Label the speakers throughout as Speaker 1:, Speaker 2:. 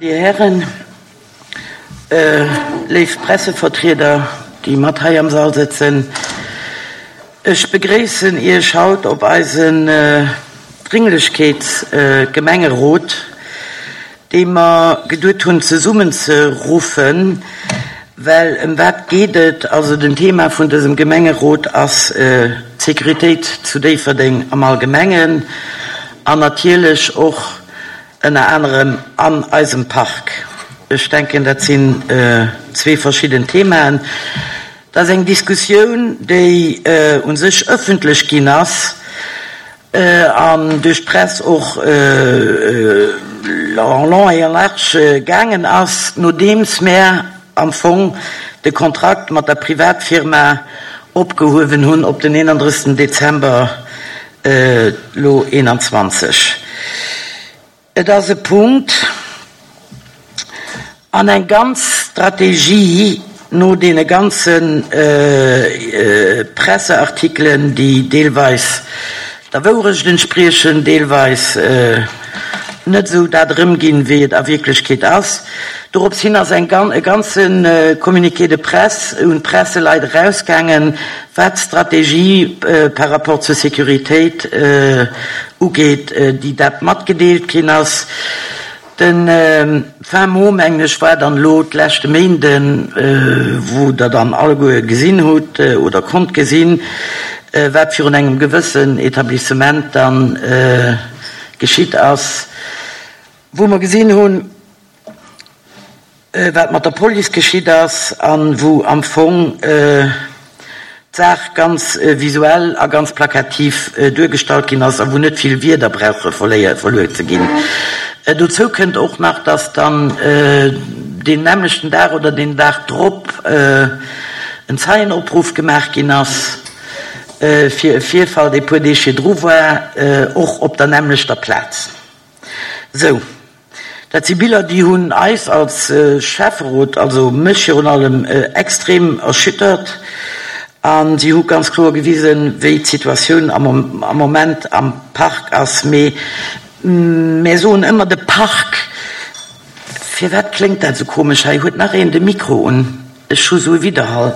Speaker 1: Dir Hären, léif Pressevertrieder, déi mat hei am Sall sëtzen, ech begréissen Iech haut op eisen Dringlechkeetsgemengerot, dee mer geduet hunn zesummenzeruffen, well ëm wat geet et? Also den Thema vun dësem Gemengerot ass d'Sécuritéit zu Déifferdeng am Allgemengen an natierlech och ënner anerem an eisem Park. Ech denken, dat sinn zwee verschidden Themaen. Dat ass eng Diskussioun, déi u sech ëffentlech ginn ass an duerch d'Press och en long et en large gaangen ass, nodeems mär am Fong de Kontrakt mat der Privatfirma opgehuewen hunn op den 31. Dezember elo 21. Et ass e Punkt an eng ganz Strategie no deene ganze Presseartikelen, déi deelweis der Wourecht entspriechen, deelweis net esou dat erëmginn, wéi et a Wierklechkeet ass. Dorops hin ass eng e ganze Communiqué de presse un d'Presseleit erausgaangen, wat d'Strategie par rapport zur Sécuritéit ugeet, déi dat matgedeelt ginn ass. De fin mot, mengen ech, war dann elo d'leschte Méinden, wou Der dann alleguer gesinn hutt oder konnt gesinn, wat virun engem gewëssen Etablissement dann geschitt ass, wou mer gesinn hunn, wat mat der Police geschitt ass a wou am Fong d'Saach ganz visuell a ganz plakativ duergestallt ginn ass a wou net vill Wierder brauche verluer ze ginn. Dozou kënnt och nach, dass dann deen nämmlechten Dag oder deen Dag drop en Zeienopruff gemaach ginn ass fir e Virfall, dee puer Deeg virdru war, och op der nämmlechter Plaz. Sou. Dat si Biller, déi hunn eis als Schäfferot, also mech virun allem, extrem erschüttert. A si hu ganz kloer gewisen, wéi d'Situatioun am Moment am Park ass. Mee mär soen ëmmer de Park. Firwat kléngt dat esou komesch hei? Huet nach een de Mikro un? Ech hu sou e Widderhall.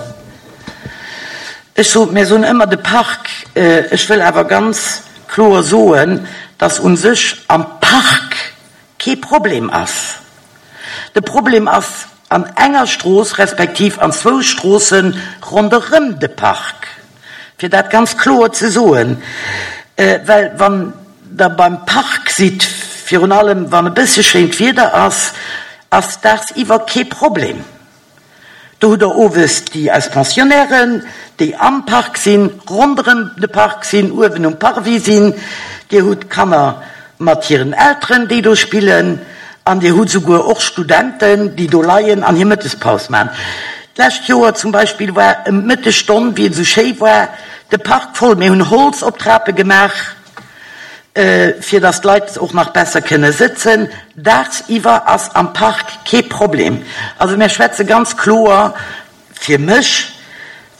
Speaker 1: Ech sot, mär soen ëmmer de Park. Ech wëll awer ganz kloer soen, dass u sech am Park kee Problem ass. De Problem ass an enger Strooss respektiv an zwou Stroosse ronderëm de Park, fir dat ganz kloer ze soen. Well wann Der beim Park sidd, virun allem wann e bësse schéint Wieder ass, ass dagsiwwer kee Problem. Do hutt Der owes déi eis Pensionnairen, déi am Park sinn, ronderëm de Park sinn, uewen um Parvis sinn. Dir hutt Kanner mat hiren Elteren, déi do spillen. An Dir hutt souguer och Studenten, déi do leien an hir Mëttespaus maachen. D'lescht Joer zum Beispill war ëm d'Mëttesstonn, wéi et esou schéi war, de Park voll. Mir hunn Holz op d'Trape gemaach. Fir dass d'Leit och nach besser kënne sëtzen. Daagsiwwer ass am Park kee Problem. Also mär schwätze ganz kloer fir mech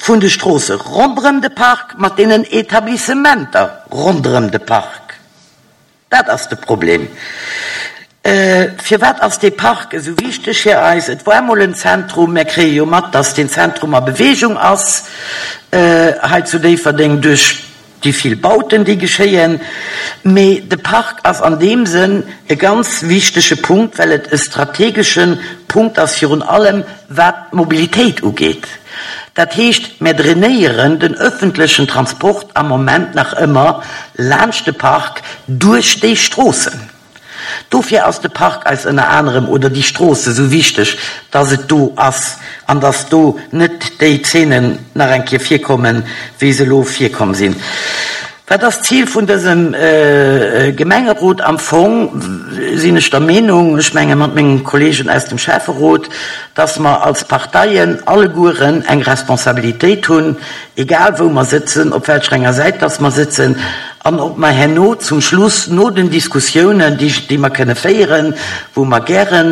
Speaker 1: vun de Stroosse ronderëm de Park mat deenen Etablissementer ronderëm de Park. Dat ass de Problem. Firwat ass dee Park esou wichteg fir eis? Et war emol en Zentrum. Mär kréie jo mat, dass deen Zentrum a Bewegung ass hei zu Déifferdeng duerch déi vill Bauten, déi geschéien. Mee de Park ass an deem Sënn e ganz wichtege Punkt, well et e strategesche Punkt ass, virun allem wat d'Mobilitéit ugeet. Dat heescht, mär drainéieren den öffentlechen Transport am Moment nach ëmmer laanscht de Park duerch déi Stroossen. Dofir ass de Park eis ënner anerem, oder déi Strooss esou wichteg, dass et do ass an dass do net déi Zeenen nach eng Kéier virkommen, wéi se elo virkomm sinn. Wat ass d'Zil vun dësem Gemengerot? Am Fong sinn ech der Meenung, ech menge mat mengen Kollegen aus dem Schäfferot, dass mer als Parteien allegueren eng Responsabilitéit hunn, egal wou mer sëtzen, op welcher enger Säit dass mer sëtzen, an ob mer herno zum Schluss no den Diskussiounen, déi mer kënne féieren, wou mer gäre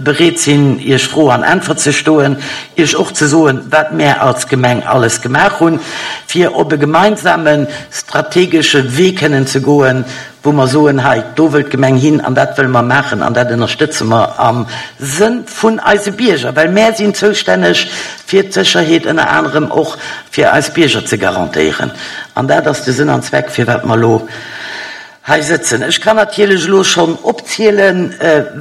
Speaker 1: bereet sinn, Iech Fro an Äntwert ze stoen, Iech och ze soen, wat mär als Gemeng alles gemaach hunn, fir op e gemeinsame strategesche Wee kënnen ze goen, wou mer soen, hei, do wëll d'Gemeng hin an dat wëlle mer maachen an dat ënnerstëtze mer am Sënn vun eise Bierger, well mär sinn zoustänneg fir d'Sécherheet ënner anerem och fir eis Bierger ze garantéieren. An dat ass de Sënn an Zweck, firwat mer elo hei sëtzen. Ech kann natierlech elo schonn opzielen,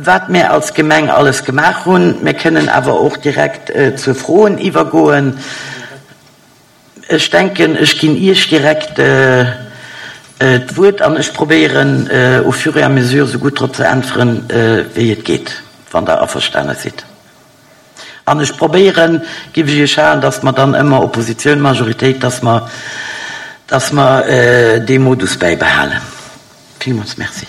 Speaker 1: wat mär als Gemeng alles gemaach hunn. Mir kënnen awer och direkt zur Froen iwwergoen. Ech denken, ech ginn Iech direkt d'Wuert an ech probéieren, au fur et à mesure esou gutt drop ze äntweren, wéi et geet, wann Der averstane sidd. An ech probéieren, géif ech Iech halen, dass mer dann ëmmer Oppositioun, Majoritéit, dass mer, dass mer dee Modus bäibehalen. Villmools Merci.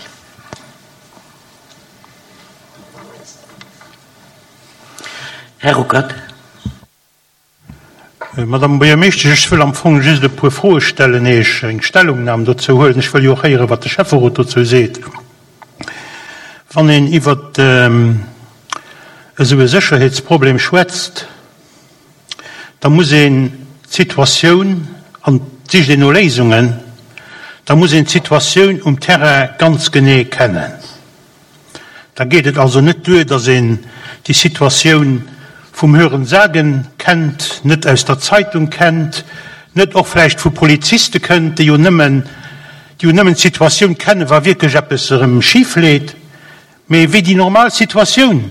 Speaker 1: Här Ruckert.
Speaker 2: Madame Buergermeeschtesch, ech wëll am Fong just e puer Froe stellen, éier ech eng Stellungnam dozou huelen. Ech wëll jo och héieren, wat de Schäfferot dozou seet. Wann een iwwer esou e Sécherheetsproblem schwätzt, da muss een d'Situatioun, an et sicht een no Léisungen, da muss een d'Situatioun um Terrain ganz genee kennen. Da geet et also net duer, datt een déi Situatioun vum Hören-Sagen kennt, net aus der Zeitung kennt, net och vläicht vu Poliziste kënnt, déi jo nëmmen, déi jo nëmmen d'Situatioun kennen, wa wierklech eppes erëm schif leet, mee wéi déi normal Situatioun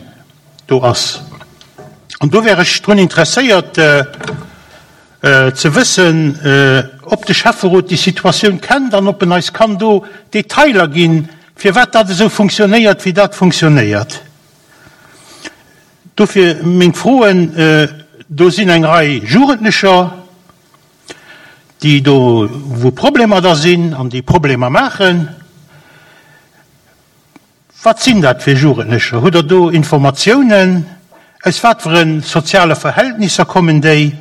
Speaker 2: do ass. An do wär ech drun interesséiert, ze wëssen, ob de Schäfferot déi Situatioun kennt an ob en eis kann do Detailer ginn, firwat dat esou funktionéiert, wéi dat funktionéiert. Dofir meng Froen, Do sinn eng Rei Jugendlecher, déi do, wou Problemer da sinn an déi Problemer maachen. Wat sinn dat fir Jugendlecher? Hutt Der do Informatiounen? Aus wat fir e soziale Verhältnisser kommen déi?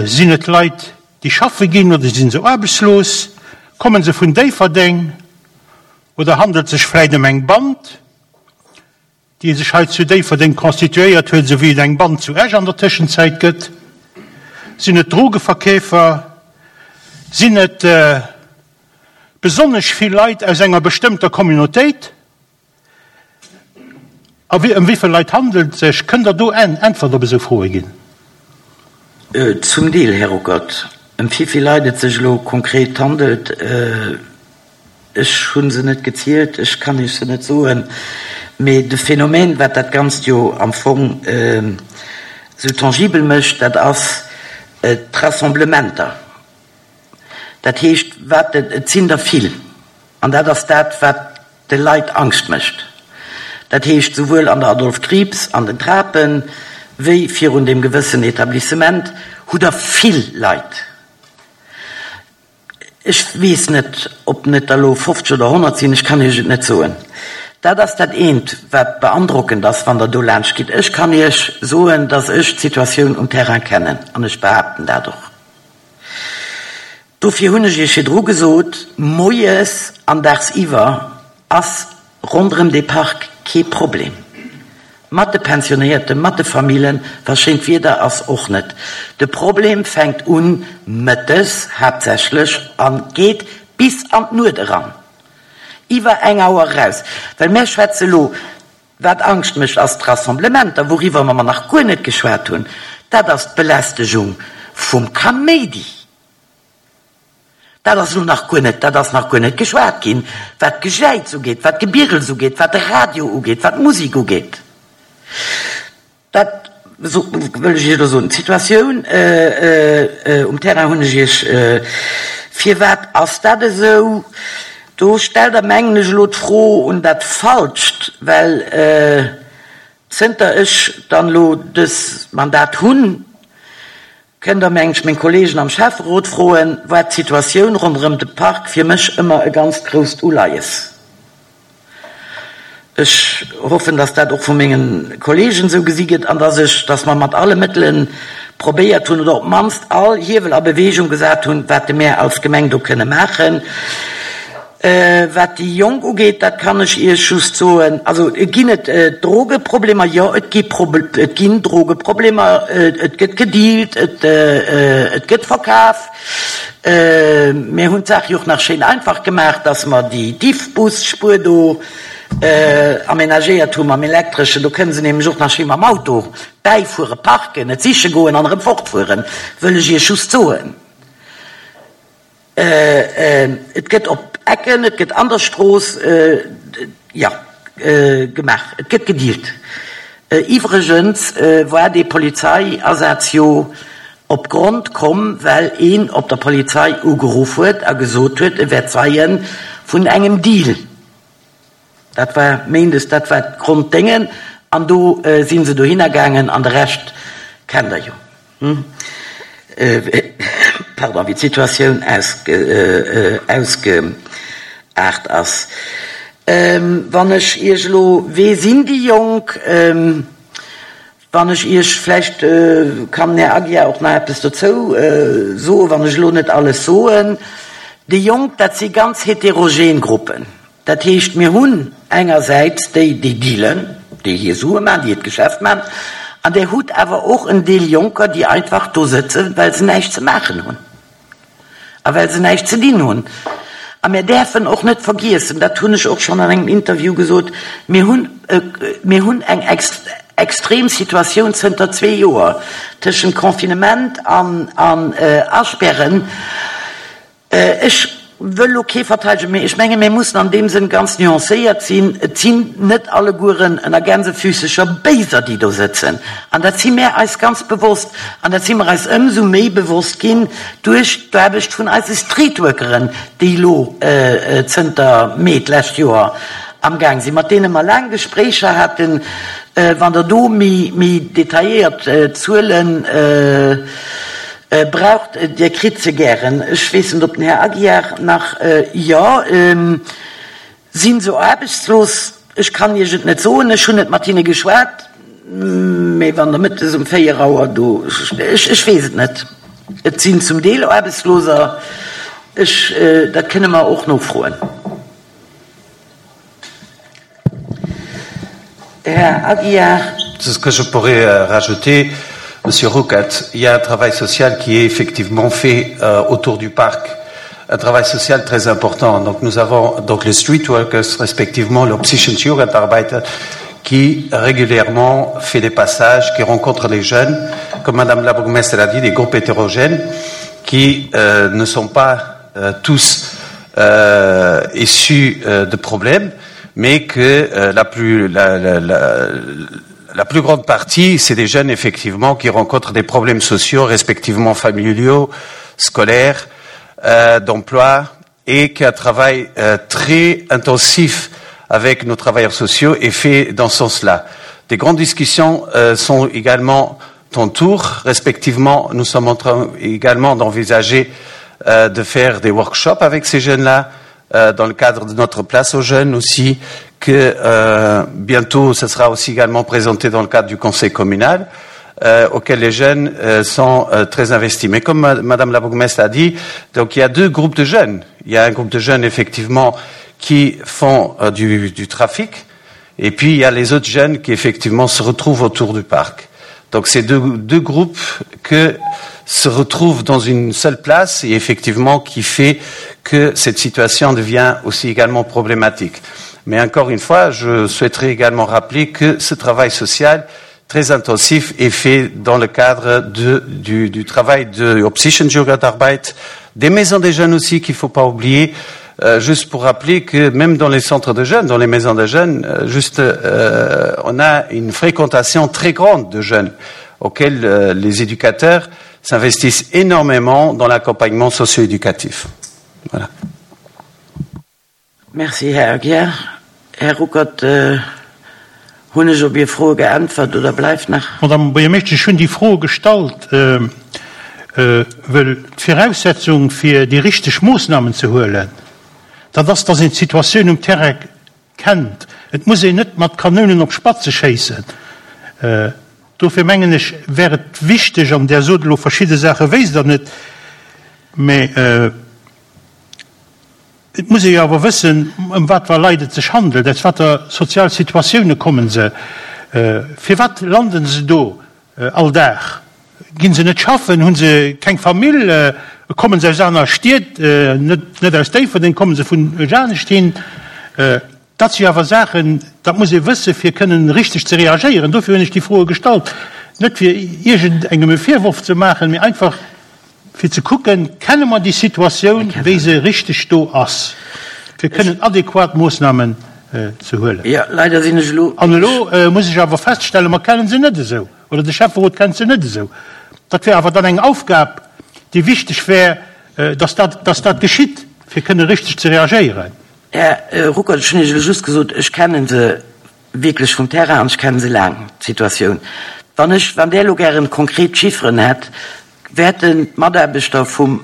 Speaker 2: Sinn et Leit, déi schaffe ginn oder si se aarbechtslos? Komme se vun Déifferdeng oder handelt sech vläicht ëm eng Band, déi sech hei zu Déifferdeng constituéiert huet, esou wéi et eng Band zu Esch an der Tëschenzäit gëtt? Sinn et Drogeverkeefer? Sinn et besonnesch vill Leit aus enger bestëmmter Communautéit? A ëm wéi vill Leit handelt et sech? Kënnt Der do eng Äntwert op esou Froe ginn?
Speaker 1: Zum Deel, Här Ruckert. Ëm wéi vill Leit et sech elo konkret handelt, ech hu se net gezielt, ech kann Iech se net soen. Mee de Phänomen, wat dat Ganzt jo am Fong esou tangibel mécht, dat ass d'Rassemblementer. Dat heescht, wat, et sinn der vill. An dat ass dat, wat de Leit Angscht mécht. Dat heescht, souwuel an der Adolphe Krieps, an den Trapen, wéi virun deem gewëssen Etablissement hutt Der vill Leit. Ech weess net, ob net der elo 50 oder 100 sinn, ech kann Iech et net soen. Dat ass dat eent, wat beandrockend ass, wann Der do laanscht gitt. Ech kann Iech soen, dass ech d'Situatioun um Terrain kennen, an ech behaapten dat och. Dofir hunn ech Iech virdru gesot, moies an dagsiwwer ass ronderëm dee Park kee Problem. Mat de Pensionéierten, mat de Famillen, wa schéint Wieder ass, och net. De Problem fänkt un mëttes haaptsächlech a geet bis an d'Nuet eran, iwwer eng Auer eraus. Well mär schwätze lo Wat Angscht mécht, ass d'Rassemblementer, wouriwwer mer nach guer net geschwat hunn, dat ass d'Belästegung vum Kaméidi. Dat ass elo nach guer net, dat ass nach guer net geschwat ginn, wat d'Gejäiz ugeet, wat d'Gebirels ugeet, wat de Radio ugeet, wat d'Musek ugeet. Dat wëll ech Iech elo soen. D'Situatioun um Terrain hunn ech Iech. Firwat ass dat esou? Do stellt Der, mengen ech, elo d'Fro un dat Falscht, well zënter ech dann elo dës Mandat hunn, kënnt Der, mengen ech, meng Kollegen am Schäfferot froen, war d'Situatioun ronderëm de Park fir mech ëmmer e ganzt grousst Uleies. Ech hoffen, dass dat och vu menge Kollegen esou gesi gëtt an dass ech, dass mer mat alle Mëttele probéiert hunn oder op d'mannst all Hiewel a Bewegung gesat hunn, wat de mär als Gemeng do kënne maachen. Wat déi Jonk ugeet, dat kann ech Iech just soen, also ginn et Drogeproblemer? Jo, et gi et ginn Drogeproblemer, et gëtt gedealt, et et gëtt verkaf. Mir hunn d'Saach jo och nach schéin einfach gemaach, dass mer déi Diffbusspuer do amenagéiert hu mam Elektreschen. Do kënne se nämlech och nach schéi mam Auto bäifueren, parken, et siche goen an erëm fortfueren, wëll ech Iech just soen. Et gëtt op Ecken, et gëtt an der Strooss, jo, gemaach, et gëtt gedealt. Iwwregens war dee Polizeiasaz jo op Grond komm, well een op der Polizei ugeruff huet a gesot huet, e wär Zeie vun engem Deal. Dat war méindes, dat war d'Gronddéngen an do si se dohinner gaangen an de Rescht kennt Der jo. Pardon, wéi d'Situatioun ausgeaart ass. Wann ech Iech elo, Wee sinn déi Jonk? Wann ech Iech, vläicht kann den Här Aguiar och nach eppes dozou soen, wann ech elo net alles soen. Déi Jonk, dat si ganz heterogen Gruppen. Dat heescht, mir hunn engersäits déi, déi dealen, déi hir Sue maachen, déi hiert Geschäft maachen, an Där hutt awer och en Deel Jonker, déi einfach do sëtzen, well se näischt ze maachen hunn a well se näischt ze dinn hunn. A mir däerfen och net vergiessen, dat hunn ech och schonn an engem Interview gesot, mir hunn, mir hunn eng extrem Situatioun zënter zwee Joer tëschent Confinement an Asperren. Ech wëll elo kee verteidegen, mee ech menge mir mussen an deem Sënn ganz nuancéiert sinn. Et sinn net allegueren ënner Gänsefüssecher Béiser, déi do sëtzen. An dat si mär eis ganz bewosst. An dat si mer eis ëmsou méi bewosst ginn duerch d'Aarbecht vun eise Streetworkeren, déi elo zënter Mee d'lescht Joer amgaang sinn, mat deene mer laang Gespréicher haten. Wann Der do méi detailléiert Zuelen Braucht, Dir kritt se gären. Ech weess net, ob den Här Aguiar nach, jo, si se aarbechtslos? Ech kann Iech et net soen, ech hunn net mat hinne geschwat, mee wann Der mëttes um 4 Auer do, ech, ech weess et net. Et sinn zum Deel Aarbechtsloser, ech, dat kënne mer och nofroen. Här Aguiar.
Speaker 3: Ce que je pourrais euh, rajouter, Monsieur Rouquette, il y a un travail social qui est effectivement fait euh, autour du parc, un travail social très important. Donc nous avons donc les street workers, respectivement le Psychenjugendarbeiter, qui régulièrement fait des passages, qui rencontre les jeunes, comme Madame la bourgmestre l'a dit, des groupes hétérogènes qui euh, ne sont pas euh, tous euh, issus euh, de problèmes, mais que euh, la, plus, la, la, la, la plus grande partie, c'est des jeunes effectivement qui rencontrent des problèmes sociaux, respectivement familiaux, scolaires, euh, d'emploi, et qu'un travail euh, très intensif avec nos travailleurs sociaux est fait dans ce sens-là. Des grandes discussions euh, sont également en tour. Respectivement, nous sommes en train également d'envisager euh, de faire des workshops avec ces jeunes-là, euh, dans le cadre de notre place aux jeunes aussi, que euh, bientôt ce sera aussi également présenté dans le cadre du conseil communal, euh, auquel les jeunes euh, sont euh, très investis. Mais comme Madame la bourgmestre a dit, donc il y a deux groupes de jeunes. Il y a un groupe de jeunes effectivement qui font euh, du, du trafic, et puis il y a les autres jeunes qui effectivement se retrouvent autour du parc. Donc c'est deux, deux groupes que se retrouvent dans une seule place et effectivement qui fait que cette situation devient aussi également problématique. Mais encore une fois, je souhaiterais également rappeler que ce travail social très intensif est fait dans le cadre de, du, du travail de Opsichen-Jugendarbeit, des maisons des jeunes aussi qu'il ne faut pas oublier, euh, juste pour rappeler que même dans les centres de jeunes, dans les maisons de jeunes, euh, juste, euh, on a une fréquentation très grande de jeunes auxquels euh, les éducateurs s'investissent énormément dans l'accompagnement socio-éducatif. Voilà.
Speaker 1: Merci, Här Aguiar. Här Ruckert, hunn ech op Är Froe geäntwert oder bleift nach?
Speaker 2: Madame Buergermeeschtesch, ech hunn déi Fro gestallt, wëll d'Viraussetzung, fir déi richteg Moossnamen ze huelen, dat ass, dass een d'Situatioun um Terrain kennt. Et muss een net mat Kanounen op Spatze schéissen. Dofir mengen ech, wär et wichteg, an Der sot elo verschidde Saache wéisst Der net, mä. Et muss ee jo awer wëssen, ëm wat fir Leit et sech handelt, aus wat fir sozial Situatioune kommen se, firwat landen se do all Dag, ginn se net schaffen, hu se keng Famill, kommen se aus aner Stied, net aus Déifferdeng, kommen se vun anescht hin. Dat si awer Saachen, dat muss ee wëssen, fir kënnen richteg ze reagéieren. Dofir hunn ech déi Froe gestallt, net fir iergendengem e Virworf ze maachen, mee einfach fir ze kucken, Kenne mer déi Situatioun, wéi se richteg do ass, fir kënnen adequat Moossnamen ze huelen? An elo muss ech awer feststellen, mer kennen se net esou, oder de Schäfferot kennt se net esou. Dat wär awer dann eng Aufgab, déi wichteg wär, dass dat, dass dat geschitt, fir kënnen richteg ze reagéieren.
Speaker 1: Här Ruckert, ech hunn Iech elo just gesot, ech kenne se wierklech vum Terrain an ech kenne se laang, d'Situatioun. Wann ech, wann Der elo gären konkret Chifferen hätt, wäerten d'Mataarbechter vum,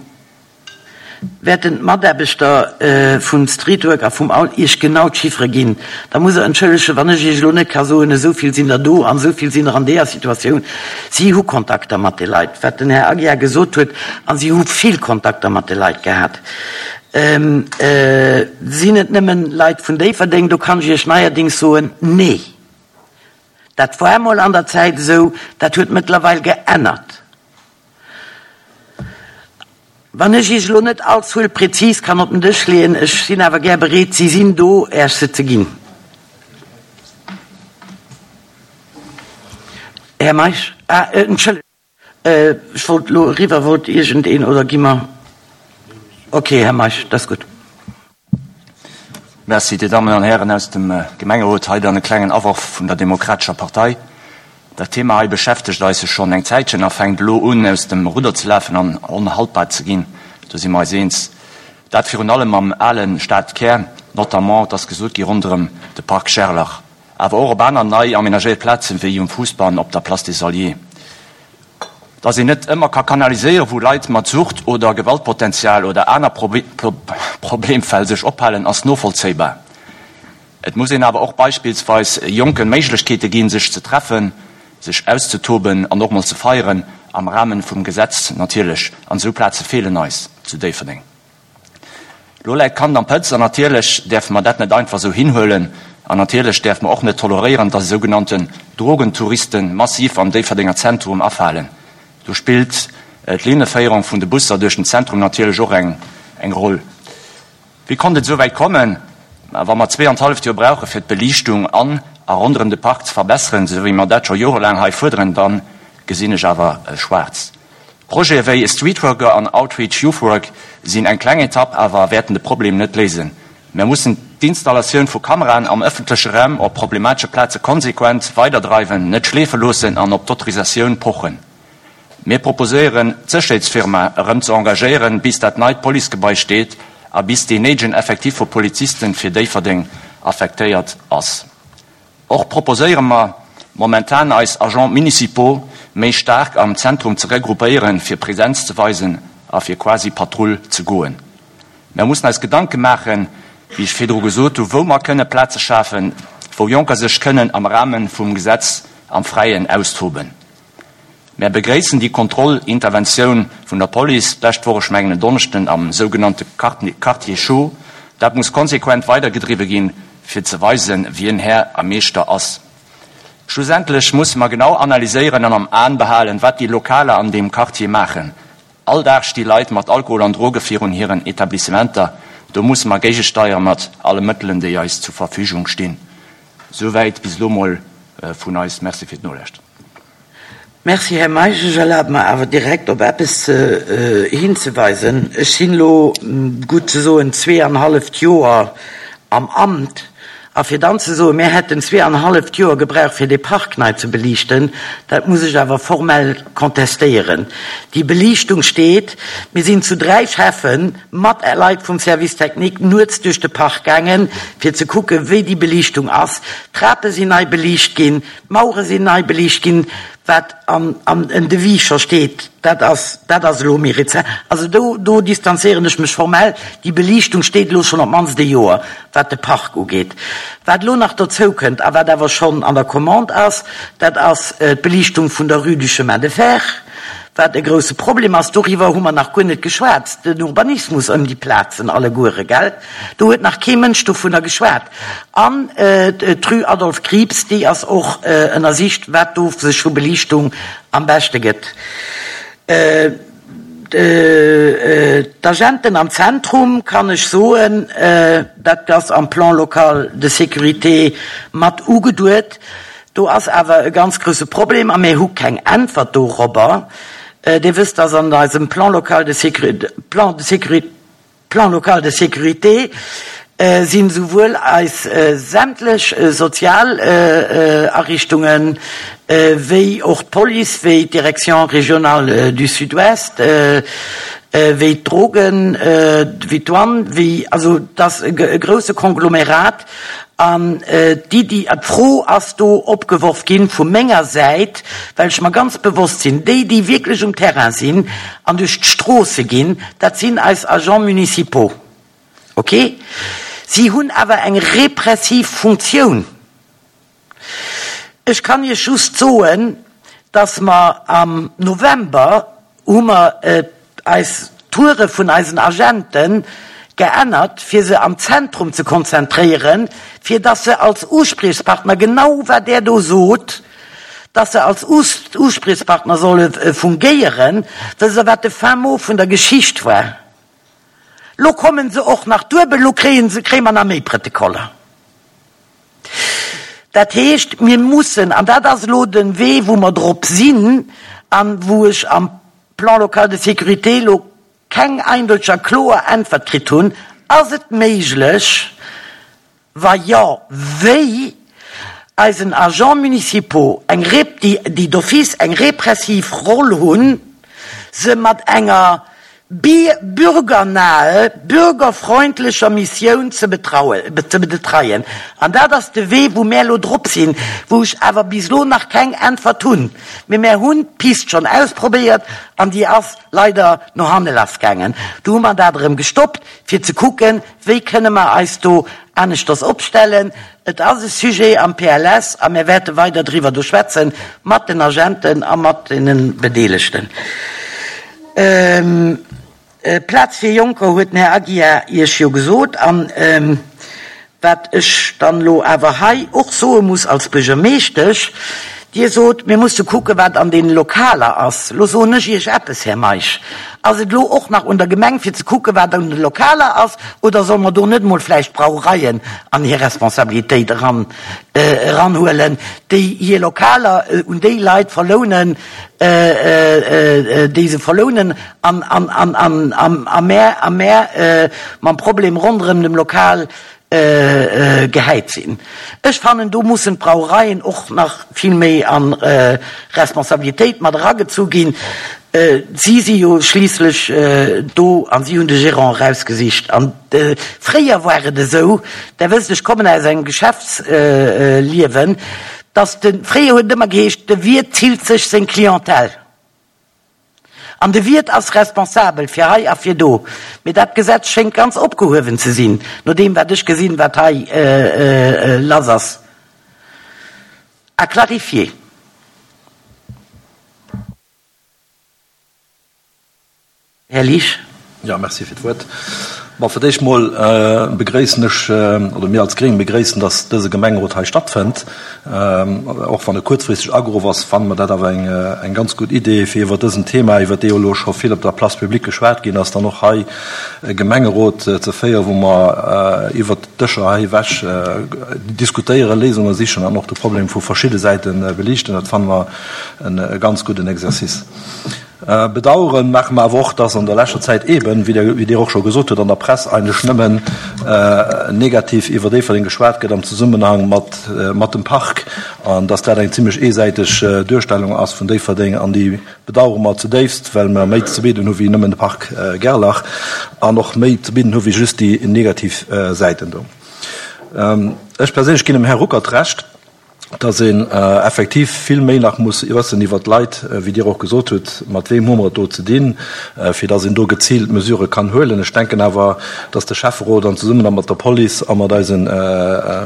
Speaker 1: wäerten d'Mataarbechter vum Streetwork a vum All Iech genau d'Chiffere ginn. Da musst Der entschëllegen, wann ech Iech elo net ka soen, esou vill sinn der do an esou vill sinn der an deeër Situatioun. Si hu Kontakter mat de Leit, wat den Här Aguiar gesot huet, a si hu vill Kontakter mat de Leit gehat. Sinn et nëmmen Leit vun Déifferdeng? Do kann ech Iech neierdings soen, Nee. Dat war emol an der Zäit esou, dat huet mëttlerweil geännert. Wann ech Iech elo net all Zuel prezis kann op den Dësch leeën, ech sinn awer gär bereet, si sinn do, Äech se ze ginn. Här Meisch, ah, entschëllegt. Ech wollt elo eriwwer. Wollt iergendeen oder gi mer? Okay, Här Meisch, dat ass gutt.
Speaker 4: Merci, Dir Dammen an Hären aus dem Gemengerot. Hei dann e klengen Aworf vun der Demokratescher Partei. Dat Thema hei beschäftegt eis jo schonn eng Zäitchen a fänkt elo un, aus dem Rudder ze lafen an onhaltbar ze ginn. Do si mer eis eens. Dat virun allem am ale Stadkär, notamment, et ass gesot gi, ronderëm de Parc Gerlach. Awer och op aner nei amenagéiert Plazen, wéi um Fuussbann op der Place des Alliés. Dass een net ëmmer ka kanaliséieren, wou Leit mat Sucht oder Gewaltpotenzial oder aner Problemfäll sech ophalen, ass novollzéibar. Et muss een awer och beispillsweis Jonken Méiglechkeete ginn, sech ze treffen, sech auszetoben an och mol ze feieren, am Rahmen vum Gesetz natierlech. An esou Plaze feelen eis zu Déifferdeng. Lo läit d'Kand am Pëtz an natierlech däerfe mer dat net einfach esou hinhuelen an natierlech däerfe mer och net toleréieren, dass esougenannten Drogentouristen massiv am Déifferdenger Zentrum afalen. Do spillt d'Linneféierung vun de Busser duerch den Zentrum natierlech och eng Roll. Wéi konnt et esou wäit kommen? Wa mer zweeanthalleft Joer brauche fir d'Beliichtung an a ronderëm de Park ze verbesseren, esou wéi mer dat scho jorelaang hei fuerderen, da gesinn ech awer schwaarz. Projete wéi Streetworker an Outreach Youth Work sinn eng kleng Etapp, awer wäerten de Problem net léisen. Mär mussen d'Installatioun vu Kameraen am ëffentleche Raum op problematesche Plaze konsequent weiderdreiwen, net schleefe loossen an op d'Autorisatioun pochen. Mir proposéieren, d'Sécherheetsfirma erëm ze engagéieren, bis dat neit Policegebai steet a bis deen néidegen Effectif vu Polizisten fir Déifferdeng affektéiert ass. Och proposéiere mer momentan eis Agents municipaux méi staark am Zentrum ze regroupéieren, fir Präsenz ze weisen a fir quasi Patrull ze goen. Mer mussen eis Gedanke maachen, wéi ech virdru gesot hu, wou mer kënne Plaze schafen, wou Jonker sech kënnen am Rahme vum Gesetz am Fräien austoben. Mär begréissen déi Kontrollinterventioun vun der Police d'lescht Woch, ech mengen en Donneschden, am sougenannte Quartier chaud. Dat muss konsequent weidergedriwwe ginn, fir ze weisen, wien Här a Meeschter ass. Schlussendlech musse mer genau analyséieren an am Aen behalen, wat déi Lokaler an deem Quartier maachen. All Dag sti Leit mat Alkohol an Droge virun hiren Etablissementer. Do musse mer géigesteiere mat alle Mëttelen, déi eis zur Verfügung stinn. Souwäit bis elo mol vun eis. Merci fir d'Nolauschteren.
Speaker 1: Merci, Här Meisch. Ech erlabe mer awer direkt op eppes hinzeweisen. Ech sinn elo, gutt ze soen, zweeanhalleft Joer am Amt. A fir dann ze soen, mir hätten zweeanhalleft Joer gebraucht, fir dee Park nei ze beliichten, dat muss ech awer formell contestéieren. Déi Beliichtung steet. Mir sinn zu dräi Schäffe mat Leit vum Service technique nuets duerch de Park gaangen, fir ze kucken, wéi déi Beliichtung ass. D'Trape sinn nei beliicht ginn. D'Mauere sinn nei beliicht ginn, wat an en Devis scho steet, dat ass, dat ass elo méi rezent. Also do, do distanzéieren ech mech formell. Déi Beliichtung steet elo schonn op d'mannst e Joer, wat de Park ugeet. Wat elo nach dozou kënnt a wat awer schonn an der Commande ass, dat ass d'Beliichtung vun der Rue du Chemin de Fer. Wat e grousse Problem ass, doriwwer hu mer nach guer net geschwat, den Urbanismus ëm déi Plazen alleguere, gell? Do huet nach kee Mënsch dovunner geschwat. An d'Rue Adolphe Krieps, déi ass och ënnersicht, wat do sech vu Beliichtung am beschte gëtt. D'Agenten am Zentrum, kann ech soen, dat ass am Plan local de sécurité mat ugeduet. Do ass awer e ganz grousse Problem a mir hu keng Äntwert dorobber. Dir wësst, dass an eisem Plan local de sécurité, Plan de sécurité, Plan local de sécurité sinn esouwuel eis sämtlech sozial Ariichtungen, wéi och d'Police, wéi d'Direction régionale du Sud-Ouest, wéi d'Drogen, wéi d'Douane, wéi, also et ass e grousse Konglomerat. An d'Iddi, d'Fro ass do opgeworf ginn vu menger Säit, well ech mer ganz bewosst sinn, déi, déi wierklech um Terrain sinn an duerch d'Stroosse ginn, dat sinn eis Agents municipaux. Ok? Si hunn awer eng repressiv Funktioun. Ech kann Iech just soen, dass mer am November hu mer eis Toure vun eisen Agente geännert, fir se am Zentrum ze konzentréieren, fir dass se als Uspriechspartner, genau wat Der do sot, dass se als Uspriechspartner solle fungéieren. Wësst Der, wat de Fin mot vun der Geschicht war? Lo kommen se och nach duebel, lo kréie se, kréie mer nach méi Prëttekoller. Dat heescht, mir mussen, an dat ass elo de Wee, wou mer drop sinn an wou ech am Plan local de sécurité elo keng eindeuteg a kloer Äntwert kritt hunn, Ass et méiglech, wa jo, wéi, eisen Agents municipaux, eng, déi d'office eng repressiv Roll hunn, se mat enger bürgernahe, bürgerfreundlecher Missioun ze betreien. An dat ass de Wee, wou mär elo drop sinn, wou ech awer bis elo nach keng Äntwert hunn. Mee mär hunn d'Pist schonn ausprobéiert an déi ass leider no hanne lassgaangen. Du hu mer dat erëm gestoppt, fir ze kucken, wéi kënne mer eis do aneschters opstellen. Et ass e Sujet am PLS a mär wäerte weider driwwer do schwätze mat den Agenten a mat deene Bedeelegten. Plaz fir Jonker huet den Här Aguiar Iech jo gesot. An wat ech dann elo awer hei och soe muss als Buergermeeschtesch, Dir sot, mir musse kucken, wat an deene Lokaler ass. Elo soen ech Iech eppes, Här Meisch, Ass et elo och nach un der Gemeng, fir ze kucken, wat an de Lokaler ass, oder solle mer do net emol vläicht d'Brauereien an hir Responsabilitéit eran eranhuelen, déi hir Lokaler un déi Leit verlounen, déi se verlounen, an a mär a mär mam Problem ronderëm dem Lokal gehäit sinn. Ech fannen, do mussen d'Brauereien och nach vill méi a Responsabilitéit mat eragezu ginn. Si si jo schliisslech do a si hunn de Gérant erausgesicht. An fréier war et esou, Der wësst, ech kommen aus engem Geschäftsliewen, dass de, fréier huet et ëmmer geheescht, de Wiert zillt sech seng Clientèle. An de Wiert ass responsabel fir hei a fir do. Mee dat Gesetz schéngt ganz opgehuewen ze sinn, no deem wat ech gesinn, wat hei lass ass. À clarifier. Här Liesch.
Speaker 5: Jo, merci fir d'Wuert. Bon, fir d'éischt mol begréissen ech, oder mir als Gréng begréissen, dass dëse Gemengerot hei stattfënnt. Och wann e kuerzfristeg ageruff ass, fanne mer dat awer eng ganz gutt Idee, fir iwwer dësen Thema, iwwer dee jo elo scho vill op der Place publique geschwat ginn ass, dann och hei e Gemengerot ze féieren, wou mer iwwert d'Dëscher hei ewech diskutéieren, Léisunge sichen an och de Problem vu verschidde Säite beliichten. Dat fanne mer e ganz gudden Exercice. Bedaueren maache mer awer och, dass an der leschter Zäit eeben, wéi Dir och scho gesot hutt, an der Press eigentlech nëmmen negativ iwwer Déifferdeng geschwat gëtt am Zesummenhang mat dem Park an dass dat eng zimlech eesäiteg Duerstellung ass vun Déifferdeng. An déi bedauere mer zudéifst, well mer méi ze bidden hu wéi nëmmen de Park Gerlach an och méi ze bidden hu wéi just déi negativ Säiten do. Ech perséinlech ginn dem Här Ruckert Recht. Dass een effektiv vill méi nach muss wëssen iwwert d'Leit, wéi Dir och gesot hutt, mat weem hu mer et do ze dinn, fir dass een do geziilt Mesurë kann huelen. Ech denken awer, dass de Schäfferot an zesummen da mat der Police a mat eisen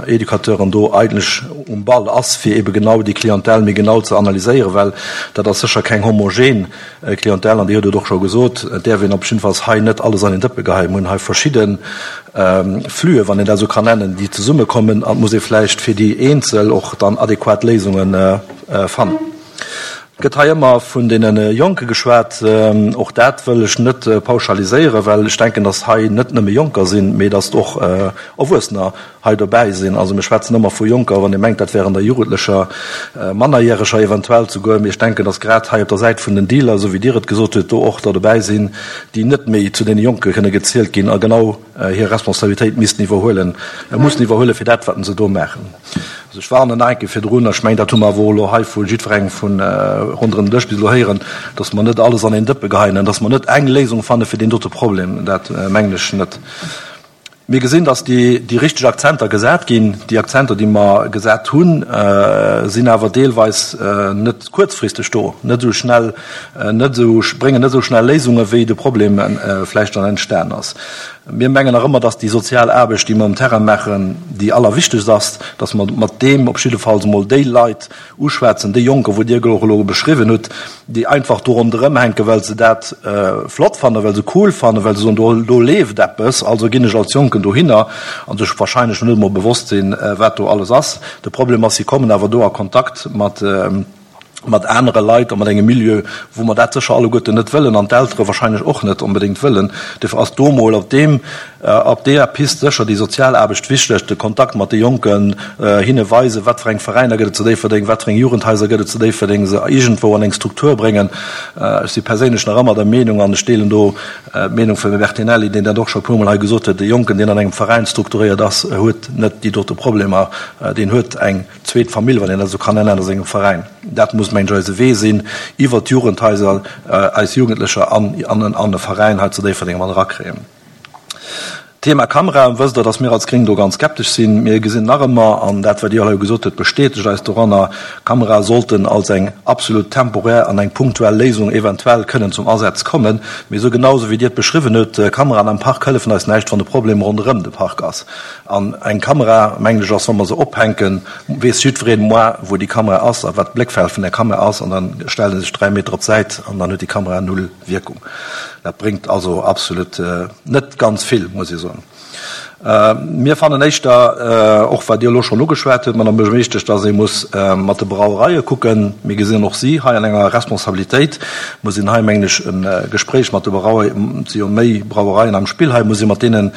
Speaker 5: Educateuren do eigentlech um Ball ass, fir eebe genau déi Clientèle méi genau ze analyséieren, well dat ass sécher keng homogen Clientèle, an Dir hutt et och scho gesot, et däerf een op jiddefalls hei net alles an een Dëppe geheien. Mir hunn hei verschidde Flüe, wann een dat esou kann nennen, déi zesummekommen, an et muss ee vläicht fir déi eenzel och dann adequat Léisunge fannen. Et gëtt hei ëmmer vun deene Jonke geschwat. Och dat wëll ech net pauschaliséieren, well ech denken, datt hei net nëmme Jonker sinn, mee datt och Erwuessener hei dobäi sinn. Also mir schwätzen ëmmer vu Jonker, wann ee mengt, dat wären der Jugendlecher, Mannerjäreger eventuell souguer. Mee ech denken, datt grad hei op der Säit vun den Dealer, esou wéi Dir et gesot hutt, do och der dobäi sinn, déi net méi zu deene Jonke kënne gezielt ginn a genau hir Responsabilitéit missten iwwerhuelen, mussen iwwerhuelen fir dat, wat se do maachen. Also ech warnen nach eng Kéier virdrun, a ech mengen, dat hu mer awer och elo hei vu jiddwerengem vu ronderëm den Dësch bis elo héieren, datt mer net alles an een Dëppe geheien an datt mer net eng Léisung fanne fir deen dote Problem. Dat mengen ech net. Mir gesinn, dass déi richteg Akzenter gesat ginn. Déi Akzenter, déi mer gesat hunn, sinn awer deelweis net kuerzfristeg do, net esou schnell, net esou, bréngen net esou schnell Léisunge wéi de Problem vläicht dann entstan ass. Mir mengen nach ëmmer, dass déi sozial Aarbecht, déi mer um Terrain maachen, déi allerwichtegst ass, dass mer mat deem op jiddefalls emol déi Leit uschwätzen, déi Jonker, wou Dir och elo beschriwwen hutt, déi einfach do ronderëm hänken, well se dat flott fannen, well se cool fannen, well se soen, do, do leeft eppes, also ginn ech als Jonken dohinner, a sech wahrscheinlech net emol bewosst sinn, wat do alles ass. De Problem ass, si kommen awer do a Kontakt mat, mat anere Leit a mat engem Milieu, wou mer dat sécher alleguerten net wëllen an d'Eltere wahrscheinlech och net onbedéngt wëllen. Duerfir ass do emol op deem, Op deeër Pist sécher déi sozial Aarbecht wichteg, de Kontakt mat de Jonken, hinne weisen, wat fir eng Veräiner gëtt et zu Déifferdeng, wat fir eng Jugendhaiser gëtt et zu Déifferdeng, se iergendwou an eng Struktur bréngen. Ech si perséinlech nach ëmmer der Meenung, an ech deelen do d'Meenung vum Här Bertinelli, deen dat och scho e puermol hei gesot huet, e Jonken, deen an engem Veräin strukturéiert ass, huet net déi dote Problemer, deen huet eng zweet Famill, wann een dat esou kann nennen, a sengem Veräin. Dat muss, mengen ech, eise Wee sinn, iwwert d'Jugendhaiser eis Jugendlecher an e Veräin hei zu Déifferdeng mat erakréien. Thema Kameraen, wësst Der, dass mir als Gréng do ganz skeptesch sinn. Mir gesinn nach ëmmer, an dat, wat Dir hei gesot hutt, bestätegt eis doranner, Kamerae sollten als eng absolut temporär an eng punktuell Léisung eventuell kënnen zum Asaz kommen. Mee esou genau esou wéi Dir et beschriwwen hutt, Kameraen am Park hëllefen eis näischt, wann de Problem ronderëm de Park ass. An eng Kamera, mengen ech, ass, wa mer se ophänken, weess jiddwereen moi, wou déi Kamera ass a wat d'Bléckfeld vun där Kamera ass, an da stellt e sech 3 Meter op d'Säit an dann huet déi Kamera null Wierkung. Dat bréngt also absolut net ganz vill, muss ee soen. Mir fannen éischter, och wat Dir elo schonn ugeschwat hutt, Madame Buergermeeschtesch, dass ee muss mat de Brauereie kucken. Mir gesinn och si hei an enger Responsabilitéit. Muss een hei, mengen ech, e Gespréich mat de Brauereien, et si jo méi Brauereien am Spill hei, muss ee mat deene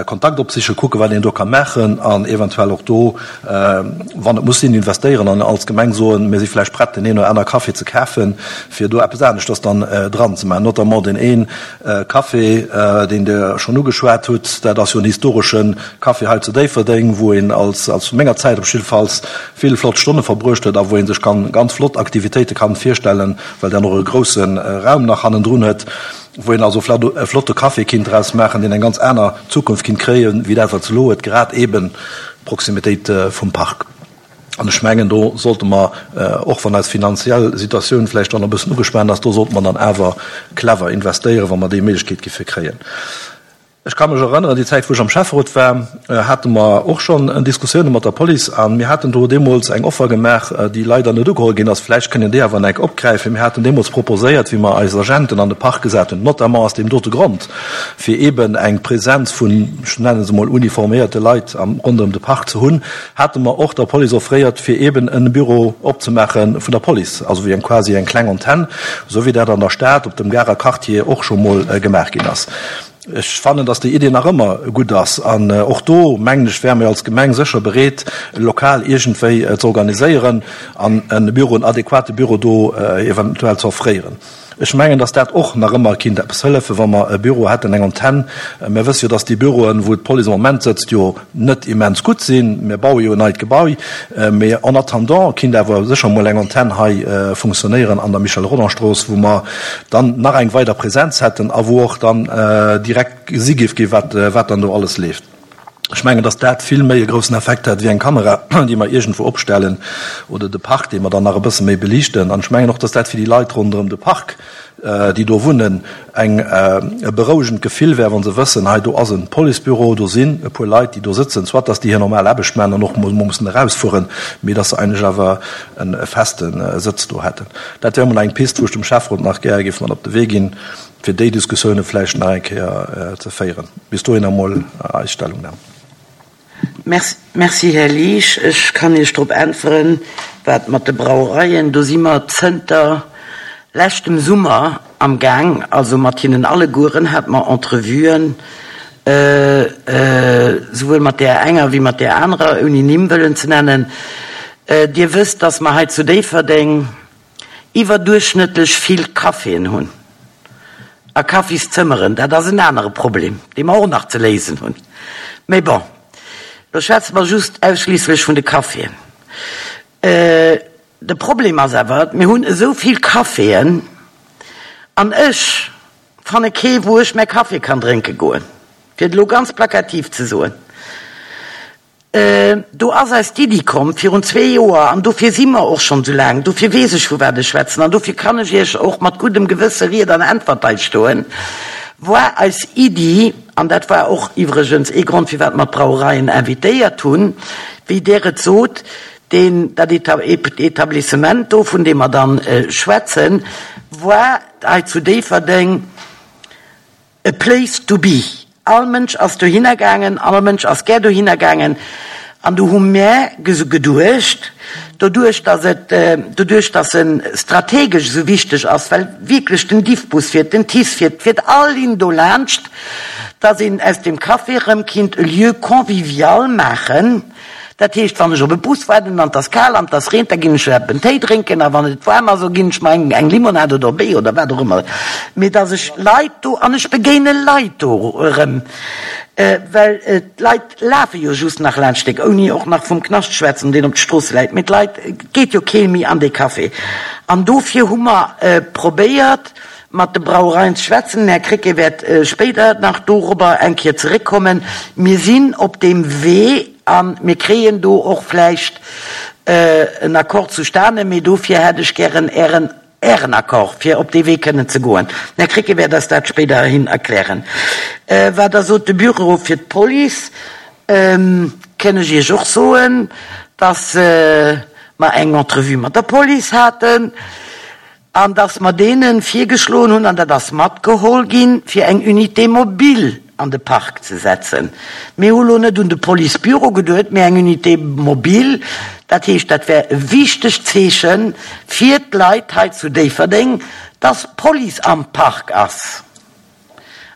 Speaker 5: Kontakt opsichen, kucken, wat een do ka maachen an eventuell och do wann et muss sinn, investéieren an als Gemeng soen, mir si vläicht prett, deen een oder aner Café ze kafen, fir do eppes aneschters dann dran ze maachen. Notamment deen ee Café, deen Der schonn ugeschwat hutt, dat ass jo en historesche Café hei zu Déifferdeng, wou een als, zu menger Zäit op jiddefalls, vill flott Stonne verbruecht huet a wou ee sech kann ganz flott Aktivitéite kann virstellen, well deen och e grousse Raum nach hannendrun huet. wou een also e flotte Café kinnt draus maachen, deen eng ganz aner Zukunft kinnt kréien, wéi dat, wat se elo huet, grad eeben d'Proximitéit vum Park. An ech mengen, do sollte mer, och wann eis finanziell Situatioun vläicht dann e bëssen ugespaant ass, do sollte mer dann awer clever investéieren, wa mer déi Méiglechkeet giffe kréien. Ech ka mech erënneren, déi Zäit, wou ech am Schäfferot war, hate mer och schonn Diskussioune mat der Police a mir haten do deemools eng Offer gemaach, déi leider net ugeholl ginn ass. Vläicht kënnen déi awer nach opgräifen. Mir haten deemools proposéiert, wéi mer eis Agenten an de Park gesat hunn, notamment aus deem dote Grond, fir eeben eng Presenz vun, ech nenne se emol, uniforméierte Leit ronderëm de Park ze hunn, hate mer och der Police offréiert, fir eeben e Büro opzemaache vun der Police, also wéi eng quasi eng kleng Antenn, esou wéi dat an der Stad op dem Garer Quartier och scho mol gemaach ginn ass. Ech fannen, dass déi Idee nach ëmmer gutt ass. An och do, mengen ech, wäre mir als Gemeng sécher bereet, e Lokal iergendwéi ze organiséieren an e Büro, en adequate Büro do eventuell ze offréieren. Ech mengen, dass dat och nach ëmmer kinnt eppes hëllefen, wa mer e Büro hätten, eng Antenn. Mir wësse jo, dass déi Büroen, wou d'Police am Moment sëtzt, jo net immens gutt sinn. Mir baue jo en neit Gebai, mee en attendant kinnt awer sécher emol eng Antenn hei funktionéieren an der Michel-Rodange-Strooss, wou mer dann nach eng weider Präsenz hätten a wou och dann direkt gesi géif ginn, wat dann do alles leeft. Ech mengen, dass dat vill méi e groussen Effekt hätt wéi eng Kamera, déi mer iergendwou opstellen, oder de Park, dee mer dann nach e bësse méi beliichten. An ech mengen och, dass dat fir déi Leit ronderëm de Park, déi do wunnen, eng e berouegend Gefill wär, wa se wëssen, hei do ass e Policebüro, do sinn e puer Leit, déi do sëtzen, soit dass déi hir normal Aarbecht maachen an och emol mussen erausfueren, mee dass se eigentlech awer e feste Sëtz do hätten. Dat wär emol eng Pist, wou ech dem Schäfferot nach gär géif mat op de Wee ginn. fir déi Diskussioune vläicht nach eng Kéier ze féieren. Bis dohinner emol eis Stellungnam.
Speaker 1: Merci, Här Liesch. Ech kann Iech drop äntweren, wat mat de Brauereien, do si mer zënter leschtem Summer am Gaang, also mat hinnen allegueren hate mer Entrevuen, souwuel mat där enger wéi mat där anerer, ouni Nimm wëllen ze nennen. Dir wësst, dass mer hei zu Déifferdeng iwwerduerchschnëttlech vill Caféen hunn a Kaffiszëmmeren. Dat ass en anere Problem, dee mer och nach ze léisen hunn. Mee bon, lo schwätze mer just ausschliisslech vun de Caféen. De Problem ass awer, mir hunn esou vill Caféen an ech fanne kee wou ech mäi Café kann drénke goen, fir et elo ganz plakativ ze soen. Do ass eis d'Iddi komm virun zwee Joer, an dofir si mer och schonn esou laang, dofir weess ech vu wat ech schwätzen an dofir kann ech Iech och mat guddem Gewësse Ried an Äntwert hei stoen, war eis Iddi, an dat war och iwwregens ee Grond firwat mer d'Brauereien invitéiert hunn, wéi Der et sot, deen, dat Etablissement do, vun deem mer dann schwätzen, war hei zu Déifferdeng, A place to be. All Mënsch ass dohinner gaangen, all Mënsch ass gär dohinner gaangen. An do hu mär geduecht, doduerch datt et, doduerch datt e strategesch esou wichteg ass, well wierklech den Diffbus fiert, den TICE fiert, fiert all Linn do laanscht, datt een aus deem Café erëm kinnt e Lieu convivial maachen, Dat heescht, wann ech op e Bus waarden an 't ass kal an 't ass reent, da ginn ech en Téi drénken a wann et waarm ass, da ginn ech mer eng Limonade oder e Béier oder wat och ëmmer. Mee dass ech Leit do, an ech begéine Leit do erëm, well d'Leit lafe jo just nach laanscht Stéck, ouni och nach vum Knascht schwätzen, deen op de Stroosse läit, mee d'Leit, et geet jo kee méi an dee Café. An dofir hu mer probéiert, mat de Brauereien ze schwätzen. Den Här Krecké wäert spéider nach dorobber eng Kéier zeréckkommen. Mir sinn op deem Wee a mir kréien do och vläicht en Accord zustane, mee dofir hätt ech gären Ären, Ären Accord, fir op dee Wee kënnen ze goen. Den Här Krecké wäert eis dat spéiderhin erklären. Wat Der sot, de Büro fir d'Police, kënn ech Iech och soen, dass mer eng Entrevue mat der Police haten. An dass mer deene virgeschloen hunn, an dat ass matgeholl ginn, fir eng Unité mobile an de Park ze setzen. Mir hu lo net un de Policebüro geduet, mee eng Unité mobile. Dat heescht, dat wär e wichtegt Zeeche fir d'Leit hei zu Déifferdeng, dass d'Police am Park ass.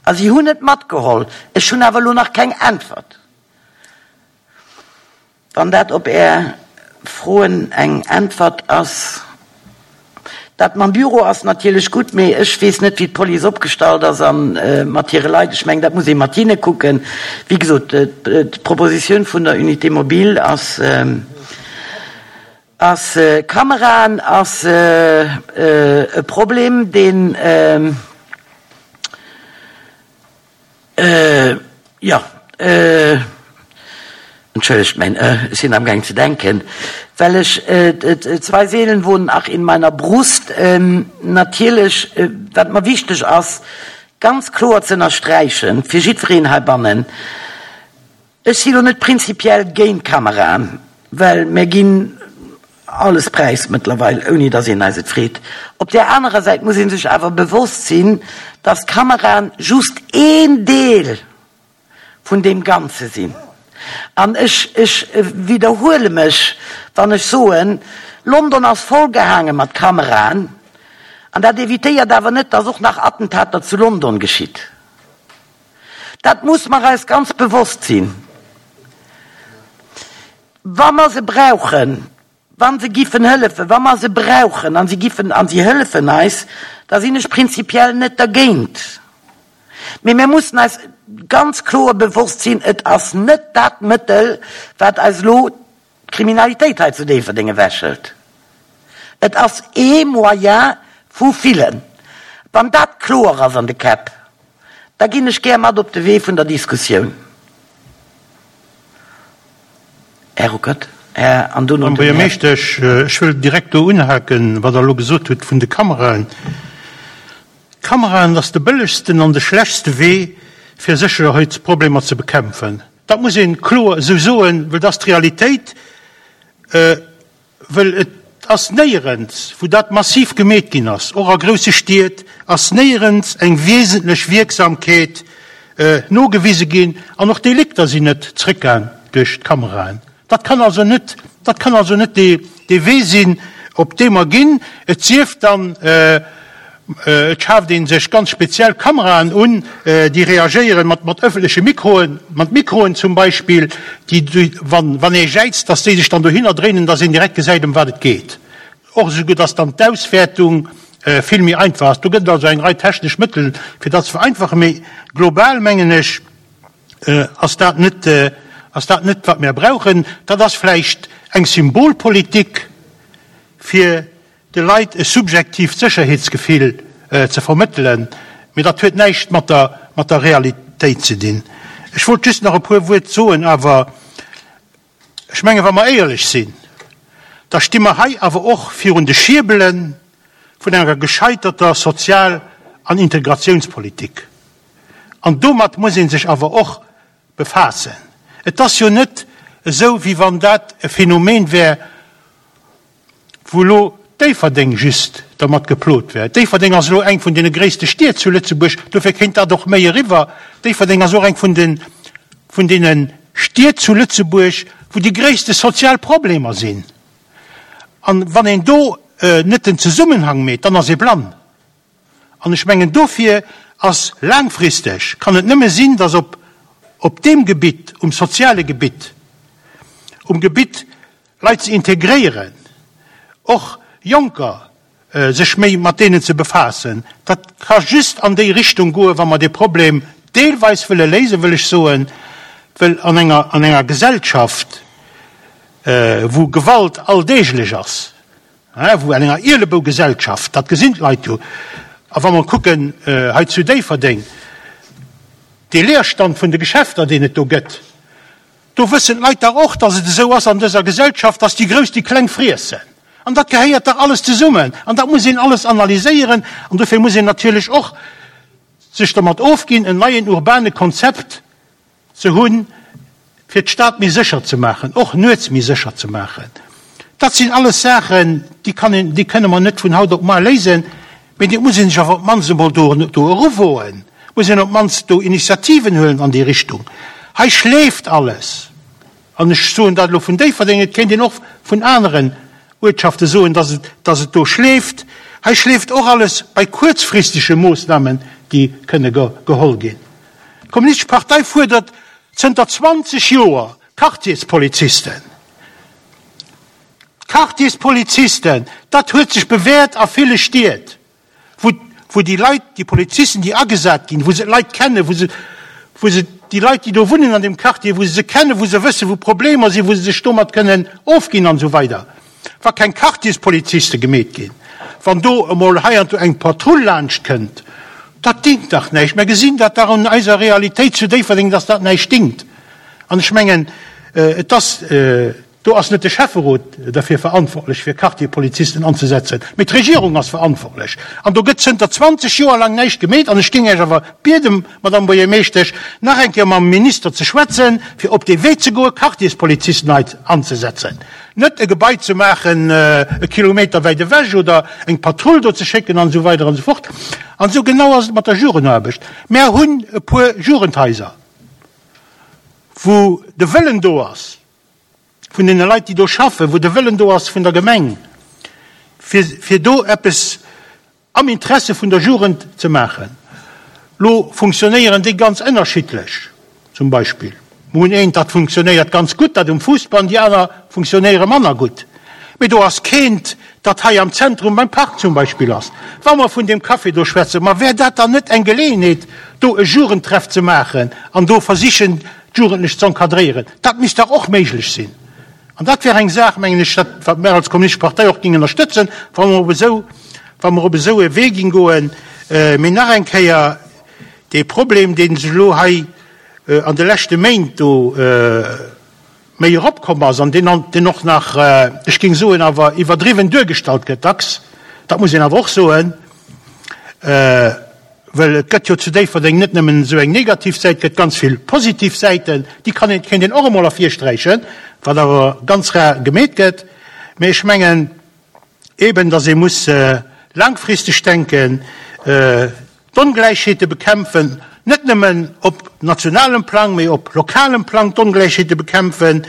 Speaker 1: A si hunn et matgeholl. Ech hunn awer elo nach keng Äntwert. Wann dat op Är Froen eng Äntwert ass. Dat mam Büro ass natierlech gutt, mee ech weess net, wéi d'Police opgestallt ass a mat hire Leit. Ech mengen, dat muss ee mat hinne kucken. Wéi gesot, d'Propositioun vun der Unité mobile ass, ass Kameraen ass e Problem, deen, Jo, entschëllegt mäin ë, ech sinn amgaang ze denken, well ech, Zwei Seelen wohnen ach in meiner Brust, natierlech, wat mer wichteg ass, ganz kloer ze ënnersträichen, fir jiddwereen heibannen, Ech si lo net prinzipiell géint Kameraen, well mir ginn alles präis mëttlerweil, ouni dass een eis et freet. Op där anerer Säit muss ee sech awer bewosst sinn, dass Kameraen just een Deel vun deem Ganze sinn. An ech, ech widderhuele mech, wann ech soen, London ass vollgehaange mat Kameraen, an dat evitéiert awer net, dass och nach Attentater zu London geschitt. Dat muss mer eis ganz bewosst sinn. Wa mer se brauchen, wa se giffen hëllefen, wa mer se brauchen a se giffen a si hëllefen eis, da sinn ech prinzipiell net dergéint. Mee mir mussen eis ganz kloer bewosst sinn, et ass net dat Mëttel, wat eis elo d'Kriminalitéit hei zu Déifferdeng ewechhëlt. Et ass ee Moyen vu villen. Wann dat kloer ass an de Käpp, da ginn ech gär mat op de Wee vun der Diskussioun. Här Ruckert, Här, an
Speaker 2: dono
Speaker 1: den
Speaker 2: Madame
Speaker 1: Här.
Speaker 2: Buergermeeschtesch, ech wëll direkt do unhaken, wat Der elo gesot hutt vun de Kameraen. D'Kameraen ass de bëllegsten an de schlechtste Wee, fir Sécherheitsproblemer ze bekämpfen. Dat muss ee kloer esou soen, well dat ass d'Realitéit. Well et ass néierens, wou dat massiv gemeet ginn ass, och a grousse Stied ass néierens eng wesentlech Wierksamkeet nogewise ginn an och Delikter sinn net zrëckgaang duerch d'Kameraen. Dat kann also net, dat kann also net dee Wee sinn, op dee mer ginn, et sief dann, Et schaaft ee sech ganz speziell Kameraen un, déi reagéieren mat mat ëffentleche Mikroen, mat Mikroen zum Beispill, déi, wann wann ee jäizt, dass déi sech dann dohinner dréinen, dass een direkt gesäit, ëm wat et geet. Och esouguer, dass dann d'Auswäertung vill méi einfach ass. Do gëtt et also eng Rei technesch Mëttel, fir dat ze vereinfachen. Mee global, mengen ech, ass dat net, ass dat net, wat mir brauchen. Dat ass vläicht eng Symbolpolitik, fir de Leit e subjektiivt Sécherheetsgefill ze vermëttelen, mee dat huet näischt mat der mat der Realitéit ze dinn. Ech wollt just nach e puer Wuert soen awer. Ech menge wa mer éierlech sinn, da sti mer hei awer och virun de Schierbele vun enger gescheiterter Sozial an Integratiounspolitik. An domat muss ee sech awer och befaassen. Et ass jo net esou, wéi wann dat e Phänomen wär, wou elo Déifferdeng just dermat geplot wär. Déifferdeng ass elo eng vun deene gréisste Stied zu Lëtzebuerg, dofir kéint dat och méi eriwwer. Déifferdeng ass och eng vun de vun deene Stied zu Lëtzebuerg, wou déi gréisste sozial Problemer sinn. An wann een do net den Zesummenhang meet, dann ass ee blann. An ech mengen, dofir ass laangfristeg, kann et nëmme sinn, datt op op deem Gebitt, um soziale Gebitt, um Gebitt Leit ze integréieren, och Jonker, sech méi mat deenen ze befaassen, dat ka just an déi Richtung goen, wa mer dee Problem deelweis wëlle léisen, wëll ech soen, well an enger an enger Gesellschaft, wou Gewalt alldeeglech ass, wou an enger Ielebougesellschaft, dat gesinn d'Leit jo, a wa mer kucken hei zu Déifferdeng, dee Leerstand vun de Geschäfter, deen et do gëtt, Do wëssen d'Leit dach och, dass et esou ass an dëser Gesellschaft, dass déi Grouss déi Kleng friessen. An dat gehéiert dach alles zesummen. An dat muss een alles analyséieren. An dofir muss een natierlech och sech dermat ofginn, en neien urbane Konzept ze hunn, fir d'Stad méi sécher ze maachen, och nuets méi sécher ze maachen. Dat sinn alles Saachen, déi kann een, déi kënne mer net vun haut op mar léisen, mee et muss ee sech awer op d'mannst emol do, do eruwoen, muss een op d'mannst do Initiativen huelen an déi Richtung. Hei schleeft alles, an ech soen dat elo vun Déifferdeng, et kéint een och vun aneren Uertschafte soen, dass et, dass et do schleeft. Hei schleeft och alles bei kuerzfristege Moossnamen, déi kënne geholl ginn. D'Kommunistesch Partei fuerdert zënter 20 Joer Quartierspolizisten. D'Quartierspolizisten, dat huet sech bewäert a ville Stied, wou, wou déi Leit, déi Polizisten, déi agesat ginn, wou se d'Leit kennen, wou se, wou se déi Leit, déi do wunnen an deem Quartier, wou se se kennen, wou se wëssen, wou Problemer sinn, wou se sech domat kënnen ofginn an esou weider. Wa keng Quartierspoliziste gemeet ginn, wann do emol heiansdo eng Patrull laanscht kënnt, dat dingt dach näischt. Mer gesinn dat dach un eiser Realitéit zu Déifferdeng, dass dat näischt dingt. An ech mengen, et ass, do ass net de Schäfferot derfir verantwortlech, fir Quartierpolizisten anzesetzen, mee d'Regierung ass verantwortlech. An do gëtt zënter 20 Joer laang näischt gemeet. An ech géing Iech awer bieden, Madamm Buergermeeschtesch, nach eng Kéier mam Minister ze schwätzen, fir op dee Wee ze goen, Quartierspolizisten hei anzesetzen. Net e Gebai ze maachen e Kilometer wäit ewech oder eng Patrull do ze schécken an esou weider an esou fort. An esou genau ass et mat der Jugendaarbecht. Mär hunn e puer Jugendhaiser. wou de Wëllen do ass vun deene Leit, déi do schaffen, wou de Wëllen do ass vun der Gemeng, fir, fir do eppes am Interesse vun der Jugend ze maachen. Lo funktionéieren déi ganz ënnerschiddlech. Zum Beispill, mer hunn eent, dat funktionéiert ganz gutt, dat um Fuussbann, déi aner funktionéiere manner gutt. Mee do ass keent, dat hei am Zentrum beim Park zum Beispill ass. Wa mer vun deem Café do schwätzen, ma wär dat dann net eng Geleeënheet, do e Jugendtreff ze maachen an do versichen, d'Jugendlech z'encadréieren? Dat misst dach och méiglech sinn. An dat wär eng Saach, mengen ech, dat, wat mer als Kommunistesch Partei och géingen ënnerstëtzen, wa mer op esou, wa mer op esou e Wee géing goen. Mee nach eng Kéier, dee Problem, dee sech elo hei an de leschte Méint do. méi eropkomm ass an deen, deen och nach, ech géing soen, awer iwwerdriwwen duergestallt gëtt dacks, dat muss een awer och soen, well et gëtt jo zu Déifferdeng net nëmmen esou eng negativ Säit, et gëtt ganz vill positiv Säiten, déi kann een, kéint een och emol ervirsträichen, wat awer ganz rar gemeet gëtt. Mee ech mengen eeben, datt ee muss laangfristeg denken, D'Ongläichheete bekämpfen, net nëmmen op nationalem Plang, mee op lokalem Plang d'Ongläichheete bekämpfen,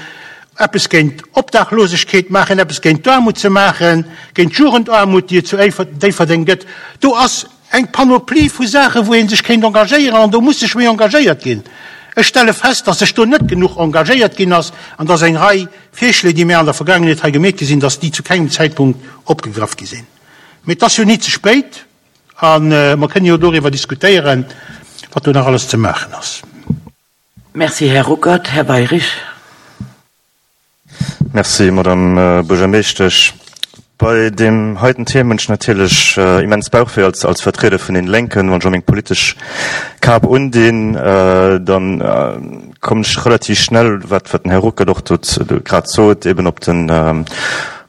Speaker 2: eppes géint Obdachlosegkeet maachen, eppes géint d'Aarmut ze maachen, géint d'Jugendaarmut, déi et zu Déifferdeng gëtt. Do ass eng Panoplie vu Saachen, wou ee sech kéint engagéieren, an do muss sech méi engagéiert ginn. Ech stelle fest, dass sech do net genuch engagéiert ginn ass an dass eng Rei Virschléi, déi mir an der Vergaangenheet hei gemeet gi sinn, dass déi zu kengem Zäitpunkt opgegraff gi sinn. Mee et ass jo ni ze spéit. A mer kënnen jo doriwwer diskutéieren, wat do nach alles ze maachen ass.
Speaker 1: Merci, Här Ruckert. Här Weirich.
Speaker 6: Merci, Madame Buergermeeschtesch. Bei deem heiten Thema hunn ech natierlech immens Bauchwéi als, als Vertrieder vun den Lénken. Wann ech och meng politesch Kap undinn, dann kommen ech relativ schnell, wat, wat den Här Ruckert och do grad sot, eben op den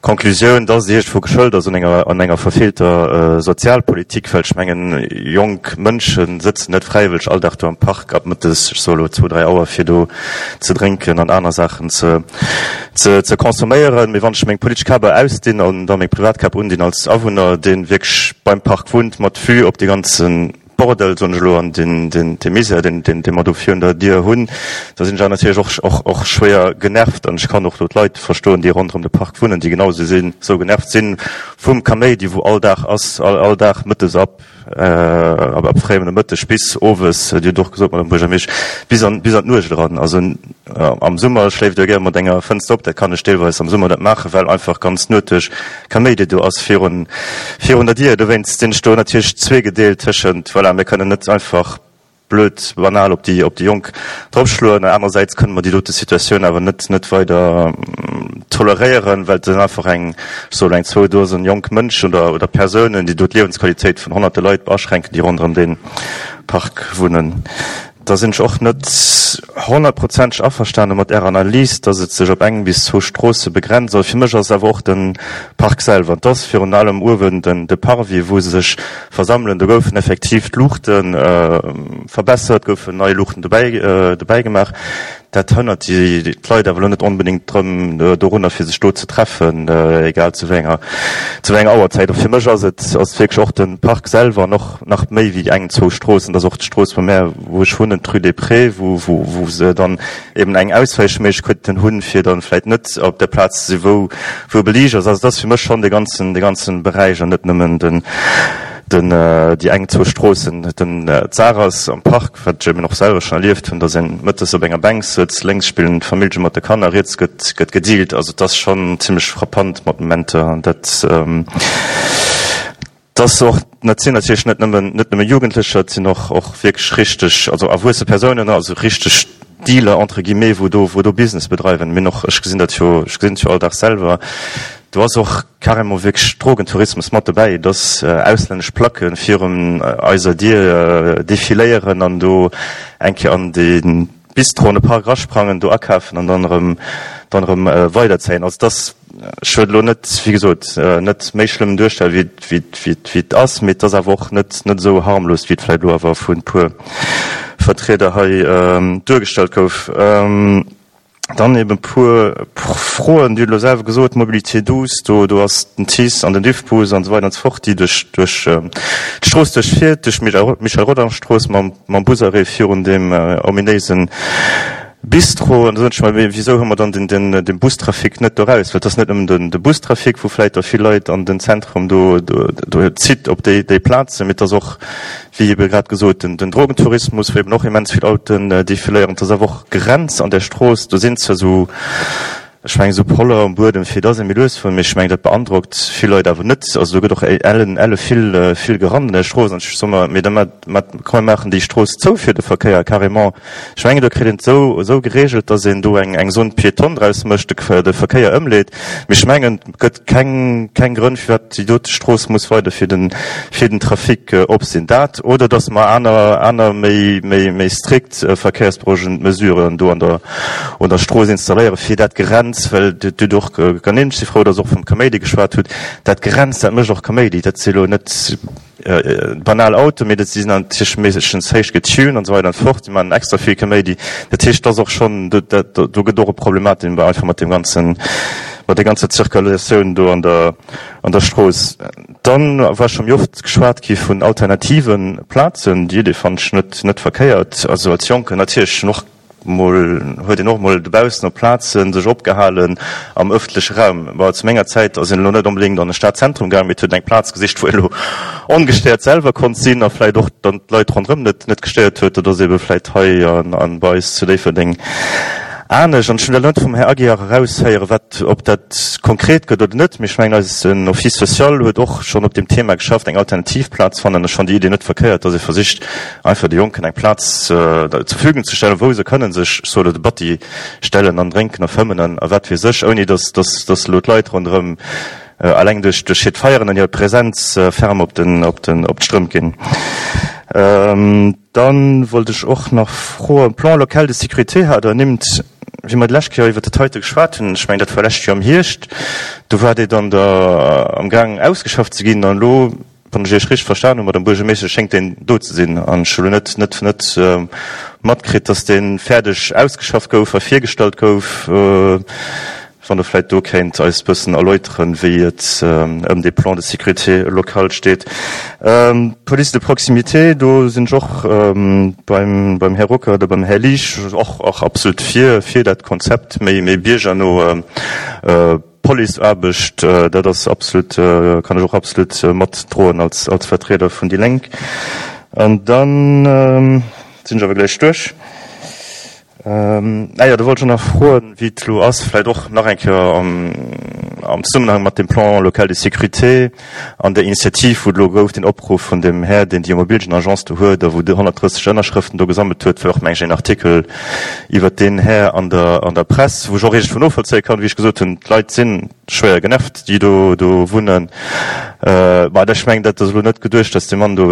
Speaker 6: Conclusioun, dass et iergendwou geschëlt ass un enger, an enger verfeelter Sozialpolitik, well ech mengen, jonk Mënsche sëtzen net fräiwëlleg all Dag do am Park ab mëttes, ech soe elo zwou, dräi Auer, fir do ze drénken an aner Saachen ze, ze, ze consomméieren. Mee wann ech meng politesch Kap ausdinn an da meng privat Kap undinn als Awunner, dee wierklech beim Park wunnt, mat Vue op déi ganzen, Bordel, soen ech elo, an dee Misär, dee mer do virun der Dier hunn, da sinn ech awer natierlech och, och schwéier genervt. An ech kann och do d'Leit verstoen, déi ronderëm de Park wunnen, déi genau esou sinn, esou genervt sinn vum Kaméidi, wou all Dag ass, all Dag mëttes ab, ab fréiem Nomëtteg bis owes, Dir hutt och gesot, Madame Buergermeesch, bis an, bis an d'Nuecht eran. Also am Summer schléift Der gär mat enger Fënster op, dat kann ech deelweis am Summer net maachen, well einfach ganz d'Nuet duerch Kaméidi do ass virun virun der Dier. Dowéinst sinn ech do natierlech zweegedeelt tëschent, voilà, mir kënnen net einfach blöd banal op déi op déi Jonk dropschloen, an anerersäits kënne mer déi dote Situatioun awer net net weider toleréieren, well et sinn einfach eng, ech soe lo eng zwou Dosen jonk Mënschen oder oder Persounen, déi do d'Liewensqualitéit vun honnerte Leit aschränken, déi ronderëm dee Park wunnen. Da sinn ech och net honnertprozenteg averstane mat Ärer Analys, dass et sech op eng bis zwou Stroosse begrenzt. Also fir mech ass et awer och de Park selwer. Et ass virun allem uewen den de Parvis, wou se sech versammelen. Do goufen effektiv d'Luuchte verbessert, goufen nei Luuchten dobäi dobäi gemaach. Dat hënnert déi d'Leit awer elo net onbedéngt drëm dorunner, fir sech do ze treffen, egal zu wéi enger zu wéi enger Auerzäit. A fir mech ass et ass et wierklech och de Park selwer an och nach méi wéi eng, zwou Stroossen. Et ass och d'Strooss bei mär, wou ech wunnen, d'Rue des Prés, wou wou wou se dann eben eng Auswäichméiglechkeet hunn, fir dann vläicht net op der Plaz ze sinn, wou wou beliicht ass. Also et ass fir mech schonn de ganzen de ganzen Beräich an net nëmmen den den déi eng, zwou Stroossen. Den d'Saach ass am Park, wat ech eben och selwer schonn erlieft hunn, dass een mëttes op enger Bänk sëtzt, lénks spillen d'Famillje mat de Kanner, riets gëtt gëtt gedealt. Also et ass schonn zimlech frappant mat Momenter an dat ass och, dat sinn natierlech net nëmmen net nëmme Jugendlecher, et sinn och och wierklech richteg, also erwuesse Persounen, also richteg Dealer entre guillemets, wou do wou do Business bedreiwen. Mir hunn och, ech gesinn dat jo, ech gesinn et jo all Dag selwer, do ass och carrément wierklech Drogentourismus mat dobäi, dass auslännesch Placke virun eiser Dier defiléieren an do eng Kéier an de Bistro an de Park erasprangen, do akafen an dann erëm dann erëm weiderzéien. Also dass, ech wëll elo net, wéi gesot, net méi schlëmm duerstellen, wéi wéi wéi wéi et ass, mee et ass awer och net net esou harmlos, wéi et vläicht elo awer vu puer Vertrieder hei duergestallt gouf. Dann eben e puer Froen. Dir hutt elo selwer gesot, Mobilité douce, do, do ass den TICE an den Diffbus an esou weider an esou fort, déi duerch, duerch d'Strooss duerchfiert, duerch d'Michel Rodange-Strooss mam, mam Busarrêt virun deem ominéise Bistro. An da soen ech mer, mee wisou hu mer dann den, den, den Bustrafic net doraus? Well et ass net nëmmen den, de Bustrafic, wou vläicht da vill Leit an den Zentrum do, do, do zitt op déi, déi Plazen, mee et ass och, Wéi ebe grad gesot, den Drogentourismus, wou eben och immens vill Autoen defiléieren. Et ass awer och Grenz an där Strooss. Do sinn zwar esou. Ech mengen, esou Poller um Buedem, fir dass ee méi lues fueren, mee ech mengen, dat beandrockt vill Leit awer net. Also do gëtt och ellen, elle vill, vill gerannt an der Strooss. An ech soe mer, mee da mat, mat, komm mir maachen déi Strooss zou fir de Verkéier, carrément. Ech mengen, do kritt een et esou, esou geregelt, dass een do eng, eng Zone piétonne draus mécht, de, de Verkéier ëmleet. Mee ech mengen, et gëtt keng, keng Grënn, firwat déi dote Strooss muss weider fir den, fir den Trafic op sinn. Dat oder dass mer aner, aner méi, méi, méi strikt verkéiersberouegend Mesuren do an der un der Strooss installéieren, fir dat Gerenns, well Dir hutt och ernimmt, ech si frou, dass Der och vum Kaméidi geschwat hutt, dat Gerenns, dat mécht och Kaméidi. Dat si elo net banal Autoen, mee dat si sinn natierlech meeschtens héich getuned an esou weider an esou fort, déi maachen extra vill Kaméidi. Dat heescht, dat ass och schonn, do gëtt och e Problematik einfach mat deem ganzen, mat der ganzer Zirkulatioun do an der an der Strooss. Dann war scho méi oft geschwat gi vun alternative Plazen. Déi Idee fannen ech net net verkéiert. Also als Jonken natierlech hunn och mol, huet een och mol dobaussen op Plazen sech opgehalen am ëffentleche Raum. Bon, zu menger Zäit ass een elo net onbedéngt an e Stadzentrum gaangen, mee et huet een eng Plaz gesicht, wou een elo ongestéiert selwer konnt sinn a vläicht och dann d'Leit ronderëm net net gestéiert huet. Dat ass ebe vläicht hei an bei eis zu Déifferdeng anescht. An ech hunn dat elo net vum Här Aguiar eraushéieren, wat, ob dat konkret gëtt oder net, mee ech mengen, eisen Office social huet och schonn op deem Thema geschafft, eng alternativ Plaz fannen. Ech fannen déi Idee net verkéiert, dass ee versicht, einfach de Jonken eng Plaz zur Verfügung ze stellen, wou se kënnen sech, ech soe elo, de Batti stellen an drénken a fëmmen an a wat weess ech, ouni dass, dass, dass elo d'Leit ronderëm eleng duerch, duerch hiert Feieren an hir Präsenz ferm op den, op den, op d'Strëmp ginn. Dann wollt ech och nach froen, Plan local de sécurité hat Der ernimmt, wéi mer déi lescht Kéier iwwert dat heite geschwat hunn, ech mengen dat war lescht Joer am Hierscht, do war dee dann da amgaangen ausgeschafft ze ginn an elo, wann ech Iech richteg verstan hunn, Madame Buergermeeschtesch, schéngt deen do ze sinn an ech hu elo net, net, net matkritt, dass dee fäerdeg ausgeschafft gouf a virgestallt gouf. Wann Der vläicht do kéint eis bëssen erläuteren, wéi et ëm dee Plan de sécurité locale steet. D'Police de proximité, do sinn ech och beim, beim Här Ruckert a beim Här Liesch och, och absolut fir, fir dat Konzept, méi, méi biergerno Policeaarbecht. Dat ass absolut, kann ech och absolut matdroen als, als Vertrieder vun déi Lénk. An dann sinn ech awer gläich duerch. Ah jo, do wollt ech och nach froen, wéi et elo ass, vläicht och nach eng Kéier am Zesummenhang mat dem Plan local de sécurité an der Initiativ, wou et elo gouf, deen Opruff vun dem Här, deen déi Immobilienagence do huet a wou 130 Ënnerschrëften do gesammelt huet, war och, meng ech, een Artikel iwwert deen Här an der an der Press, wou ech och iergendwou novollzéie kann, wéi ech gesot hunn, d'Leit sinn schwéier genervt, déi do do wunnen. Mä ech mengen, dat ass elo net geduecht, datt dee Mann do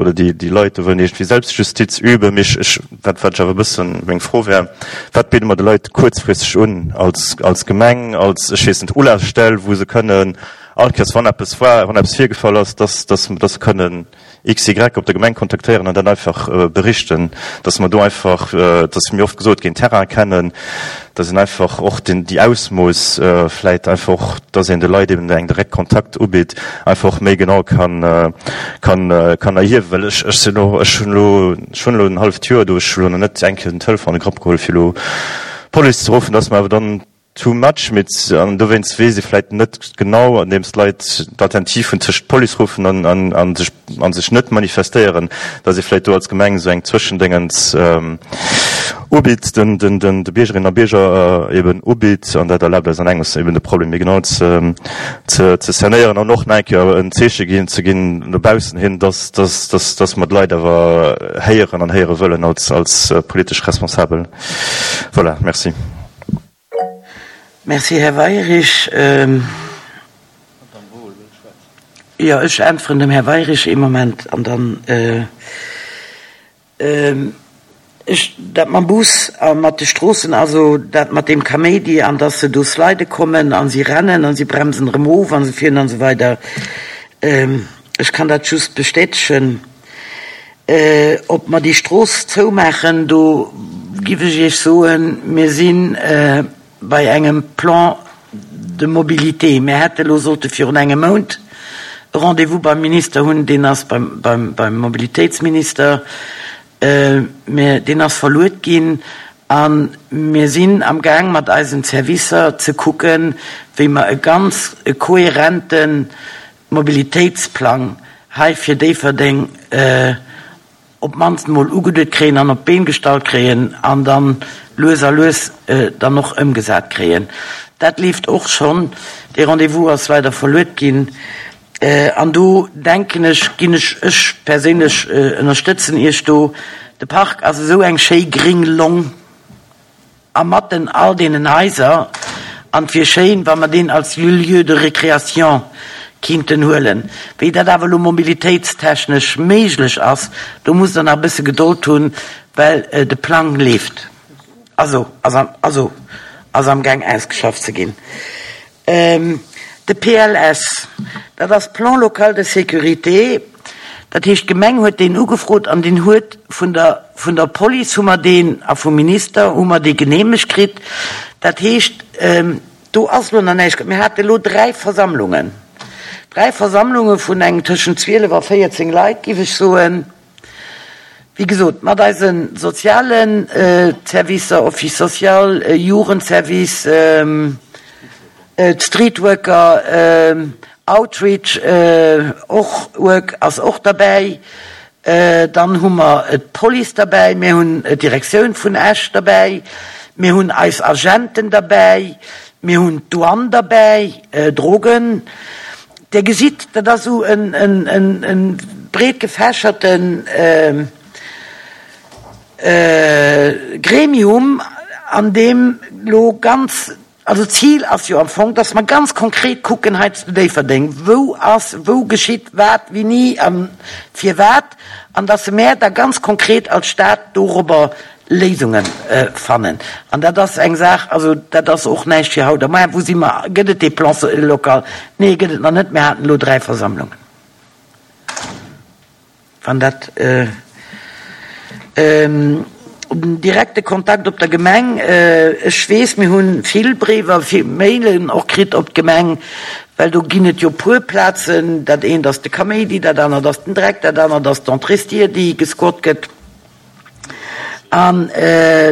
Speaker 6: oder déi déi Leit do wëllen iergendwéi Selbstjustiz üben. Mee ech, ech Wat wat ech awer e bëssen meng Fro wär, Wat bidde mer de Leit kuerzfristeg un als als Gemeng, als, ech weess net, Ulafstell, wou se kënnen all Kéiers, wann eppes war, wann eppes virgefall ass, dass dass dass se kënnen XY op der Gemeng kontaktéieren an dat einfach berichten, dass mer do einfach, et ass mir oft gesot ginn, Terrain kennen, dass een einfach och den déi Ausmooss vläit einfach och, dass een de Leit eben eng direkt Kontakt ubitt, einfach och méi genau kann kann kann erhiewen, well ech ech sinn och ech hunn elo ech hunn elo en halleft Joer do, ech hu elo nach net eng Kéier den Telefon an de Grapp geholl fir elo d'Police ze ruffen, dass mer awer dann too much, mee an dowéinst weess ee vläit net genau, andeems d'Leit d'Alternativ hunn tëscht d'Police ruffen an an an sech an sech net manifestéieren, dass ee vläit do als Gemeng esou eng Zwëschendéngens ubitt, den den den de Biergerinnen a Bierger eben ubitt an dat erlaabt eis an engems eben de Problem méi genau ze ze ze cernéieren an och nach eng Kéier en Zeeche ginn ze ginn no baussen hin, dass dass dass dass mer d'Leit awer héieren an héiere wëllen als als politesch Responsabel. Voilà, merci.
Speaker 1: Merci, Här Weyrich. Jo, ech äntweren dem Här Weyrich ee Moment an dann ech dat mam Bus a mat de Stroossen, also dat mat deem Kaméidi an dass se do slide kommen a si rennen a si bremsen erëm of a se fieren an esou weider. Ech kann dat just bestätegen. Ob mer déi Strooss zoumaachen, do giff ech Iech soen, mir si bei engem Plan de mobilité. Mir hätte elo sollte virun engem Mount e Rendez-vous beim Minister hunn, deen ass beim Mobilitéitsminister, mä deen ass verluet ginn. A mir sinn amgaang mat eisen Servicer ze kucken, wéi mer e ganz kohärenten Mobilitéitsplang hei fir Déifferdeng op d'mannst emol ugeduet kréien an op d'Been gestallt kréien an dann lues a lues dann och ëmgesat kréien. Dat leeft och schonn. Dee Rendez-vous ass leider verluet ginn. An do denken ech, ginn ech, ech perséinlech ënnerstëtzen Iech do. De Park ass esou eng schéi gring Long a matten all deenen Haiser an et wier schéin, wa mer deen als Lieu de récréation kinnten huelen. Wéi dat awer elo mobilitéitstechnesch méiglech ass, do musst Der nach e bësse Gedold hunn, well de Plang leeft, also ass am, also ass amgaang ausgeschafft ze ginn. De PLS, dat ass Plan local de sécurité, dat heescht d'Gemeng huet deen ugefrot an deen huet vun der, vun der Police hu mer deen a vum Minister hu mer dee geneemegt kritt. Dat heescht, do ass elo nach näischt. Mir hate elo 3 Versammlungen, 3 Versammlunge vun engem tëschent 12 a 14 Leit, géif ech soen. Wéi gesot, mat eise soziale Servicer, Office social, Jugendservice, d'Streetworker, Outreach och, Work ass och derbäi. Dann hu mer d'Police derbäi, mir hunn d'Direktioun vun Esch derbäi, mir hunn eis Agenten derbäi, mir hunn d'Douane derbäi, Drogen. Dir gesitt, dat ass esou e breet gefächerte Gremium, an deem elo ganz, also d'Zil ass jo am Fong, dass mer ganz konkret kucken hei zu Déifferdeng, wou ass, wou geschitt wat, wéini a firwat, an dass mär da ganz konkret als Stad dorobber Léisunge fannen. An dat ass eng Saach, also dat ass och näischt fir haut a muer. Wou si mer? Gëtt et dee Plan local? Nee, gëtt et nach net. Mir haten elo 3 Versammlungen. Wann dat direkte Kontakt op der Gemeng, ech weess, mir hu vill Bréiwer, vill Mailen och kritt op d'Gemeng, well do ginn et jo puer Plazen. Dat eent ass de Kaméidi, dat anert ass den Dreck, dat anert ass d'Entréestier, déi gesquat gëtt. An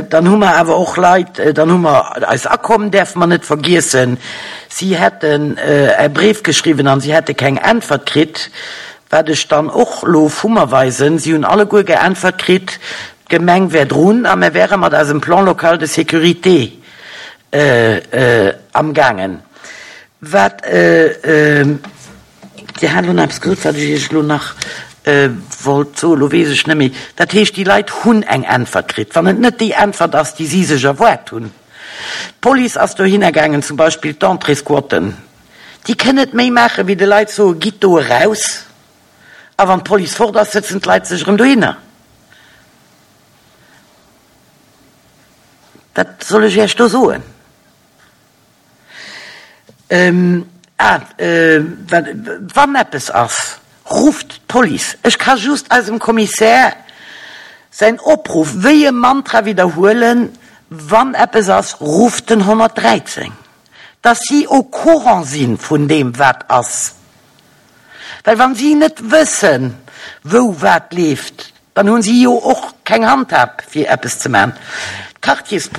Speaker 1: dann hu mer awer och Leit, dann hu mer eis Akomm, däerfe mer net vergiessen. Si hätten e Bréif geschriwwen an si hätte keng Äntwert kritt, wat ech dann och elo vu mer weisen. Si hunn alleguer geäntwert kritt, d'Gemeng wär drun a mer wäre mat eisem Plan local de sécurité amgaangen. Wat. Dir hat elo nach eppes gesot, wat ech Iech elo nach wollt soen. Elo weess ech net méi. Dat heescht, déi Leit hunn eng Äntwert kritt, wann et net déi Äntwert ass, déi si sech erwaart hunn. D'Police ass dohinner gaangen, zum Beispill d'Entréesquotten. Déi kënnen net méi maachen, wéi de Leit soen, Gitt do eraus. A wann d'Police fort ass, sëtzen d'Leit sech erëm dohinner. Wat soll ech Iech do soen? Ah, wann eppes ass, rufft d'Police. Ech ka just eisem Kommissär säin Opruff wéi e Mantra widderhuelen, Wann eppes ass, rufft den 113, dass si au courant si vun deem, wat ass. Well wa si net wëssen, wou wat leeft, dann hu si jo och keng Handhab, fir eppes ze maachen.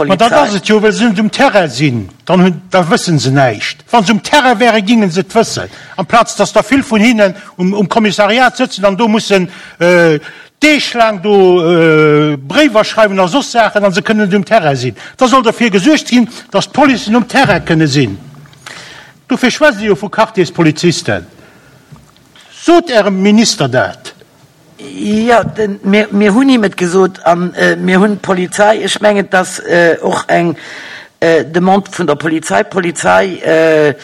Speaker 2: Ma dat ass
Speaker 1: et
Speaker 2: jo, well se net um Terrain sinn, dann hunn, da wësse se näischt. Wa se um Terrain wären, géinge se et wëssen, amplaz dass der vill vun hinnen um Kommissariat sëtzen an do mussen deeglaang do Bréiwer schreiwen a soss Saachen a se kënnen net um Terrain sinn. Da soll derfir gesuergt ginn, dass d'Policen um Terrain kënne sinn. Dofir schwätzt Dir jo vu Quartierspolizisten. Sot Ärem Minister dat!
Speaker 1: Jo, mir hunn him et gesot a mir hunn d'Polizei, ech mengen, et ass och eng Demande vun der Polizei, d'Polizei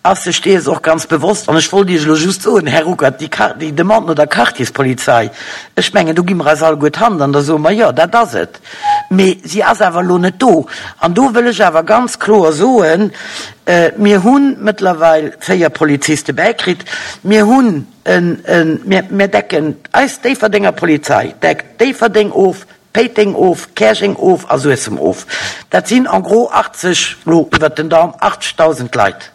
Speaker 1: ass sech dees och ganz bewosst. An ech wollt Iech elo just soen, Här Ruckert, déi Demande no der Quartierspolizei, ech mengen, do gi mer eis alleguer d'Hand an da soe mer, jo, dat ass et. Mee si ass awer elo net do. An do wëll ech awer ganz kloer soen, Mir hu mëttlerweil 4 Poliziste bäikritt. Mir hunn en, mir, mir decken, eis Déifferdenger Polizei deckt Déifferdeng of, Péiteng of, Käerjeng of a Suessem of. Dat sinn en gros 80, elo iwwert den Daum, 80.000 Leit.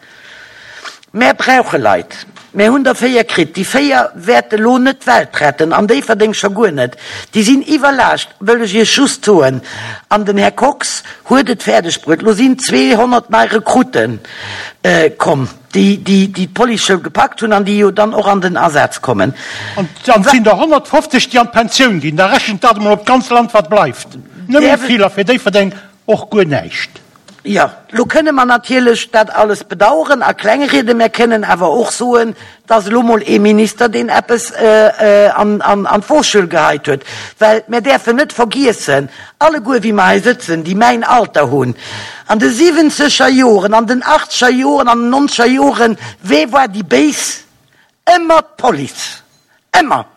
Speaker 1: Mär brauche Leit. Mär hunn der 4 kritt. Déi 4 wäerte lo net d'Welt retten, an Déifferdeng scho guer net. Déi sinn iwwerlaascht, wëll ech Iech just soen. An den Här Kox huet et fäerdeg bruet, lo sinn 200 nei Rekrutte komm, déi déi d'Policeschoul gepackt hunn an déi jo dann och an den Asaz kommen.
Speaker 2: An et sinn der 150, déi an d'Pensioun ginn. Da rechent dat emol op d'ganz Land, wat bleift. Nëmme vill a fir Déifferdeng och guer näischt.
Speaker 1: Jo, lo kënne mer natierlech dat alles bedauern a klengrieden. Mär kënnen awer och soen, 't ass elo mol ee Minister, deen eppes an d'Wochschuel geheit huet. Well mär däerfen net vergiessen, alleguer wéi mer hei sëtzen, déi mäin Alter hunn, an de siwwenzeger Joren, an den achtzeger Joren, an den nonzeger Joren, wee war déi Béis? Ëmmer d'Police! Ëmmer!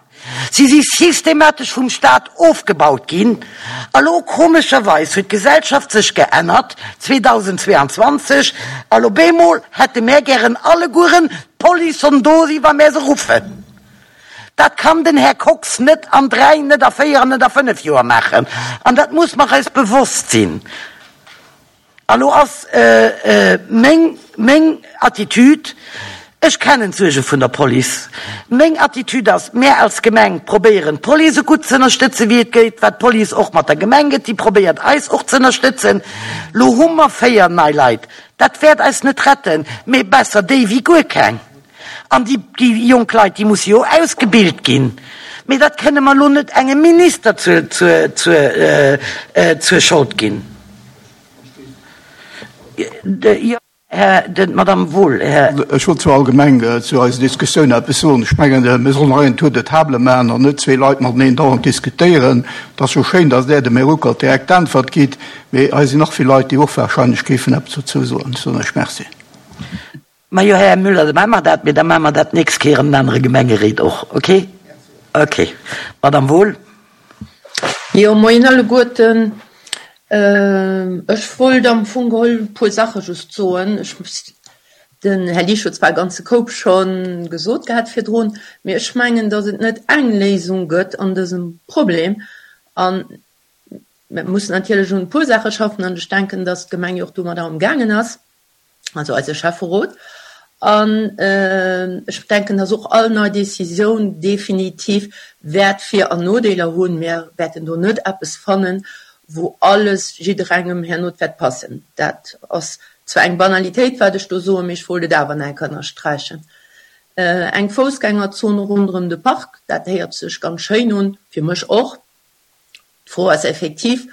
Speaker 1: Si si systematesch vum Staat ofgebaut ginn. A lo, komescherweis, huet d'Gesellschaft sech geännert, 2022, a lo bemol hätte mär gären allegueren, d'Police soll do si wa mär se ruffen. Dat kann den Här Kox net an dräi, net a véier an net a fënnef Joer maachen. An dat muss mer eis bewosst sinn. A lo ass meng, meng Attitüd, ech kennen d'Suerge vun der Police, meng Attitüd ass, mär als Gemeng probéieren d'Police esou gutt ze ënnerstëtzen, wéi et geet, wat d'Police och mat der Gemeng gëtt, déi probéiert eis och ze ënnerstëtzen. Lo hu mer 4 nei Leit, dat wäert eis net retten, mee besser déi wéi guer keng. An déi, déi jonk Leit, déi musse jo ausgebilt ginn. Mee dat kënne mer lo net engem Minister zur, zur, zur, zur Schold ginn. Jo, Här, d'Madame Wohl, Här.
Speaker 7: Ech wollt zwar allgemeng zu eiser Diskussioun eppes soen. Ech mengen, mir sollen hei en Tour de table maachen an net zwee Leit mateneen dauernd diskutéieren. Et ass jo schéin, datt Der dem Här Ruckert direkt d'Äntwert gitt, mee hei sinn nach vill Leit, déi och wahrscheinlech géifen eppes dozou soen. Ech soen Iech Merci.
Speaker 1: Majo, Här Müller, da maache mer dat, mee da maache mer dat d'nächst Kéier an den anere Gemengeréit och, okay? Okay. Madame Wohl.
Speaker 8: Jo, moien alleguerten. Ech wollt am Fong geholl e puer Saache just soen. Ech, den Här Liesch huet zwar e ganze Koup scho gesot gehat virdrun, mee ech mengen, datt et net eng Léisung gëtt an dësem Problem. A mir mussen natierlech un e puer Saache schaffen an ech denken, datt d'Gemeng jo och domadder amgaangen ass. also eise Schäfferot. An ech denken, dass och all nei Décisioun definitiv wäert Vir an Nodeeler hunn. Mir wäerten do net eppes fannen, wou alles jidderengem herno wäert passen. Dat ass zwar eng Banalitéit, wat ech do soen, mee ech wollt et awer nach eng Kéier ënnersträichen. Eng Foussgängerzon ronderëm de Park, dat héiert sech ganz schéin un, fir mech och. D'Fro ass effektiv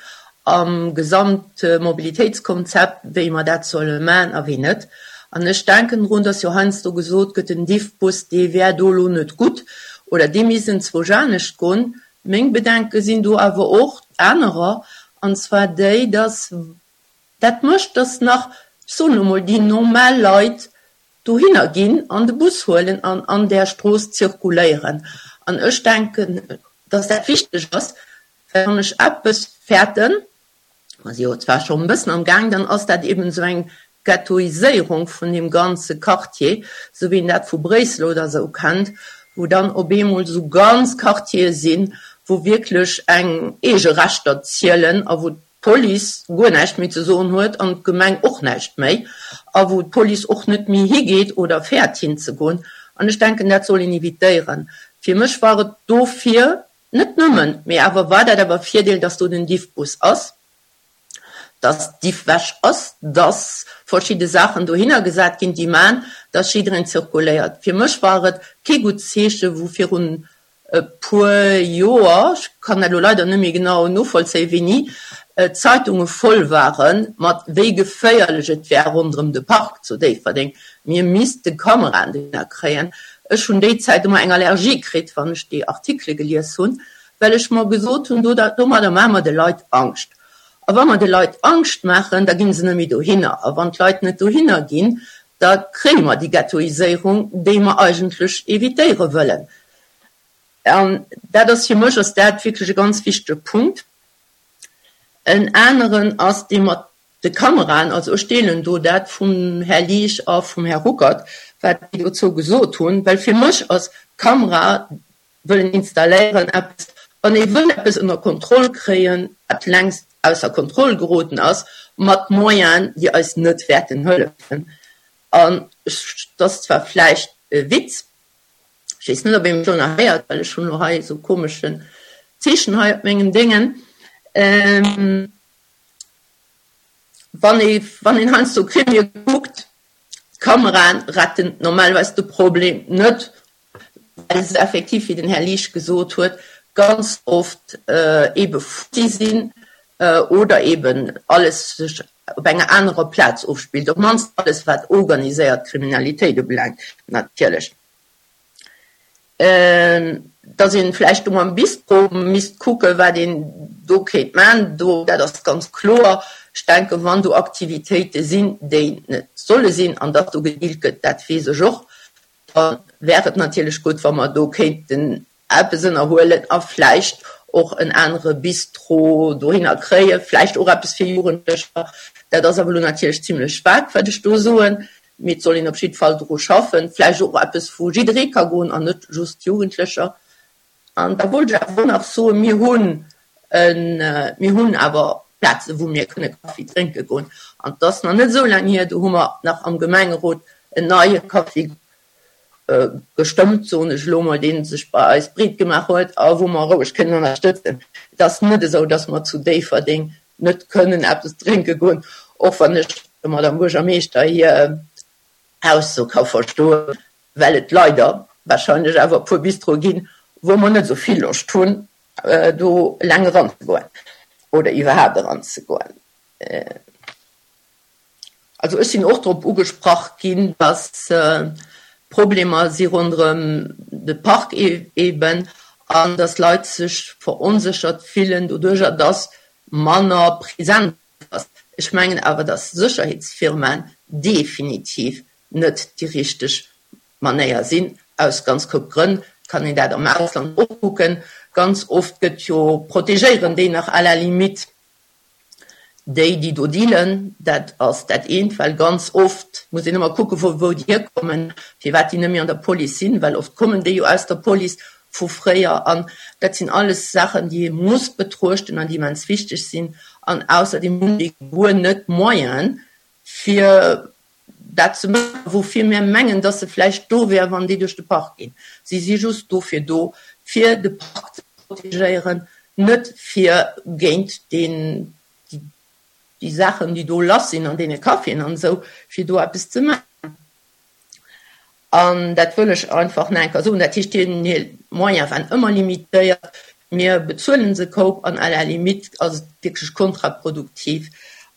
Speaker 8: am Gesamtmobilitéitskonzept, wéi mer dat solle maachen a wéi net. An ech denken drun, dass jo heiansdo gesot gëtt, den Diffbus, dee wär do elo net gutt oder dee misst enzwousch anescht goen. Meng Bedenke sinn do awer och anerer, an zwar déi, dass dat mécht, dass nach, ech soen elo mol, déi normal Leit dohinner ginn an de Bus huelen an an där Strooss zirkuléieren. An ech denken, dass dat wichteg ass, well wann ech eppes fäerten, mer si jo zwar schonn e bëssen am Gaang, dann ass dat eben esou eng Ghettoiséierung vun deem ganze Quartier, esou wéi een dat vu Bréissel oder esou kennt, wou dann op eemol esou ganz Quartiere sinn, wou wierklech eng eege Rechter zielen a wou d'Police guer näischt méi ze soen huet an d'Gemeng och näischt méi a wou d'Police och net méi higeet oder fäert hinzegoen. An ech denken, dat soll een evitéieren. Fir mech war et dofir, net nëmmen, mee awer war dat awer e Virdeel, dass do den Diffbus ass, dass d'Diffwäsch ass, dass verschidde Saachen dohinner gesat ginn, déi man, dass jiddereen zirkuléiert. Fir mech war et kee gutt Zeeche wou virun e puer Joer, ech kann dat elo leider net méi genau novollzéien, wéini, d'Zeitunge voll ware mat wéi geféierlech et wär ronderëm de Park zu Déifferdeng, mir misste Kameraen dohinner kréien. Ech hunn déi Zäit ëmmer eng Allergie kritt, wann ech déi Artikele gelies hunn, well ech mer gesot hunn, domadder maache mer de Leit Angscht. A wa mer de Leit Angscht maachen, da gi se net méi dohinner. A wann d'Leit net dohinner ginn, da kréie mer déi Ghettoiséierung, déi mer eigentlech evitéiere wëllen. An dat ass, fir mech ass dat wierklech e ganz wichtege Punkt. En aneren ass dee mat de Kameraen. Also ech deelen do dat vum Här Liesch a vum Här Ruckert, wat déi dozou gesot hunn, well fir mech ass d'Kamera wëllen installéieren eppes, wann ee wëll eppes ënner Kontroll kréien, wat längst ausser Kontroll geroden ass, mat Moyenen, déi eis net wäerten hëllefen. An et ass zwar vläicht e Witz, ech weess net, ob ee mech elo nach héiert, well ech hunn elo hei esou komeschen Zeechen hei op mengem Déngen, wann ee, wann een heiansdo Krimie kuckt, d'Kameraen retten normalerweis de Problem net, well se effektiv, wéi den Här Liesch gesot huet, ganz oft eebe futti sinn oder eeben alles sech. op enger anerer Plaz ofspillt, op d'mannst alles wat organiséiert Kriminalitéit ubelaangt natierlech. Dass een vläicht do mam Bistro misst kucken, wat een do kéint man, do, dat ass ganz kloer. Ech denken, wann do Aktivitéite sinn, déi net solle sinn, an dass do gedealt gëtt, dat weess ech och, da wär et natierlech gutt, wa mer do kéinten eppes ënnerhuelen a vläicht och en anere Bistro dohinner kréien, vläicht och eppes fir Jugendlecher. Dat ass awer elo natierlech zimlech vag, wat ech do soen, mee et soll een op jidde Fall dru schaffen. Vläicht och eppes, wou jidderee ka goen an net just d'Jugendlecher. An da wollt ech awer och nach soen, mir hunn en, mir hunn awer Plazen, wou mir kënne Kaffi drénke goen. An et ass nach net esou laang hier, do hu mer nach am Gemengerot en neie Kaffi gestëmmt, soen ech elo mol, dee sech bei eis breet gemaach huet a wou mer roueg kënnen ënnerstëtzen. Et ass net esou, datt mer zu Déifferdeng net kënnen eppes drénke goen, och wann ech der Madame Buergermeeschter hir Ausso ka verstoen, well et leider wahrscheinlech awer e puer Bistroe ginn, wou mer net esou vill Loscht hunn, do eleng eranzegoen oder iwwerhaapt eranzegoen. Also ech sinn och drop ugesprach ginn, dass Problemer si ronderëm de Park eben an dass Leit sech veronséchert fillen doduerjer, dass manner Präsenz ass. Ech mengen awer, dass Sécherheetsfirmaen definitiv net déi richteg Manéier sinn, aus ganz Koup Grënn. Et kann een dat am Ausland och kucken. Ganz oft gëtt jo, protegéieren déi nach à la limite Déi, déi do dealen, dat ass dat eent, well ganz oft muss een ëmmer kucken, vu wou déi hierkommen, firwat déi net méi an der Police sinn, well oft kommen déi jo aus der Police vu fréier. An dat sinn alles Saachen, déi ee muss betruechten an déi immens wichteg sinn. An ausserdeem hunn déi guer net d'Moyenen, fir dat ze maachen, woufir mir mengen, dass se vläicht do wären, wann déi duerch de Park ginn. Si si just dofir do, fir de Park ze protegéieren, net fir géint deen, déi Saachen, déi do lass sinn an deene Caféen an esou, fir do eppes ze maachen. An dat wëll ech einfach nach eng Kéier soen. Dat heescht, deenen hir Moyene waren ëmmer limitéiert. Mir bezuelen se koup an à la limite ass et wierklech kontraproduktiv.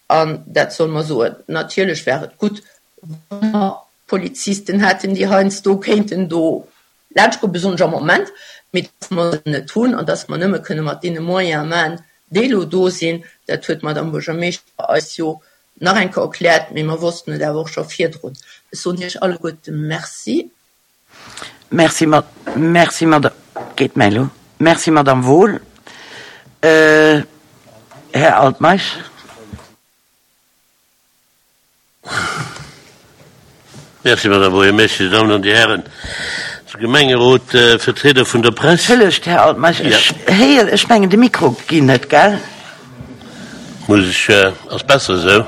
Speaker 8: An dat solle mer soen. Natierlech wär et gutt, wa mer Polizisten hätten, déi heiansdo kéinten do laanschtgoen, besonnesch am Moment, mee dass mer se net hunn an dass mer nëmme kënne mat deene Moyene maachen, déi elo do sinn, dat huet d'Madame Buergermeeschter eis jo nach eng Kéier erkläert, mee mer wossten et awer och scho virdrun. Ech soen Iech alleguerte Merci.
Speaker 1: Merci, merci, Madame, geet mäi elo? Merci, Madame Wohl. Här Altmeisch.
Speaker 9: Merci, Madame Buergermeeschtesch, Dir Dammen an Dir Hären, de Gemengerot, Vertrieder vun der Press.
Speaker 1: Entschëllegt, Här Altmeisch, ech héieren, ech mengen, de Mikro geet net, gell?
Speaker 9: Muss ech, ass besser esou?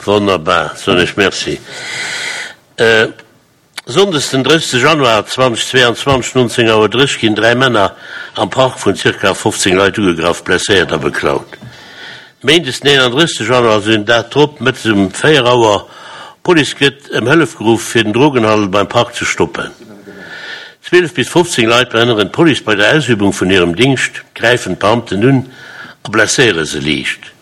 Speaker 9: Wonnerbar, soen ech Merci. Sonndes den 30 Januar 2022, 19 Auer 30 ginn 3 Männer am Park vun zirka 15 Leit ugegraff, blesséiert a beklaut. Méindes den 31 Januar, also den Dag drop, mëttes um 4 Auer, D'Police gëtt ëm Hëllef geruff fir den Drogenhandel beim Park ze stoppen. 12 bis 15 Leit behënneren d'Police bei der Ausübung vun hirem Dingscht, gräifen d'Beamten un a blesséiere se liicht.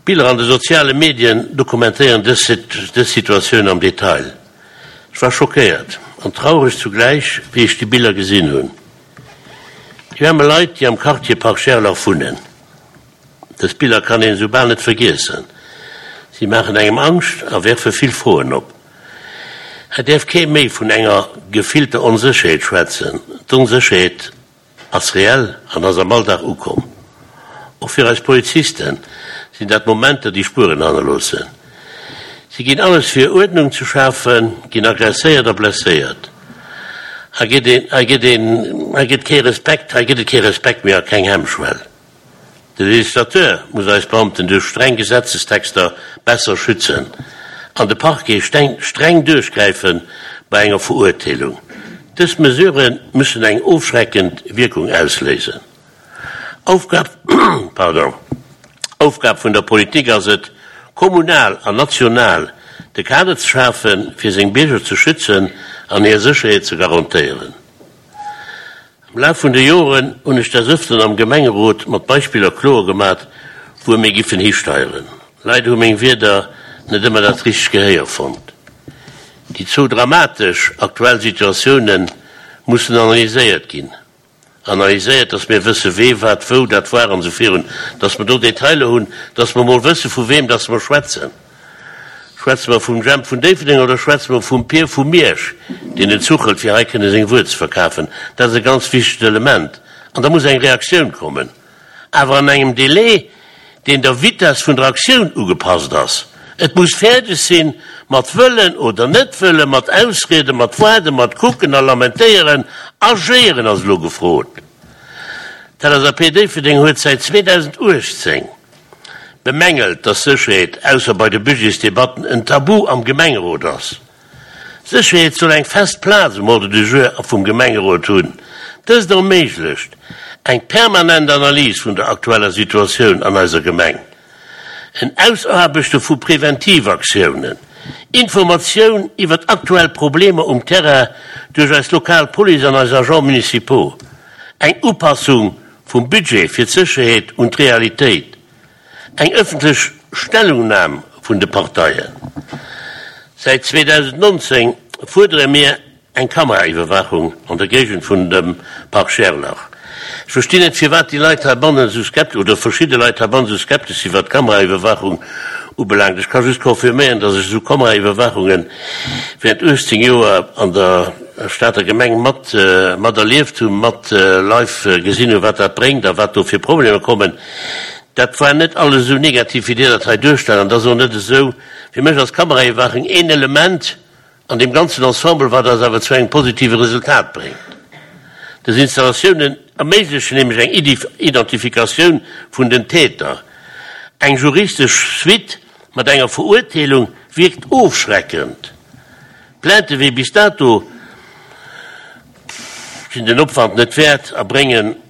Speaker 9: Biller an de soziale Medien dokumentéieren dës Situatioun am Detail. Ech war schockéiert an traureg zugläich, wéi ech déi Biller gesinn hunn. Déi aarme Leit, déi am Quartier Parc Gerlach wunnen. Dës Biller kann een esou bal net vergiessen. Si maachen engem Angscht a werfe vill Froen op. Hei däerf kee méi vun enger gefillter Onsécherheet schwätzen. D'Onsécherheet Ass reell an ass am Alldag ukomm. Och fir eis Polizisten sinn dat Momenter, déi Spueren hannerloossen. Si ginn alles fir Uerdnung ze schafen, ginn agresséiert a blesséiert. Hei gëtt een, hei gëtt een, hei gëtt kee Respekt, hei gëtt et kee Respekt méi a keng Hemmschwell. De Législateur muss eis Beamten duerch streng Gesetzestexter besser schützen an de Parquet streng duerchgräife bei enger Verurteelung. Dës Mesurë müssen eng ofschreckend Wierkung ausléisen. Aufgab Aufgab vun der Politik ass et, kommunal an national de Kader ze schafen, fir seng Bierger ze schützen an hir Sécherheet ze garantéieren. Am Laf vun de Joren hunn ech des Ëfteren am Gemengerot mat Beispiller kloer gemat, wuer mir giffen histeieren. Leider hu meng Wierder net ëmmer dat richtegt Gehéier fonnt. Déi zwou dramatesch aktuell Situatioune mussen analyséiert ginn. Analyséiert, dass mir wësse wee, wat, wou dat war an esou virun, dass mer do Detailer hunn, dass mer emol wësse vu weem dass mer schwätzen. Schwätze mer vum Jemp vun Déifferdeng oder schwätze mer vum Pier vu Miersch, deen den Zuch hëlt, fir hei kënne seng Wuer ze verkafen? Dat ass e ganz wichtegt Element. An da muss eng Reaktioun kommen. Awer an engem Délai, deen der Vitess vun der Aktioun ugepasst ass. Et muss fäerdeg sinn, mat wëllen oder net wëllen, mat Ausrieden, mat waarden, mat kucken a lamentéieren. Agéieren ass elo gefrot. D'LSAP Déifferdeng huet säit 2018 bemängelt, dass Sécherheet, ausser bei de Budgetsdebatten, en Tabu am Gemengerot ass. Sécherheet soll eng fest Plaz um Ordre du jour vum Gemengerot hunn. Dëst erméiglecht eng permanent Analys vun der aktueller Situatioun an eiser Gemeng, en Ausaarbechte vu Preventivaktiounen, Informatioun iwwert aktuell Problemer um Terrain duerch eis lokal Police an eis Agents municipaux, eng Upassung vum Budget fir d'Sécherheet un d'Realitéit. Eng ëffentlech Stellungnam vun de Parteien. Säit 2019 fuerdere mir eng Kameraiwwerwaachung an der Géigend vun dem Parc Gerlach. Ech verstinn net firwat déi Leit heibannen esou skeptesch, oder verschidde Leit heibannen esou skeptesch sinn, wat d'Kameraiwwerwaachung ubelaangt. Ech ka just confirméieren, dass ech esou Kameraiwwerwaachunge während 18 Joer an der Stater Gemeng mat mat erlieft hunn, mat live gesinn hunn, wat dat bréngt a wat do fir Problemer kommen. Dat war net alles esou negativ, wéi Dir dat hei duerstellt. An et ass och net esou, fir mech ass d'Kameraiwwerwaachung een Element an deem ganzen Ensemble, wat eis awer zu engem positive Resultat bréngt. Dës Installatiounen erméiglechen nämlech eng Identifikatioun vun den Täter. Eng juristesch Suite mat enger Verurteelung wierkt ofschreckend. Plaintë wéi bis dato sinn den Opwand net wäert a bréngen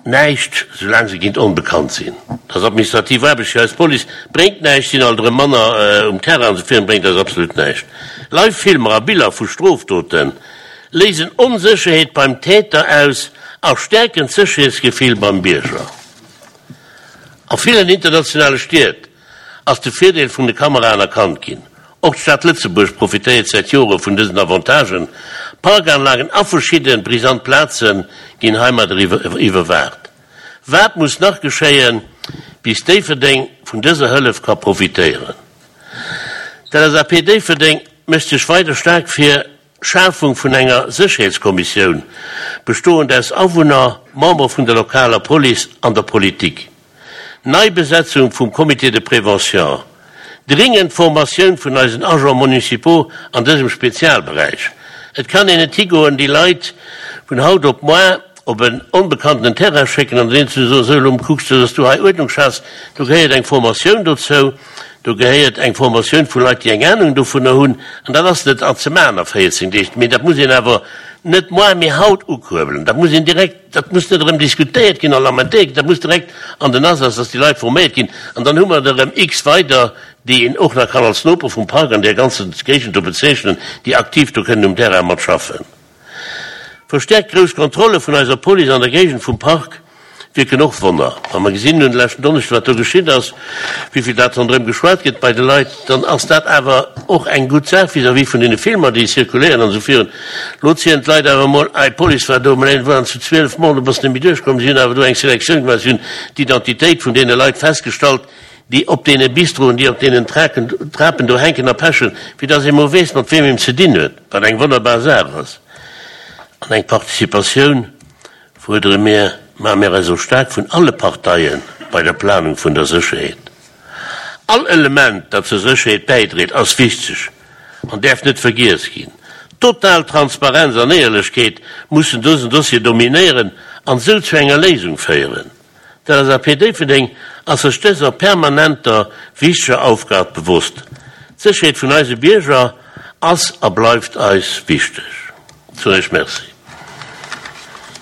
Speaker 9: Näischt, soulaang se géint onbekannt sinn. Dat ass administrativ Aarbecht fir eis Police, bréngt näischt, sinn alt erëm manner um Terrain an esou virun, bréngt eis absolut näischt. Live Filmer a Biller vu Strofdote léisen Onsécherheet beim Täter aus a stäerken d'Sécherheetsgefill beim Bierger. A villen internationale Stied ass de Virdeel vun de Kameraen erkannt ginn. Och d'Stad Lëtzebuerg profitéiert säit Jore vun dësen Avantagen. Parkanlagen a verschidde brisant Plaze ginn heimadder iwwerwaacht. Wat muss nach geschéien, bis Déifferdeng vun dëser Hëllef ka profitéieren? D'LSAP Déifferdeng mécht sech weider staark fir Schafung vun enger Sécherheetskommissioun, bestoend aus Awunner, Membere vun der lokaler Police an der Politik. Neibesetzung vum Comité de prévention. Dringend Formatioun vun eisen Agents municipaux an dësem Spezialberäich. Et kann een net higoen, déi Leit vun haut op moar op en onbekanntenen Terrain schécken an deenen ze soen, sou elo kucks du, dass du hei Uerdnung schafs. Do gehéiert eng Formatioun dozou, do gehéiert eng Formatioun vu Leit, déi eng Ahnung dovunner hunn. An dat ass net ze maachen a 14 Deeg, mee dat muss een awer net moar, mee haut ukuerbelen. Dat muss een direkt, dat muss net erëm diskutéiert ginn a lamentéiert ginn, dat muss direkt an den Asaz, dass déi Leit forméiert ginn. An dann hu mer der erëm x weider, déi een och nach kann als Noper vum Park an där ganzer Géigend do bezeechnen, déi aktiv do kënnen um Terrain mat schaffen. Verstäerkt grouss Kontrolle vun eiser Police an der Géigend vum Park wierken och Wonner. Wa mer gesinn hunn de leschten Donneschde wat do geschitt ass, wéivill dat ronderëm geschwat gëtt bei de Leit, dann ass dat awer och eng gutt Saach vis-à-vis vun deene Filmer déi zirkuléieren an esou virun. Lo zielen d'Leit awer emol, Ei, d'Police war do, mä et waren zu 12 mol, du bass net méi duerchkomm. Si hunn awer do eng Selektioun gemaach, si hunn d'Identitéit vun deene Leit festgestallt, déi op deene Bistroen, déi op deenen Traken, Trapen do hänken a pechen, fir dass ee mol weess, mat weem een ze dinn huet, wat eng wonnerbar Saach ass. An eng Participatioun fuerdere mir, maache mir eis och staark vun alle Parteie bei der Planung vun der Sécherheet. All Element, dat zur Sécherheet bäidréit, ass wichteg an däerf net vergiess ginn. Total Transparenz an Éierlechkeet mussen dësen Dossier dominéieren an esou zu enger Léisung féieren. D'LSAP Déifferdeng ass sech dëser permanenter, wichteger Aufgab bewosst. D'Sécherheet vun eise Bierger ass a bleift eis wichteg. Zu Recht Merci.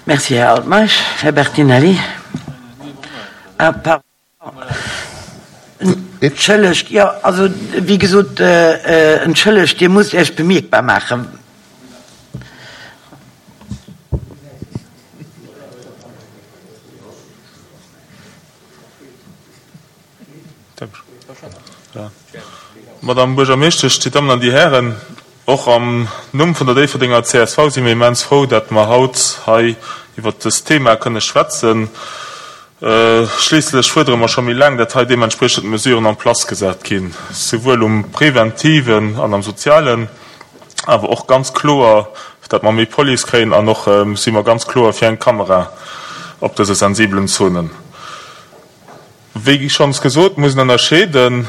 Speaker 1: Merci, Här Altmeisch. Här Bertinelli. Ah, pardon. Entschëllegt, jo, also, wéi gesot, entschëllegt, Dir musst Iech bemierkbar maachen.
Speaker 10: Madame Buergermeeschtesch, Dir Dammen an Dir Hären, och am Numm vun der Déifferdenger csv si mir immens frou, dat mer haut hei iwwert dëst Thema kënne schwätzen. Schliisslech fuerdere mer scho méi laang, dat hei deementspriechend Mesuren en place gesat ginn, souwuel um preventiven an am sozialen, awer och ganz kloer, dat mer méi Police kréien an och si mer ganz kloer fir eng Kamera op dëse sensibelen Zonen. Wéi schonns gesot, muss een ënnerscheeden.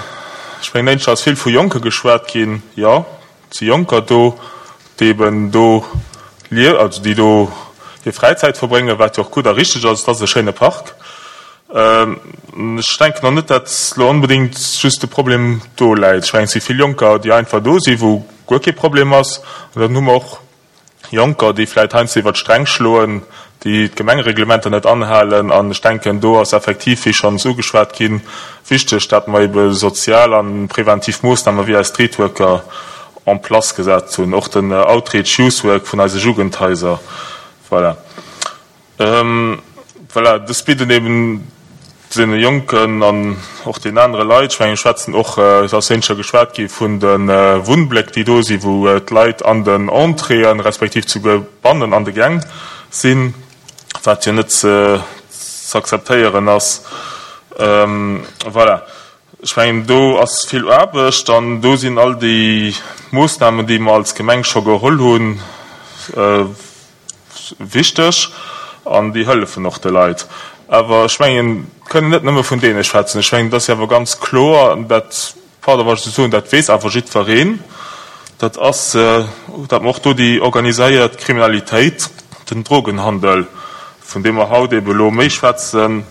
Speaker 10: Ech mengen, éineschter ass vill vu Jonke geschwat ginn. Jo, et si Jonker do, déi eben do lie, also déi do hir Fräizäit verbréngen, wat jo och gutt a richteg ass. Et ass e schéine Park. Ech denken och net, datt elo onbedéngt just de Problem do läit. Ech mengen, et si vill Jonker, déi einfach do sinn, wou guer kee Problem ass. An dann hu mer och Jonker, déi vläit heiansdo iwwer d'Sträng schloen, déi d'Gemengereglementer net anhalen. An ech denken, do ass effektiv, wéi schonns ugeschwat ginn, wichteg, dat mer ebe sozial a preventiv Moossname wéi eis Streetworker en place gesat hunn, och den Outreach Youth Work vun eise Jugendhaiser. Voilà. Voilà, dës bidden eben deene Jonken an och deenen anere Leit, ech mengen, ech schwätzen och, et ass éinescher geschwat gi vun de Wunnbléck, déi do sinn, wou d'Leit an den Entréeën, respektiv souguer bannen an de Gäng sinn, wat jo net ze akzeptéieren ass. Voilà, ech mengen, do ass vill Aarbecht an do sinn all déi Moossnamen, déi mer als Gemeng scho geholl hunn, Wichteg an déi hëllefen och de Leit. Awer ech mengen, kënnen net nëmme vun deene schwätzen. Ech mengen, et ass jo awer ganz kloer, an dat, pardon, wann ech esou soen, dat weess awer jiddwereen, dat ass, datt mer och do déi organiséiert Kriminalitéit, den Drogenhandel, vun deem mer haut ebe elo méi schwätzen,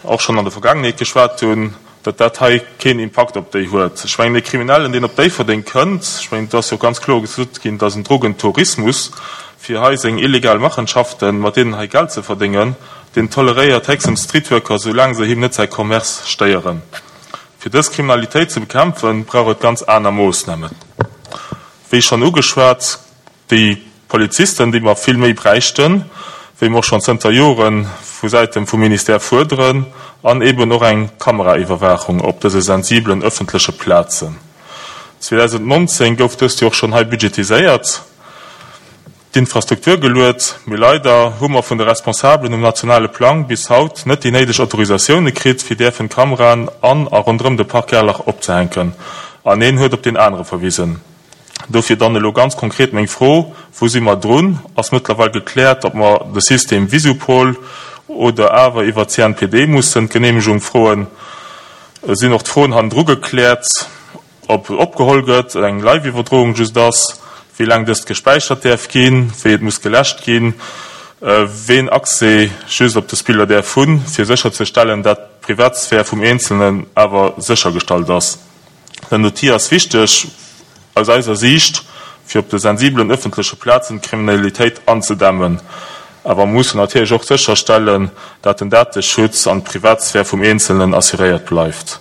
Speaker 10: och schonn an der Vergaangenheet geschwat hunn, datt dat hei keen Impakt op déi huet. Ech mengen, e Kriminellen, deen op Déifferdeng kënnt, ech mengen, et ass jo ganz kloer gesot ginn, et ass en Drogentourismus, fir hei seng illegal Machenschaften, mat deenen hei Geld ze verdéngen, deen toleréiert héchstens Streetworker, soulaang se him net säi Commerce stéieren. Fir dës Kriminalitéit ze bekämpfen, brauch et ganz aner Moossnamen. Wéi schonn ugeschwat, Déi Polizisten, déi mer vill méi bräichten, wéi mer och schonn zënter Jore vu Säite vum Ministère fuerderen, an eeben och eng Kameraiwwerwaachung op dëse sensibelen ëffentleche Plazen. 2019 gouf dëst jo och schonn hei budgetiséiert, d'Infrastruktur geluet, mee leider hu mer vun de Responsabelen um nationale Plang bis haut net déi néideg Autorisatioune kritt, fir däerfen Kameraen an a ronderëm de Park Gerlach opzehänken. An een huet op deen anere verwisen. Dofir dann elo ganz konkret meng Fro, Wou si mer drun? Ass mëttlerweil gekläert, ob mer de System Visupol oder awer iwwer d'CNPD mussen d'Geneemegung froen? Sinn och d'Froen hannendru gekläert, ob opgeholl gëtt, eng Live-Iwwerdroung just ass, wéi laang dëst gespäichert däerf ginn, wéi et muss geläscht ginn, ween Accès just op dës Biller däerf hunn, fir sécherzestellen, dat d'Privatsphär vum Eenzelnen awer séchergestallt ass? Den Outil ass wichteg, aus eiser Siicht, fir op de sensibelen ëffentleche Plazen d'Kriminalitéit anzedämmen. Awer mer mussen natierlech och sécherstellen, dat den Dateschutz an d'Privatsphär vum Eenzelnen assuréiert bleift.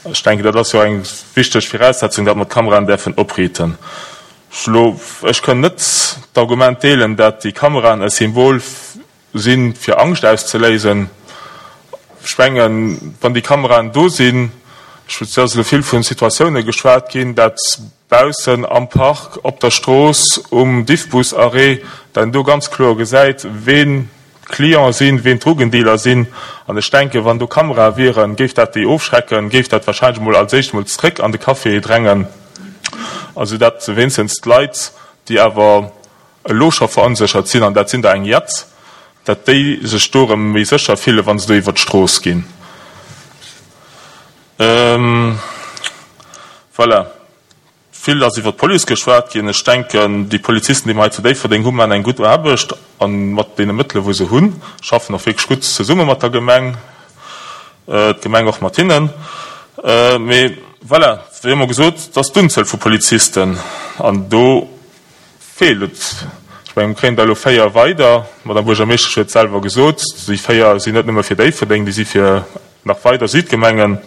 Speaker 10: Ech denken, dat ass jo eng wichteg Viraussetzung, dat mer d'Kameraen däerfen opriiten. Elo, ech kënn net d'Argument deelen, dat déi Kameraen e Symbol Sinn, fir Angscht auszeléisen. Ech mengen, wann déi Kameraen do sinn, ech et ass elo vill vu Situatioune geschwat ginn, dat baussen am Park, op der Strooss, um Diffbus-Arrêt, dat een do ganz kloer gesäit, ween d'Clienten sinn, ween d'Drogendealer sinn. An ech denken, wann do Kamerae wieren, géif dat déi ofschrecken, géif dat wahrscheinlech emol als éischt emol zréck an de Café drängen, also dat wéinstens d'Leit, déi awer elo scho veronséchert sinn, an dat sinn der eng Jett, dat déi sech do erëm méi sécher fillen, wa se do iwwert d'Strooss ginn. Voilà. Vill ass iwwert d'Police geschwat ginn. Ech denken, déi Polizisten, déi mer hei zu Déifferdeng hunn, maachen eng gutt Aarbecht a mat deene Mëttele wou se hunn, schaffen och wierklech gutt zesumme mat der Gemeng, d'Gemeng och mat hinnen. Mee voilà, wéi ëmmer gesot, et ass d'Unzuel vu Polizisten an do Feelt et. Ech mengen, mir kréien der elo 4 weider. D'Madame Buergermeeschtesch huet et selwer gesot, déi 4 sinn net nëmme fir Déifferdeng, déi si fir nach weider Südgemengen.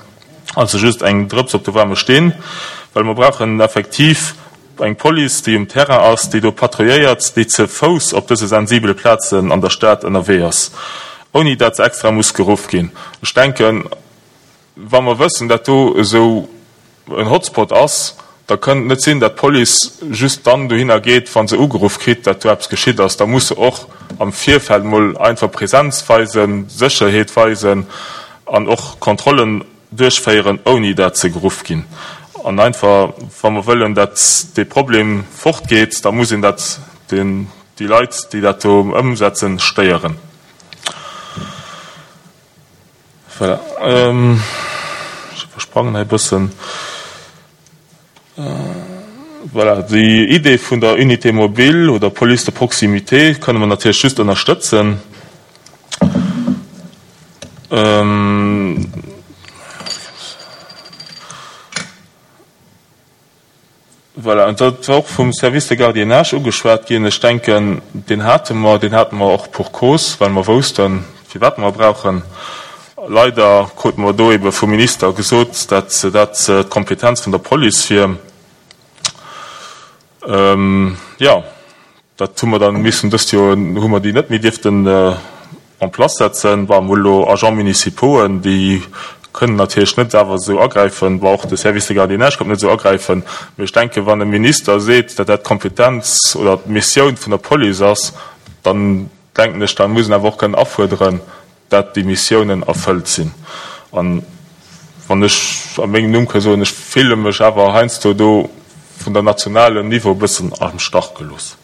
Speaker 10: Also just eng Drëps op de waarme Steen, well mer brauchen effektiv eng Police, déi um Terrain ass, déi do patrouilléiert, déi ze Fouss op dëse sensibele Plazen an der Stad ënnerwee ass, ouni dat se extra muss geruff ginn. Ech denken. wa mer wëssen, dat do esou en Hotspot ass, da kënnt et net sinn, dat d'Police just dann dohinner geet, wa se ugeruff kritt, dat do eppes geschitt ass. Da muss se och am Virfeld mol einfach Präsenz weisen, Sécherheet weisen an och Kontrollen duerchféieren, ouni dat se geruff ginn. An einfach, wa mer wëllen, dat dee Problem fortgeet, da muss een dat déi Leit, déi dat do ëmsetzen, stéieren. Voilà. Ech iwwersprangen hei e bëssen. Voilà, déi Idee vun der Unité mobile oder Police de proximité kënne mer natierlech just ënnerstëtzen. Voilà, an dat war och vum Service de gardiennage ugeschwat ginn. Ech denken, deen hate mer, deen hate mer och pour cause, well mer woussten, firwat mer e brauchen. Leider krute mer do ebe vum Minister gesot, dat dat d'Kompetenz vun der Police wier. Jo. Dat hu mer dann missen dëst Joer hu mer déi net méi dierften en place setzen. Bon, mer hu elo Agents municipauxen, déi kënnen natierlech net awer esou agräifen. Bon, och de Service de gardiennage konnt net esou agräifen. Mee ech denken, wann e Minister seet, datt dat d'Kompetenz oder d'Missioun vun der Police ass, dann denken ech, da muss en awer och kënnen afuerderen, dat déi Missiounen erfëllt sinn. An wann ech a mengem Numm ka soen, ech fille mech awer heiansdo do vun der nationalem Niveau e bëssen am Stach gelooss.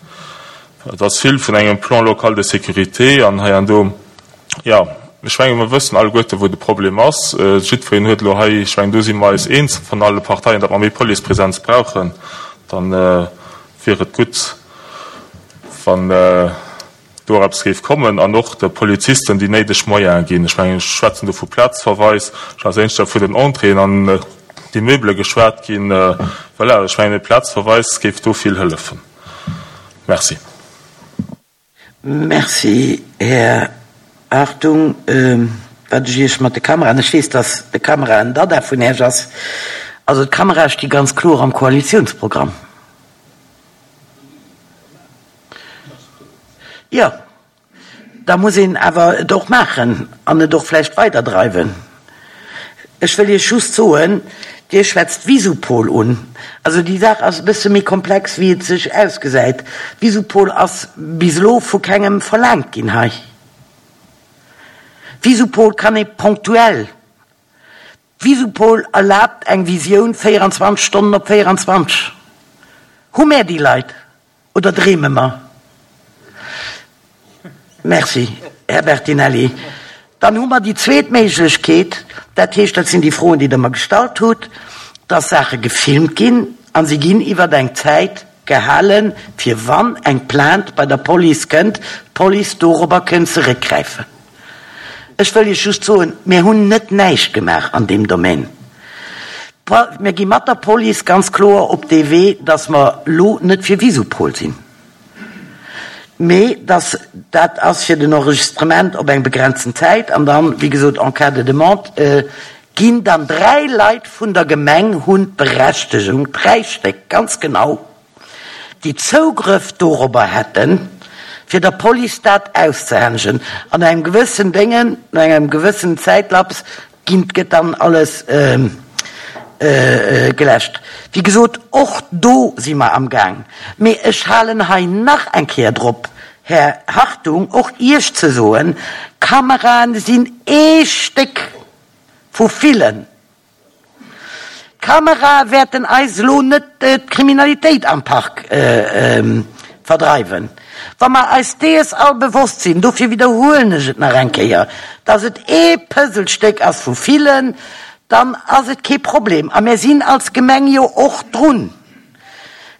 Speaker 10: Et ass vill vun engem Plan local de sécurité an hei an do. Jo, ech menge mer wëssen alleguerte wou de Problem ass. Jiddwereen huet elo hei, ech mengen do si mer eis eens vun alle Parteien, datt mer méi Policepresenz brauchen. Dann wier et gutt, wann do och eppes géif kommen an och de Polizisten déi néideg Moyene ginn. Ech mengen, ech schwätzen do vu Plazverweis, ech ass éischter vu den Entréeën an d'Immeubele geschwat ginn. Voilà, ech mengen, e Plazverweis géif do vill hëllefen. Merci.
Speaker 1: Merci, Här Hartung. Wat ech Iech mat de Kameraen, ech weess, dass de Kamera en Dada vun Iech ass, also d'Kamerae sti ganz kloer am Koalitionsprogramm. Jo, da muss een awer et och maachen an et och vläicht weiderdreiwen. Ech wëll Iech just soen, Dir schwätzt Visupol un. Also déi Saach ass e bësse méi komplex, wéi et sech ausgesäit. Visupol ass bis elo vu kengem verlaangt ginn hei. Visupol kann ee ponktuell. Visupol erlaabt eng Visioun 24 Stonnen op 24. Hu mär déi Leit? Oder dreeme mer? Merci, Här Bertinelli. Dann hu mer déi zweet Méiglechkeet, dat heescht, dat sinn déi Froen, déi Der mer gestallt hutt, dass Saache gefilmt ginn a se ginn iwwer eng Zäit gehalen, fir wann eng Plainte bei der Police kënnt, d'Police dorobber kënnt zeréckgräifen. Ech wëll Iech just soen, mir hunn net näischt gemaach an deem Domaine. Mir gi mat der Police ganz kloer op dee Wee, dass mer elo net fir Visupol sinn, mee dass dat ass fir den Enregistrement op eng begrenzten Zäit an dann, wéi gesot, en cas de demande ginn dann 3 Leit vun der Gemeng hunn d'Berechtegung, 3 Stéck ganz genau, déi Zougrëff dorobber hätten, fir der Police dat auszehänegen. An no engem gewëssen Déngen, no engem gewëssen Zäitlaps ginn, gëtt dann alles geläscht. Wéi gesot, och do si mer amgaang. Mee ech halen hei nach eng Kéier drop, Här Hartung, och Iech ze soen, Kameraen sinn ee Stéck vu villen. D'Kamerae wäerten eis elo net d'Kriminalitéit am Park verdreiwen. Wa mer eis dees all bewosst sinn, dofir widderhuelen ech et nach eng Kéier, dass et ee Puzzlestéck ass vu villen, dann ass et kee Problem. A mir sinn als Gemeng jo och drun.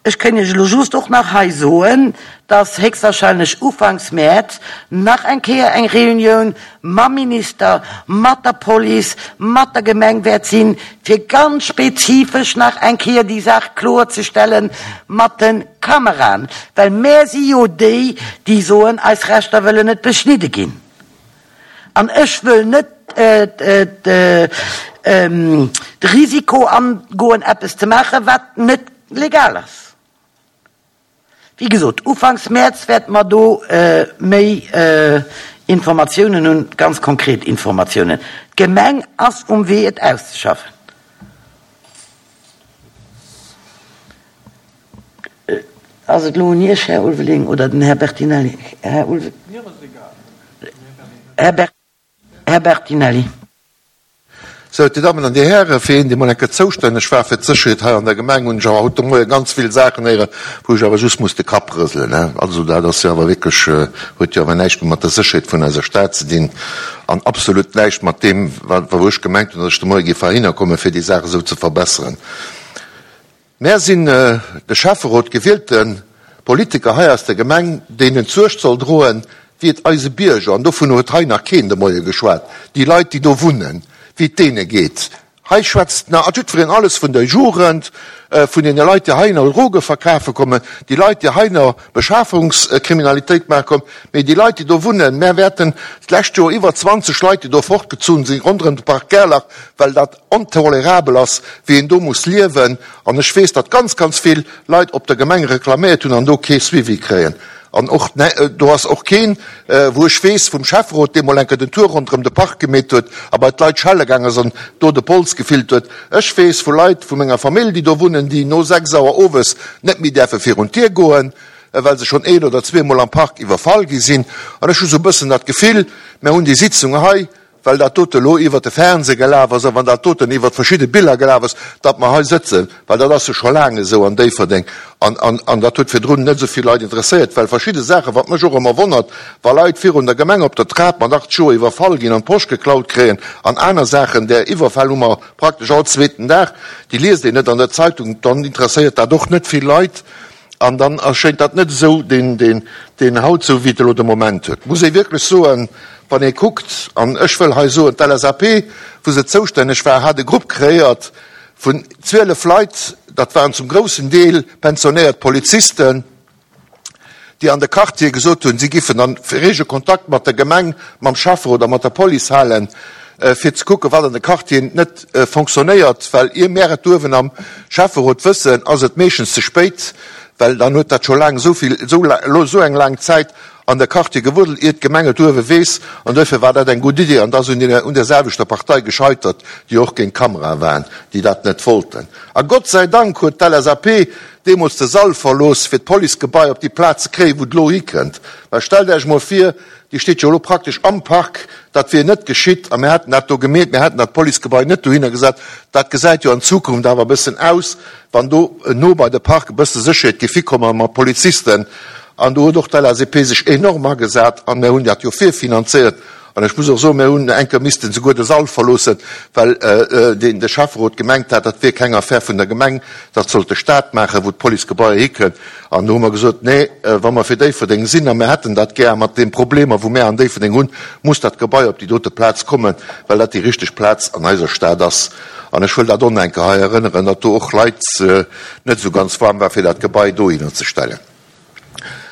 Speaker 1: Ech kënn Iech elo just och nach hei soen, dass héchstwahrscheinlech ufanks Mäerz nach eng Kéier eng Reunioun mam Minister, mat der Police, mat der Gemeng wäert sinn, fir ganz spezifesch nach eng Kéier déi Saach kloerzestelle mat de Kameraen. Well mär si jo déi, déi soen, eis Rechter wëllen net beschnidde ginn. An ech wëll net de Risiko angoen, eppes ze maachen, wat net legal ass. Wéi gesot, ufanks Mäerz wäerte mer do méi Informatiounen hunn, ganz konkret Informatiounen. D'Gemeng ass um Wee et auszeschaffen. Ass et elo un Iech, Här Ulveling, oder den Här Bertinelli? Här Ulveling. Här Bertinelli.
Speaker 11: Sou, Dir Dammen an Dir Hären, fir een, dee mol eng Kéier zoustänneg war fir d'Sécherheet hei an der Gemeng, hunn ech awer haut de Moie ganz vill Saachen héieren, wou ech awer just muss de Kapp rëselen. Also dat ass jo awer wierklech, huet jo awer näischt méi mat der Sécherheet vun eiser Stad ze dinn an absolut näischt mat deem, wou ech gemengt hunn, datt ech de Moie géif heihinner kommen, fir déi Saach esou ze verbesseren. Mär sinn de Schäfferot, gewielte Politiker hei aus der Gemeng, deenen d'Suerg soll droen, wéi et eise Bierger, an dovun huet hei nach keen de Moie geschwat, déi Leit, déi do wunnen, wéi et deene geet. Hei schwätzt nach jiddwereen alles vun der Jugend, vun deene Leit, déi heihinner Droge verkafe kommen, déi Leit, déi heihinner Beschafungskriminalitéit maache kommen, mee déi Leit, déi do wunnen, mär wäerten d'lescht Joer iwwer 20 Leit, déi do fortgezunn sinn ronderëm de Park Gerlach, well dat ontolerabel ass, wéi een do muss liewen. An ech weess, datt ganz, ganz vill Leit op der Gemeng reklaméiert hunn an do kee Suivi kréien. An och do ass och keen, wou ech weess, vum Schäfferot, dee mol eng Kéier den Tour ronderëm de Park gemeet huet a bei d'Leit schelle gaang ass an do de Pols gefillt huet. Ech weess vu Leit vu menger Famill, déi do wunnen, déi no 6 Auer owes net méi däerfe virun d'Dier goen, well se schonn een oder zweemol am Park iwwerfall gi sinn. An ech hu sou e bëssen dat Gefill, mär hunn déi Sitzung hei, well dat dote elo iwwert de Fernseh gelaf ass a wann dat doten iwwert verschidde Biller gelaf ass, datt mer hei sëtzen, well dat ass jo scho laang esou an Déifferdeng an, an, an dat huet virdrun net esou vill Leit interesséiert, well verschidde Saachen, wat mech och ëmmer wonnert, wa Leit virun der Gemeng op der Trap mat 80 Joer iwwerfall ginn an d'Posch geklaut kréien an aner Saachen, där Iwwerfäll hu mer praktesch all zweeten Dag, déi liest een net an der Zeitung, dann interesséiert dat och net vill Leit. An dann erschéint dat net esou deen, deen, deen haut esou, wéi et elo de Moment huet. Muss ee wierklech soen, wann ee kuckt, an ech wëll hei soen, d'LSAP, wou se zoustänneg war, hat e Grupp kreéiert vun 12 Leit, dat waren zum groussen Deel pensionéiert Polizisten, déi an de Quartiere gesot hunn, si giffen a rege Kontakt mat der Gemeng, mam Schäfferot a mat der Police halen, fir ze kucken, wat an de Quartieren net fonctionnéiert, well ier mär et uewen am Schäfferot wëssen, ass et meeschtens ze spéit, well dann huet dat scho laang esou vill, esou eng laang Zäit an de Quartier gewuddelt, ier d'Gemeng et uewe weess. An duerfir war dat eng gutt Idee an et ass un un där selwechter Partei gescheitert, déi och géint d'Kamerae waren, déi dat net wollten. A Gott sei Dank huet d'LSAP deemools de Sall verlooss, fir d'Policegebai op déi Plaz ze kréien, wou et elo hikënnt. Well stellt Iech emol vir, Déi steet jo elo praktesch am Park. Dat wier net geschitt a mir hätten dat do gemeet, mir hätten dat Policegebai net dohinner gesat. Dat gesäit jo an Zukunft awer e bëssen aus, wann do no bei de Park e bësse Sécherheet géif hikommen mat Polizisten. An do huet och d'LSAP sech enorm agesat an mir hunn dat jo virfinanzéiert. An ech muss och soen, mir hunn eng Kéier missten souguer de Sall verloossen, well deen de Schäfferot gemengt hat, dat wier keng Affär vun der Gemeng, dat sollt de Stat maachen, wou d'Policegebaier hikënnt. An do hu mer gesot, Nee, wa mer fir Déifferdeng sinn, a mir hätten dat gär, mat de Problemer, wou mär an Déifferdeng hunn, muss dat Gebai op déi dote Plaz kommen, well dat déi richteg Plaz an eiser Stad ass. An ech wëll dat och nach eng Kéier hei erënneren, datt do och Leit net esou ganz waarm war, fir dat Gebai dohinner ze stellen.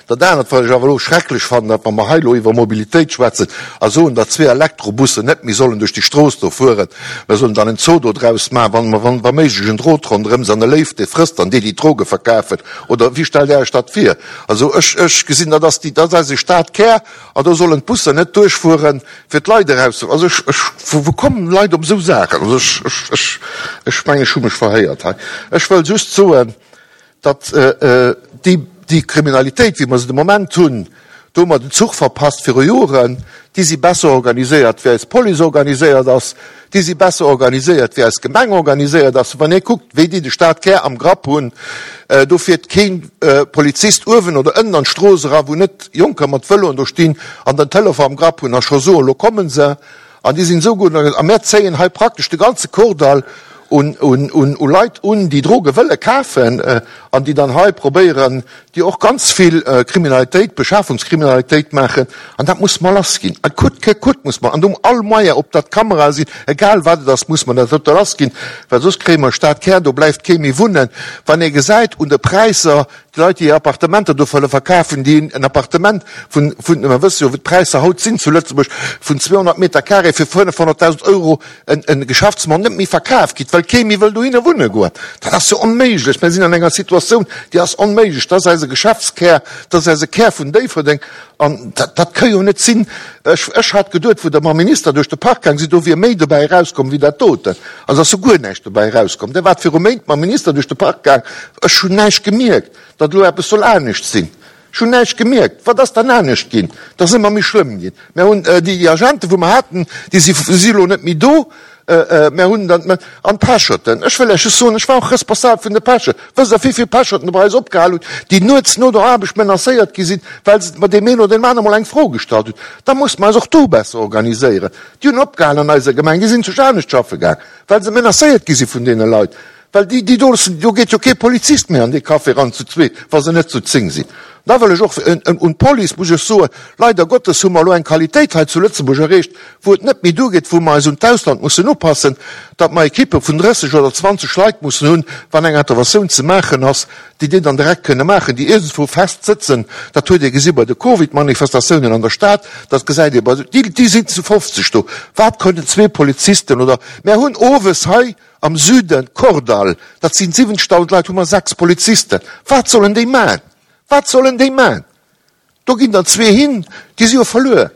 Speaker 11: Dat anert, wat ech awer elo schrecklech fannen, datt wa mer hei elo iwwer Mobilitéit schwätzen a soen, datt zwee Elektrobussen net méi sollen duerch déi Strooss do fueren, Mer sollen dann en Zoo do draus maachen, wann mer, wann wa méiglech en Drot ronderëm se an e Léiw, dee frësst dann déi, déi d'Droge verkafen. Oder wéi stellt Där Iech dat vir? Also ech, ech gesinn, dat ass déi, dat ass eise Stadkär an do sollen d'Busser net duerchfueren, fir d'Leit eraus ze, also ech, ech, wou, wou kommen d'Leit op esou Saachen? Also ech, ech, ech, ech mengen, ech hu mech verhéiert hei. Ech wëll just soen, datt déi, déi Kriminalitéit, wéi mer se de Moment hunn, do hu mer den Zuch verpasst viru Joren, déi si besser organiséiert, wéi eis Police organiséiert ass, déi si besser organiséiert, wéi eis Gemeng organiséiert ass. Wann ee kuckt, wéi déi de Stadkär am Grapp hunn, do fiert kee Polizist uewen oder ënnen an d'Strooss era, wou net Jonker mat Vëloen do stinn an den Telefon am Grapp hunn a scho soen, Lo kommen se. An déi sinn esou gutt organiséiert. A mär zéien hei praktesch de ganze Kordall un, un, un, u Leit un, déi Droge wëlle kafen an déi dann hei probéieren, déi och ganz vill Kriminalitéit, Beschafungskriminalitéit maachen. An dat muss mer lass ginn. A coûte que coûte muss mer, an do all Moyen, ob dat Kamerae sinn, egal wat et ass, muss mer dat dote lass ginn, well soss kréie mer e Stadkär, do bleift kee méi wunnen. Wann ee gesäit un de Präisser, Déi Leit, déi hir Appartementer do wëlle verkafen, déi en Appartement vun, vun, mer wësse jo, wéi d'Präisser haut sinn zu Lëtzebuerg, vun 200 Meter carré fir 500.000 Euro en, en Geschäftsmann net méi verkaf kritt, well kee méi wëll dohinner wunne goen. Dat ass jo onméiglech. Mir sinn an enger Situatioun, déi ass onméiglech. Dat ass eise Geschäftskär, dat ass eise Kär vun Déifferdeng. An dat, dat ka jo net sinn. Ech, ech hat geduet, wou Der mam Minister duerch de Park gaang sidd, do wier méi dobäi erauskomm wéi dat doten. Also ass jo guer näischt dobäi erauskomm. Der waart viru Méint mam Minister duerch de Park gaang. Ech hunn näischt gemierkt, datt elo eppes soll anescht sinn. Ech hunn näischt gemierkt. Wat ass dann anescht ginn? Et ass ëmmer méi schlëmm ginn. Mär hunn déi Agenten, wou mer haten, déi si si elo net méi do. Mär hunn dann, an d'Pecherten, ech wëll lech just soen, ech war och responsabel vun de Pecher. Wësst Der, wéi vill Pecherten bei eis opgehal hunn, déi nuets no der Aarbecht menacéiert gi sinn, well se deem een oder deem anere mol eng Fro gestallt hunn? Da musse mer eis och do besser organiséieren. Déi hunn opgehal an eiser Gemeng, déi sinn zu anescht schaffe gaang, well se menacéiert gi si vun deene Leit. Well déi, déi do, do geet jo kee Polizist méi an dee Café eran zu zweet, wa se net zu 10 sinn. Da wëll ech och un d'Police muss ech soen, leider Gottes hu mer elo eng Qualitéit hei zu Lëtzebuerg erreecht, wou et net méi duergeet, wou mer eis un d'Ausland mussen upassen, datt mer Ekippe vun 30 oder 20 Leit mussen hunn, wann eng Interventioun ze maachen ass, déi déi dann direkt kënne maachen, déi iergendwou fest sëtzen. Dat huet ee gesi bei de Covid-Manifestatiounen an der Stad, dat gesäit ee bei, déi, déi sinn zu 50 do. Wat kënnen zwee Polizisten oder, mär hunn owes hei Am Süden, Kordall, dat sinn 70.000 Leit, hu mer 6 Polizisten. Wat sollen déi man? Wat sollen déi man? Do ginn der zwee hin, déi si jo verluer.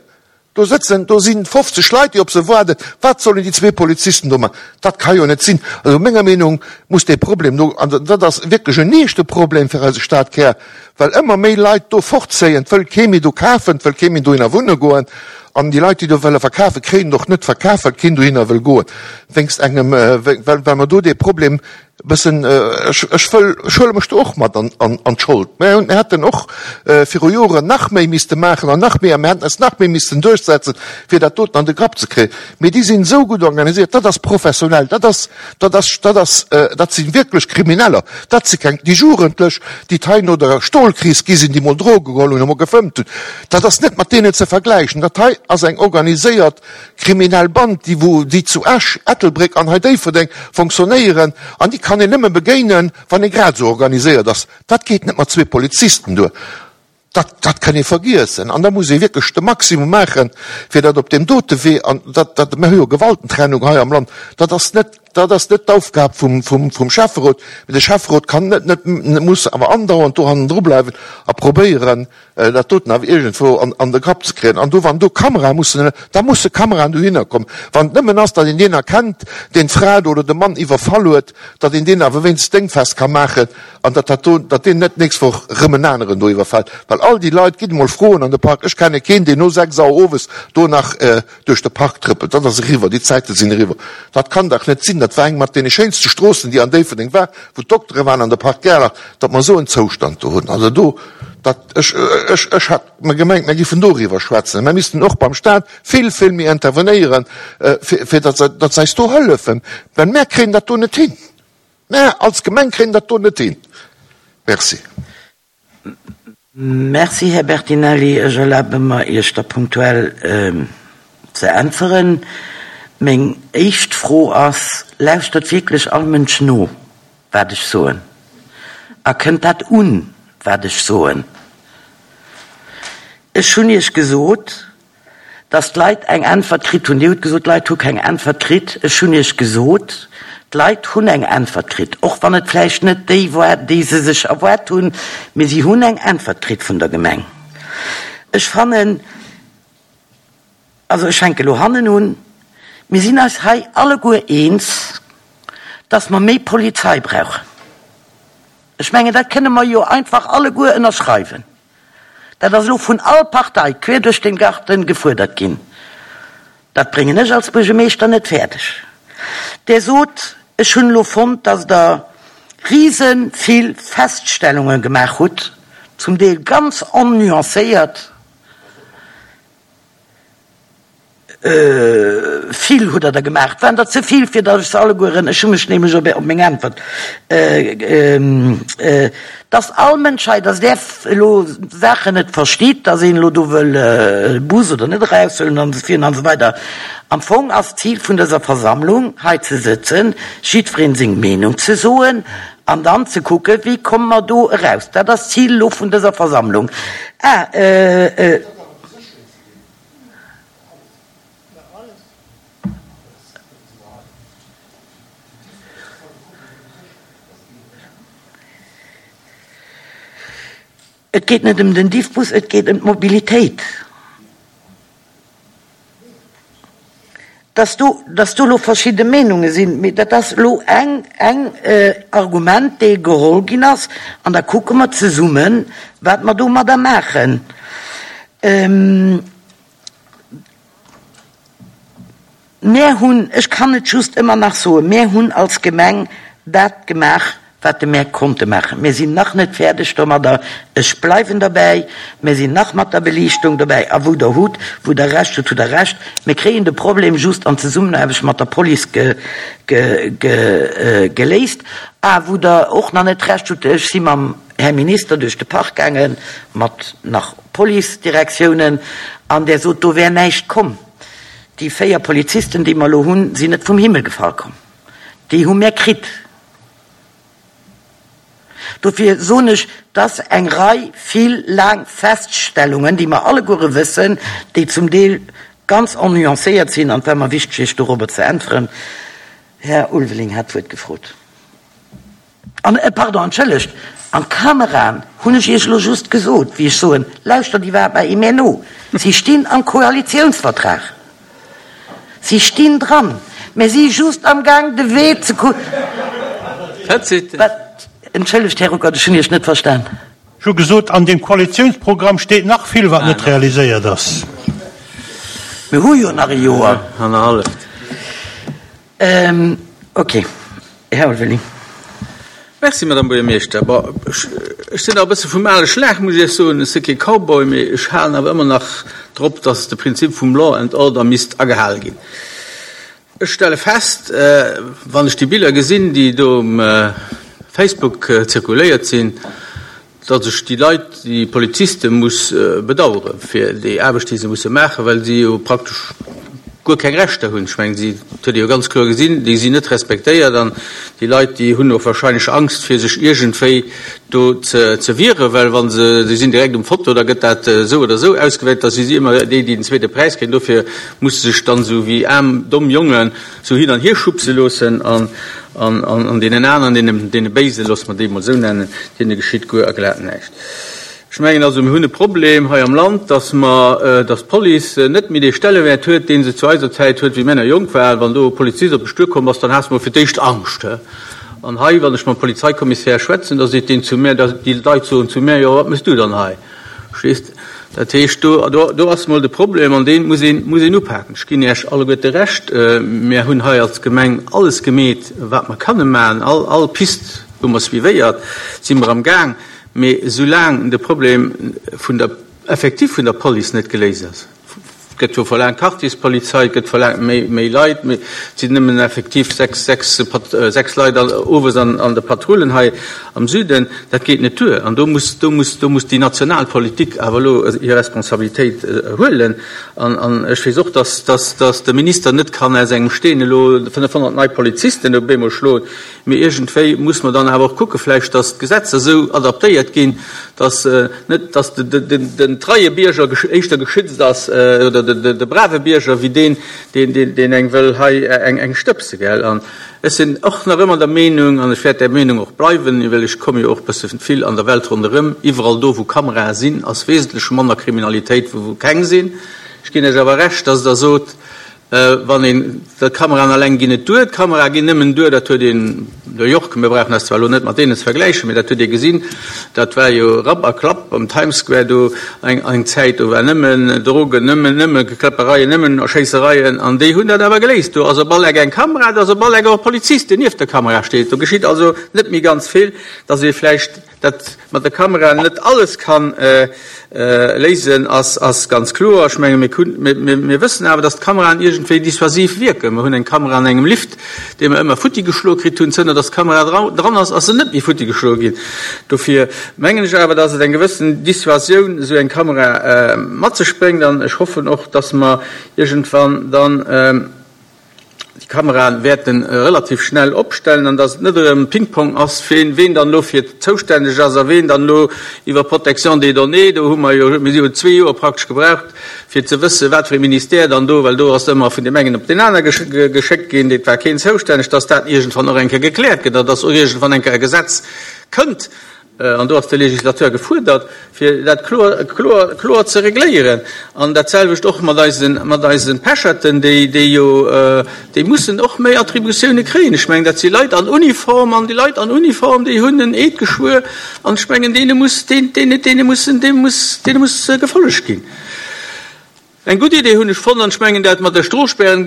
Speaker 11: Do sëtzen, do si 50 Leit, déi op se waarden. Wat sollen déi zwee Polizisten do man? Dat ka jo net sinn. Also menger Meenung muss dee Problem do, an dat ass wierklech en eeschte Problem fir eise Stadkär, well ëmmer méi Leit do fortzéien, 't wëll kee méi do kafen, 't wëll kee méi dohinner wunne goen, an déi Leit, déi do wëlle verkafen, kréien et och net verkaf, well keen dohinner wëll goen, wéinst engem, well well mer do dee Problem e bëssen, ech ech wëll, ech huele mech do och mat an an an d'Schold. Mir hunn, mir hätten och viru Joren nach méi misste maachen an nach méi, a mir hätten eis nach méi missten duerchsetzen, fir dat doten an de Grapp ze kréien. Mee déi sinn esou gutt organisiert, dat ass professionell, dat ass, dat ass, dat ass, dat si wierklech Krimineller, dat si keng, déi Jugendlech, déi d'hei no der Stolkris gi sinn, déi mol Droge geholl hunn a mol gefëmmt hunn, dat ass net mat deenen ze vergläichen. Dat hei ass eng organiséiert kriminell Band, déi wou, déi zu Esch, Ettelbréck an hei Déifferdeng fonctionnéieren an déi kann een nëmme begéinen, wann ee grad esou organiséiert ass. Dat geet net mat zwee Polizisten duer. Dat, dat kann ee vergiessen. An da muss ee wierklech de Maximum maachen, fir datt op deem dote Wee, an dat, dat, mir hu jo Gewaltentrennung hei am Land, dat ass net, dat ass net d'Aufgab vum, vum, vum Schäfferot, mee de Schäfferot kann net, net, muss awer andauernd do hannendru bleiwen a probéieren, dat doten awer iergendwou an, an de Grapp ze kréien. An do, wann do Kamerae mussen, da musse Kameraen dohinner kommen. Wann et nëmmen ass, datt een deen erkennt, deen d'Fra do oder de Mann iwwerfall huet, datt een deen awer wéinst déngfest ka maachen, An datt dat do, datt deen net d'nächst Woch erëm en aneren do iwwerfält. Well all déi Leit, gitt emol froen an de Park, ech kenne keen, deen no 6 Auer owes do nach duerch de Park trëppelt. Dat ass eriwwer, déi Zäite sinn eriwwer. Dat kann dach net sinn, dat war eng mat deene schéinste Stroossen, déi an Déifferdeng war, wou d'Doktere waren an de Park Gerlach, datt mer esou en Zoustand do hunn. Also do, dat, ech, ech, ech hat mer gemengt, mer giffen doriwwer schwätzen. Mer missten och beim Stat vill, vill méi intervenéieren, fir, fir datt se, datt se eis do hëllefen, well mer kréien dat do net hin. Mä als Gemeng kréien dat do net hin. Merci.
Speaker 1: Merci, Här Bertinelli. Ech erlabe mer, Iech da punktuell ze äntweren. Meng éischt Fro ass, Lauschtert wierklech all Mënsch no, wat ech soen? A kënnt dat un, wat ech soen? Ech hunn Iech gesot, Dass d'Leit eng Äntwert kritt hunn. Dir hutt gesot, d'Leit hu keng Äntwert kritt. Ech hunn Iech gesot, d'Leit hunn eng Äntwert kritt, och wann et vläicht net déi war, déi se sech erwaart hunn, mee si hunn eng Äntwert kritt vun der Gemeng. Ech fannen, also ech fänke elo hannen un, mir sinn eis hei alleguer eens, dass mer méi Polizei brauchen. Ech mengen, dat kënne mer jo einfach alleguer ënnerschreiwen. Dat ass elo vun all Partei quer duerch den Garten gefuerdert ginn. Dat bréngen ech als Buergermeeschter net fäerdeg. Der sot, ech hunn elo fonnt, dass Der rise vill Feststellungen gemaach hutt, zum Deel ganz onnuancéiert. Vill hutt Der der gemaach. Et waren der ze vill, fir datt ech se allegueren, ech hu mech nämlech op meng Äntwert, datt all Mënsch hei, datt där elo Saachen net versteet, datt een elo do wëll e Bus oder net eraushuelen an esou virun an esou weider. Am Fong ass d'Zil vun dëser Versammlung, hei ze sëtzen, jiddweree seng Meenung ze soen an dann ze kucken, wéi komme mer do eraus. Dat ass d'Zil elo vun dëser Versammlung. Ah. Et geet net ëm den Diffbus, et geet ëm d'Mobilitéit. Dass do, dass do elo verschidde Meenunge sinn, mee dat ass elo eng, eng Argument, dee geholl ginn ass, an da kucke mer zesummen, wat mer domadder maachen. Mär hunn, ech kann et just ëmmer nach soen, mär hunn als Gemeng dat gemaach, wat de mär konnte maachen. Mir sinn nach net fäerdeg domadder, ech bleiwen derbäi, mir sinn nach mat der Beliichtung dobäi. A wou Der hutt, wou Der Recht hutt, hutt Der Recht. Mir kréien de Problem just an Zesummenaarbecht mat der Police geléist. A wou Der och nach net Recht hutt, ech si mam Här Minister duerch de Park gaangen, mat nach Policedirektiounen, an där sot, do wär näischt komm. Déi 4 Polizisten, déi mer elo hunn, sinn net vum Himmel gefall komm. Déi hu mär kritt. Dofir soen ech, dass eng Rei vill laang Feststellungen, déi mer alleguere wëssen, déi zum Deel ganz onnuancéiert sinn, an et war mer wichteg, Iech dorobber ze äntweren. Här Ulveling hat d'Wuert gefrot. An, pardon, entschëllegt, an d'Kameraen hunn ech Iech elo just gesot, wéi ech soen, lauschtert iwwerhaapt mei ee no, si stinn am Koalitiounsvertrag, si stinn dran, mä si just am Gaang de Wee ze ku. Wat? Entschëllegt, Här Ruckert, ech hunn Iech net verstan.
Speaker 2: Ech hu gesot, an deem Koalitiounsprogramm steet nach vill, wat net realiséiert ass.
Speaker 1: Mir hu jo nach e Joer.
Speaker 12: Annerhalleft.
Speaker 1: Ok, Här Ulveling.
Speaker 12: Merci, Madame Buergermeeschter. Bon, ech sinn nach e bësse vum ale Schlag, muss ech Iech soen. Ech si kee Cowboy, mee ech halen awer ëmmer nach drop, dass de Prinzip vum Law and Order misst agehale ginn. Ech stelle fest, wann ech déi Biller gesinn, déi do um Facebook zirkuléiert sinn, datt ech déi Leit, déi Poliziste muss bedauere fir déi Aarbecht, déi se musse maachen, well si jo praktesch guer keng Rechter hunn. Ech mengen, si, dat huet ee jo ganz kloer gesinn, déi sinn net respektéiert an déi Leit, déi hunn och wahrscheinlech Angst, fir sech iergendwéi do ze wieren, well wa se, si sinn direkt um Foto, da gëtt dat esou oder esou ausgewäert, da si si ëmmer déi, déi den zweete Präis kréien. Dofir musse se sech dann esou wéi aarm, domm Jongen Sou hin an hier schubse loossen an an deenen aneren, deene deene Béisen, loosse mer déi emol esou nennen, deene geschitt guer a glat näischt. Ech mengen also, mir hunn e Problem hei am Land, dass mer, dass d'Police net méi dee Stellewäert huet, dee se zu eiser Zäit huet, wéi mir nach jonk waren. Wann do e Polizist op dech duerkomm ass, dann has de mol fir d'éischt Angscht. An hei, wann ech mam Polizeikommissär schwätzen, da seet deen zu mär, déi Leit soen zu mär, jo, wat méchs du dann hei? Verstees de? Dat heescht, do, do, do ass emol de Problem an dee muss een, muss een upaken. Ech ginn Iech alleguerte Recht, mir hunn hei als Gemeng alles gemeet, wat mer kënne maachen. All, all Pist hu mer suivéiert, si mer am Gaang. Mee soulaang de Problem vun der, effektiv vun der Police net geléist ass, Et gëtt jo verlaangt Quartierspolizei, et gëtt verlaangt méi, méi Leit, mee et sinn nëmmen effektiv 6, 6, 6 Leit owes an, an de Patrullen hei am Süden. Dat geet net duer. An do muss, do muss, do muss déi national Politik awer elo hir Responsabilitéit huelen. An, an ech weess och, dass, dass, dass de Minister net kann aus engem Steen elo 500 nei Polizisten op eemol schloen. Mee iergendwéi muss mer dann awer och kucke vläicht, dass d'Gesetzer esou adaptéiert ginn, dass net, dass den treie Bierger éischter geschützt ass oder de brave Bierger wéi deen, deen eng wëll hei eng stëbse, gell. An ech sinn och nach ëmmer der Meenung, an ech wäert där Meenung och bleiwen, well ech komme jo och e bësse vill an der Welt ronderëm, iwwerall do wou Kamerae sinn, ass wesentlech manner Kriminalitéit wou wou keng sinn. Ech ginn Iech awer Recht, dass Der sot, Wann een, d'Kameraen alleng ginn net duer, d'Kamerae ginn nëmmen duer, dat huet een, New York, mir brauchen eis zwar elo net mat deenen ze vergläichen, mee dat huet ee gesinn, dat war jo Rapp a Klapp am Times Square do eng eng Zäit, do war nëmmen Drogen, nëmmen, nëmme Kläppereien, nëmmen Schéissereien an déi hunn dat awer geléist. Do ass op all Eck eng Kamera, do ass op all Eck och e Polizist, deen nieft der Kamera steet. Do geschitt also net méi ganz vill, dass ee vläicht Dat mat der Kamera net alles kann léisen, ass ganz kloer. Ech menge mir wëssen awer, datt d'Kameraen iergendwéi dissuasiv wierken. Mer hunn eng Kamera an engem Lift, dee mer ëmmer futti geschloe kritt hunn. Zënter datt d'Kamera dran ass, ass se net méi futti geschloe ginn. Dofir mengen ech awer, datt et eng gewëssen Dissuasioun esou eng Kamera mat sech bréngt. An ech hoffen och, datt mer iergendwann dann, déi Kameraen wäerten relativ schnell opstellen an dass et net erëm Ping-Pong ass, ween ween dann elo fir zoustänneg ass a ween dann elo iwwer Protection des données, do hu mer jo, mir si jo zwee Joer praktesch gebraucht fir ze wëssen, wat fir e Ministère dann do, well do ass ëmmer vun deem engen op deen aner geschéckt ginn, et war keen zoustänneg, dass dat iergendwann och eng Kéier gekläert gëtt an dass och iergendwann eng Kéier e Gesetz kënnt. An do ass de Législateur gefuerdert, fir dat kloer, kloer, kloer ze regléieren. An dat selwecht och mat eisen, mat eise Pecherten, déi, déi jo, déi mussen och méi Attributioune kréien. Ech mengen, dat si Leit an Uniform, an déi Leit an Uniform, déi hunn en Eed geschwuer, an ech mengen, deene muss, deene, deene mussen, deene muss, deene muss gefollegt ginn. Eng gutt Idee hunn ech fonnt, an ech mengen dat mat der Stroosspären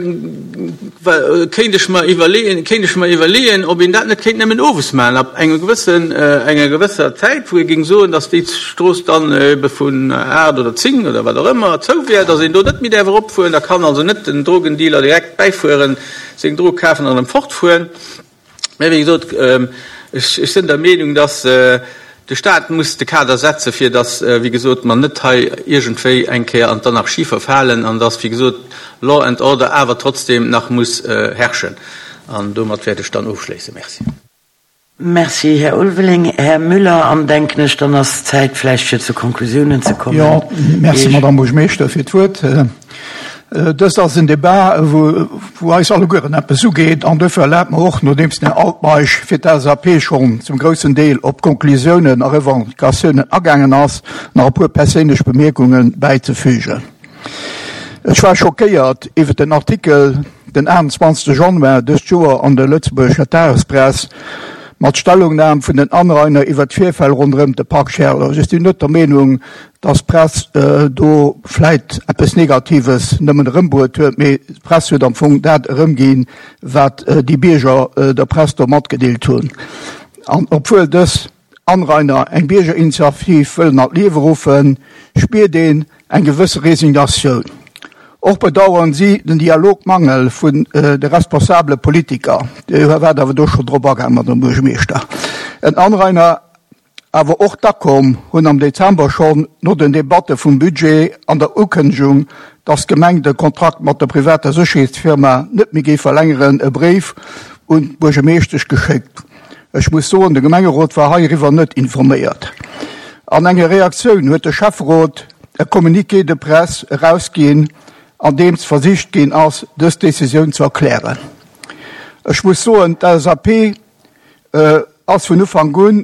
Speaker 12: kéint ech mer iwwerleeën, kéint ech mer iwwerleeën, ob een dat net kéint nëmmen owes maachen, ab engem gewëssen, enger gewësser Zäit, wou ee géing soen, datt déi Strooss dann ebe vun 8 oder 10 oder wat och ëmmer zou wär, datt een do net méi däerf eropfueren. Da kann also net den Drogendealer direkt bäifueren, seng Drog kafen an erëm fortfueren. Mä wéi gesot, ech sinn der Meenung, dass de Stat muss de Kader setzen, fir dass, wéi gesot, mer net hei iergendwéi eng Kéier an d'Anarchie verfalen an dass, wéi gesot, Law and order awer trotzdem nach muss herrschen. An domat wäert ech dann ofschléissen. Merci.
Speaker 1: Merci, Här Ulveling. Här Müller, an denken ech, dann ass d'Zäit vläicht fir zu Konklusiounen ze kommen.
Speaker 7: Jo, merci, Madamm Buergermeeschter, fir d'Wuert. Dëst ass en Debat, wou eis allegueren eppes ugeet, an duerfir erlaabt mer och, nodeems den Här Altmeisch fir d'LSAP schonn zum groussen Deel op d'Konklusiounen a Revendicatiounen agaangen ass, nach e puer perséinlech Bemierkunge bäizefügen. Ech war schockéiert iwwer den Artikel den 28 Januar dëst Joer an der Lëtzebuergescher Tagespress mat Stellungnam vun den Anrainer iwwer d'Virfäll ronderëm de Parc Scherlers. Ech sinn net der Meenung, dass d'Press do vläit eppes Negatives nëmmen erëmbruet huet, mee d'Press huet am Fong dat erëmginn, wat déi Bierger der Press do matgedeelt hunn. An obwuel dës Anrainer eng Biergerinitiativ wëllen an d'Liewe ruffen, spiert een eng gewësse Resignatioun. Och bedauern si den Dialogmangel vun de responsabele Politiker. Dir waart awer do schonn drop agaang, Madame Buergermeeschter. En Anrainer Awer och d'ACOM hunn am Dezember schonn no den Debatte vum Budget an der Ukënnegung, datt d'Gemeng de Kontrakt mat der privater Sécherheetsfirma net méi géif verlängeren, e Bréif un d'Buergermeeschtesch geschéckt. Ech muss soen, de Gemengerot war heiriwwer net informéiert. An enger Reaktioun huet de Schäfferot e Communiqué de presse erausginn, an deems versicht ginn ass, dës Decisioun ze erklären. Ech muss soen, d'LSAP ass vun Ufank un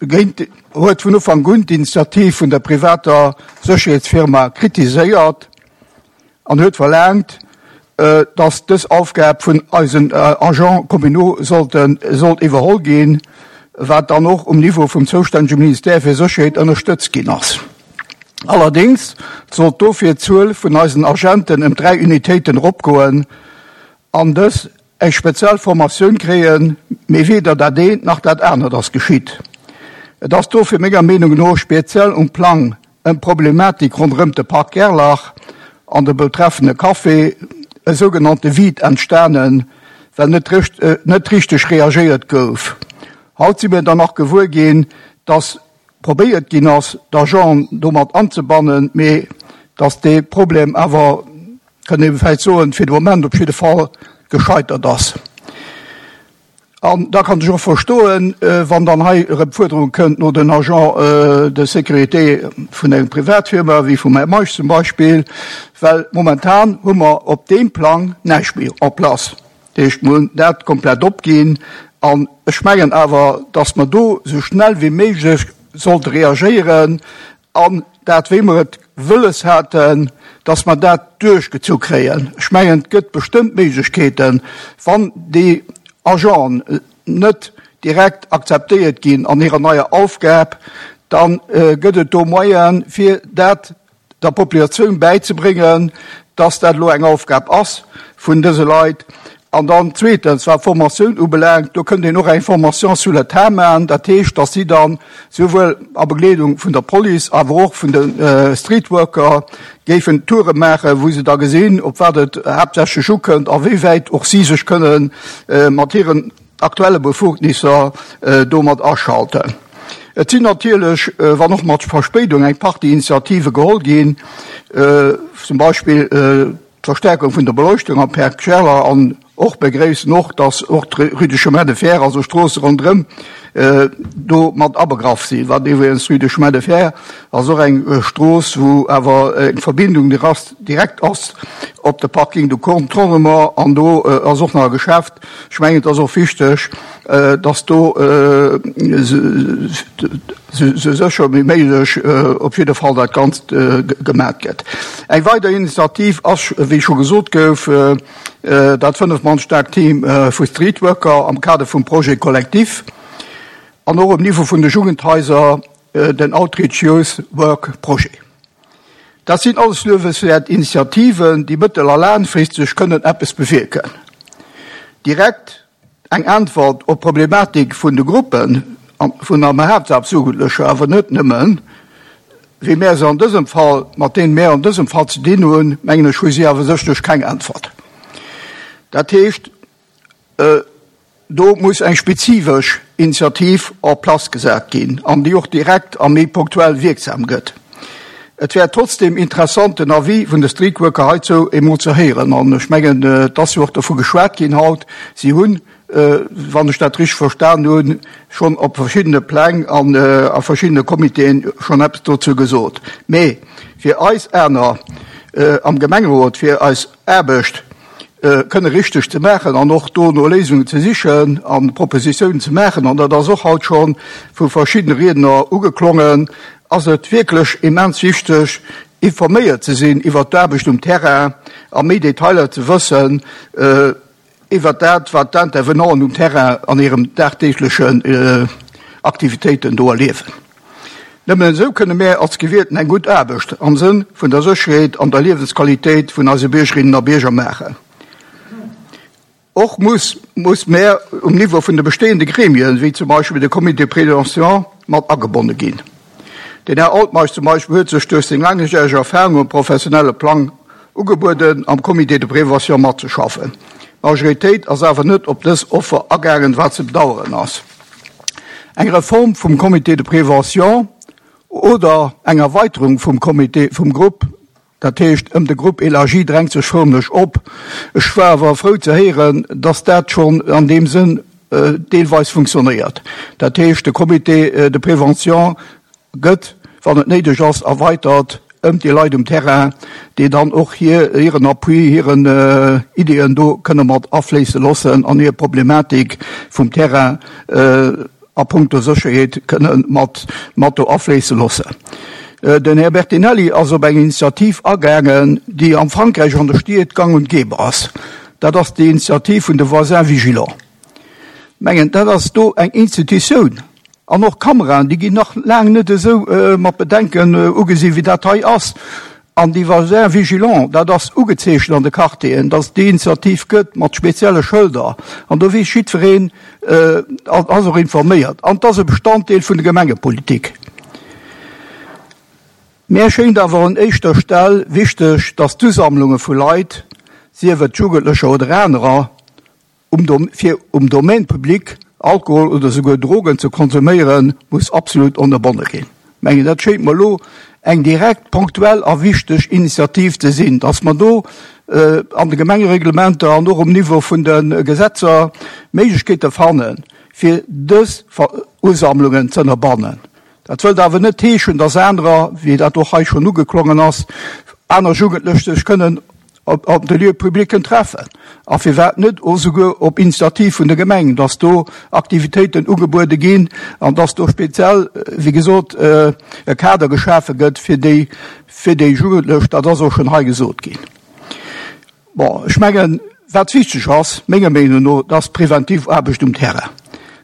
Speaker 7: géint, huet vun Ufank un d'Initiativ vun der privater Sécherheetsfirma kritiséiert an huet verlaangt, datt dës Aufgab vun eisen Agents communaux sollten, sollt iwwerholl ginn, wat dann och um Niveau vum zoustännege Ministère fir Sécherheet ënnerstëtzt ginn ass. Allerdéngs sollt dofir d'Zuel vun eisen Agenten ëm 3 Unitéiten eropgoen an dës eng speziell Formatioun kréien, mee weder dat eent nach dat anert ass geschitt. Et ass dofir menger Meenung no speziell um Plang ëm d'Problematik ronderëm de Parc Gerlach an de betreffende Café e sougenannte Vide entstanen, well net net richteg reagéiert gouf. Haut si mir dann nach gewuer ginn, dass probéiert ginn ass, d'Agenten domat anzebannen, mee dass dee Problem awer, kann ee vläicht soen, fir de Moment op jidde Fall gescheitert ass. An da kann ech och verstoen, wann dann hei erëm d'Fuerderung kënnt no den Agents de sécurité vun engem Privatfirma, wéi vum Här Meisch zum Beispill, well momentan hu mer op deem Plang näischt méi en place. Dat heescht, mer hunn dat komplett opginn. An ech mengen awer, dass mer do esou schnell wéi méiglech sollte reagéieren An dat, wéi mer et wëlles haten, dass mer dat duerchgezu kréien. Ech mengen, et gëtt bestëmmt Méiglechkeeten, wann déi Agenten net direkt akzeptéiert ginn an hirer neier Aufgab, da gëtt et do Moyen, fir dat der Populatioun bäizebréngen, dass dat elo eng Aufgab ass vun dëse Leit. An dann zweetens, wat d'Formatioun ubelaangt, do kënnt een och eng Formation sur le tas maachen. Dat heescht, dass si dann souwuel a Begleedung vun der Police, awer och vun de Streetworker géifen Toure maachen, wou se da gesinn, op wat et haaptsächlech ukënnt a wéi wäit och si sech kënne mat hiren aktuelle Befugnisser do mat aschalten. Et sinn natierlech, wann och mat Verspéidung, eng Partie Initiative geholl ginn, zum Beispill d'Verstärkung vun der Beleuchtung am Parc Scherler an och begréissen och, dass och d'Rue du Chemin de Fer, also Stroosse ronderëm, do mat abegraff sinn. Wat iwwregens d'Rue du Chemin de Fer ass och eng Strooss, wou awer eng Verbindung direkt ass. op de Parking de Contournement an do ass och nach e Geschäft. Ech mengen, et ass och wichteg, dass do esou sécher wéi méiglech op jidde Fall dat Ganzt gemat gëtt. Eng weider Initiativ ass, wéi scho gesot gouf, dat 5 Mann staarkt Team vu Streetworker am Kader vum Projet Collectif an och um Niveau vun de Jugendhaiser den Outreach Youth Work Projet. Dat sinn alles luewenswäert Initiativen, déi mëttel a laangfristeg kënnen eppes bewierken. Direkt eng Äntwert op d'Problematik vun de Gruppen, vun am Haaptsaz Jugendlecher, awer net nëmmen, wéi mär se an dësem Fall, mat deenen mär an dësem Fall ze dinn hunn, mengen ech, hu si awer sécherlech keng Äntwert. Dat heescht, Do muss eng spezifesch Initiativ en place gesat ginn an déi och direkt a méi punktuell wierksam gëtt. Et wär trotzdeem interessant, den Avis vun de Streetworker heizou emol ze héieren. An ech mengen, et ass jo och dovu geschwat ginn haut, si hunn, wann ech dat richteg verstan hunn, schonn op verschiddene Pläng an a verschiddene Comitéen schonn eppes dozou gesot. Mee fir eis aner am Gemengerot, fir eis Aarbecht, kënne richteg ze maachen an och do no Léisungen ze sichen a Propositiounen ze maachen, an dat ass och haut scho vu verschiddene Riedner ugeklongen, ass et wierklech immens wichteg, informéiert ze sinn iwwert d'Aarbecht um Terrain a méi Detailer ze wëssen iwwert dat, wat d'Intervenanten um Terrain an hirem dagdeeglechen Aktivitéiten do erliewen. Nëmmen esou kënne mär als Gewielten eng gutt Aarbecht am Sënn vun der Sécherheet an der Liewensqualitéit vun eise Biergerinnen a Bierger maachen. Och muss muss mär um Niveau vun de bestehende Gremien, wéi zum Beispill de Comité de prévention, mat agebonne ginn. Den Här Altmeisch zum Beispill huet sech duerch seng laangjäreg Erfahrung um professionelle Plang ugebueden, am Comité de prévention matzeschaffen. D'Majoritéit ass awer net op dës Offer agaangen, wat ze bedauern ass. Eng Reform vum Comité de prévention oder eng Erweiterung vum Comité, vum Grupp, dat heescht ëm de Groupe élargi, drängt sech förmlech op. Ech war awer frou ze héieren, dass dat schonn an deem Sënn deelweis funktionéiert. Dat heescht, de Comité de prévention gëtt, wann et néideg ass, erweitert ëm déi Leit um Terrain, déi dann och hir, hiren Appui, hiren Ideeën do kënne mat afléisse loossen an hir Problematik vum Terrain a puncto Sécherheet kënne mat, mat do afléisse loossen. Den Här Bertinelli ass op eng Initiativ agaangen, déi am Frankräich an de Stied gang und gäbe ass. Dat ass déi Initiativ vun de Voisins vigilants. Mengen, dat ass do eng Institutioun. An och Kameraen, déi ginn nach laang net esou mat Bedenken ugesi wéi dat hei ass. An déi Voisins vigilants, dat ass ugezeechent an de Quartieren, dass et déi Initiativ gëtt mat spezielle Schëlder. An do weess jiddwereen, ass och informéiert. An et ass e Bestanddeel vun der Gemengepolitik. Mär schéngt awer un éischter Stell wichteg, dass d'Usammlunge vu Leit, sief et Jugendlecher oder anerer, Um fir um Domaine public Alkohol oder souguer Drogen ze konsuméieren, muss absolut ënnerbonne ginn. Mengen, dat schéngt mer elo eng direkt, ponktuell a wichteg Initiativ ze sinn, dass mer do an de Gemengereglementer an och um Niveau vun de Gesetzer Méiglechkeete fannen, fir dës Usammlungen ze ënnerbannen. Dat wëllt awer net heeschen, dass anerer, wéi dat och hei schonn ugeklongen ass, aner Jugendlech sech kënnen op de Lieux publics treffen a firwat net och souguer op Initiativ vun der Gemeng, dass do Aktivitéiten ugebuede ginn an dass do speziell, wéi gesot, e Kader geschafe gëtt fir déi, fir déi Jugendlech. Dat ass och schonn hei gesot ginn. Bon, ech mengen, wat wichteg ass, menger Meenung no, dat ass d'präventiv Aarbecht um Terrain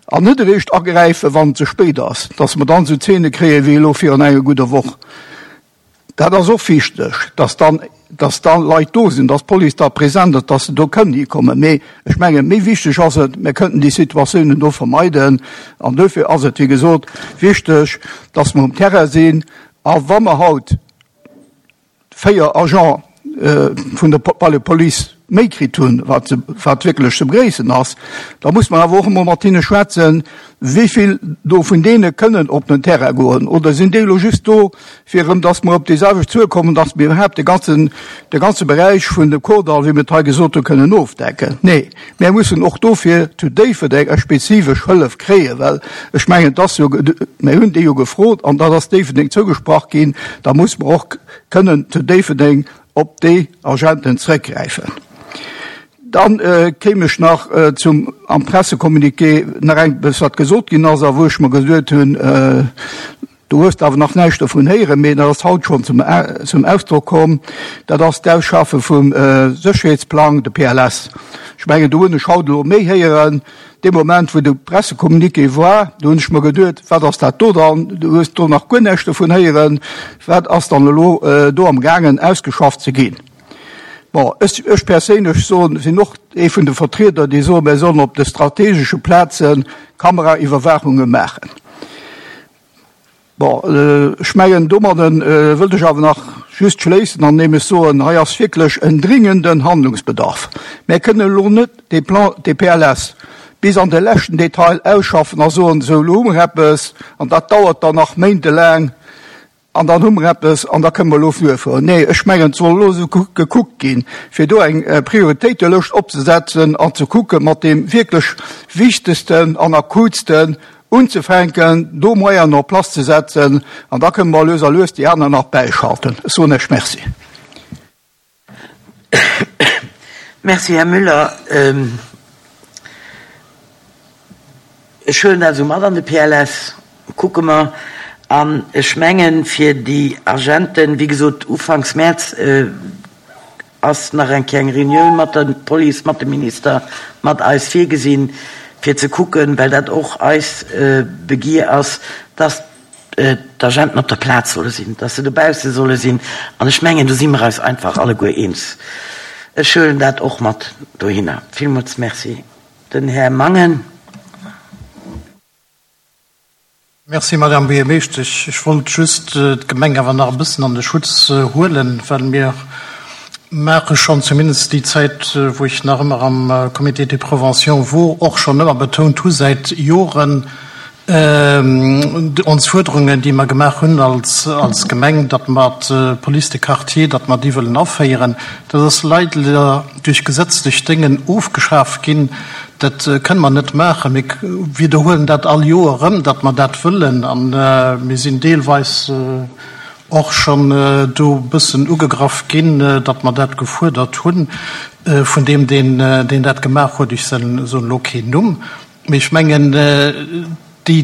Speaker 7: an net eréischt agräifen, wann et ze spéit ass, dass mer dann esou Zeene kréien, wéi elo virun enger gudder Woch. Dat ass och wichteg, dass dann, dass da Leit do sinn, dass d'Police da present ass, dass se do kënnen hikommen. Mee ech mengen, méi wichteg ass et, mir kënnten déi Situatiounen do vermeiden. An dofir ass et, wéi gesot, wichteg, dass mer um Terrain sinn. A wa mer haut 4 Agents vun der Police méi kritt hunn, wat wat wierklech ze begréissen ass, da muss mer awer och emol mat hinne schwätzen, wéi vill do vun deene kënnen op den Terrain goen. Oder sinn déi elo just do, fir erëm, datt mer op déi selwecht Zuel kommen, datt mir iwwerhaapt de ganzen, de ganze Beräich vun dem Kordall, wéi mir et hei gesot hunn, kënnen ofdecken? Nee, mir mussen och dofir zu Déifferdeng eng spezifesch Hëllef kréien, well ech mengen, et ass jo, mir hunn déi jo gefrot an dat ass Déifferdeng zougesprach ginn, da muss mer och kënnen zu Déifferdeng. op déi Agenten zrëckgräifen. Dann kéim ech nach zum am Pressecommuniqué nach eppes, wat gesot ginn ass a wou ech mer geduet hunn, do hues de awer nach näischt dovun héieren, mee dat ass haut schonn zum Ausdrock komm, dat ass d'Ausschaffe vum Sécherheetsplang, de PLS. Ech mengen, do hunn ech haut elo méi héieren. Dee Moment, wou de Pressecommuniqué war, do hunn ech mer geduet, Wat ass dat do dann? Du hues do nach guer näischt dovun héieren. Wat ass dann elo do amgaangen ausgeschafft ze ginn? Bon, ech, ech perséinlech soen, sinn och ee vun de Vertrieder, déi soen, mir sollen op de strategesche Plaze Kameraiwwerwaachunge maachen. Bon, ech mengen, domadde wëllt ech awer nach just schléissen andeem ech soen, hei ass wierklech en dringenden Handlungsbedarf. Mir kënnen elo net dee Plan, dee PLS bis an de leschten Detail ausschaffen a soen, esou elo hu mer eppes an dat dauert dann nach méintelaang an dann hu mer eppes an da kënnen mer elo fuerfueren. Nee, ech mengen, et soll elo esou gekuckt ginn, fir do eng Prioritéitelëscht opzesetzen an ze kucken, mat deem wierklech Wichtegsten an Akutsten unzefänken, do Moyenen en place ze setzen, an da kënnen mer lues a lues déi aner nach bäischalten. Ech soen Iech Merci.
Speaker 1: Merci, Här Müller. Ech huelen dat esou mat an de PLS, kucke mer. An ech mengen, fir déi Agenten, wéi gesot, ufanks Mäerz ass nach eng Kéier eng Reunioun mat der Police, mat dem Minister, mat eis virgesinn, fir ze kucken, well dat och eis Begier ass, dass d'Agenten op der Plaz solle sinn, dass se dobausse solle sinn. An ech mengen, do si mer eis einfach alleguer eens. Ech huelen dat och mat dohinner. Villmools Merci. Den Här Mangen.
Speaker 13: Merci, Madame Buergermeeschtesch. Ech wollt just d'Gemeng awer nach e bëssen an de Schutz huelen, well mir maache schonn, zumindest déi Zäit, wou ech nach ëmmer am Comité de prévention wor, och schonn ëmmer betount hu säit Joren ons Fuerderungen, déi mer gemaach hunn als Gemeng, datt mer d'Police de quartier, datt mer déi wëllen aféieren. Dat ass leider duerch gesetzlech Déngen ofgeschaf ginn. Dat kënne mer net maachen. Mir widderhuelen dat all Joer erëm, datt mer dat wëllen. A mir sinn deelweis och schonn do e bëssen ugegraff ginn, datt mer dat gefuerdert hunn vun deem, deen dat gemaach huet. Ech soen elo keen Numm. Mee ech mengen, déi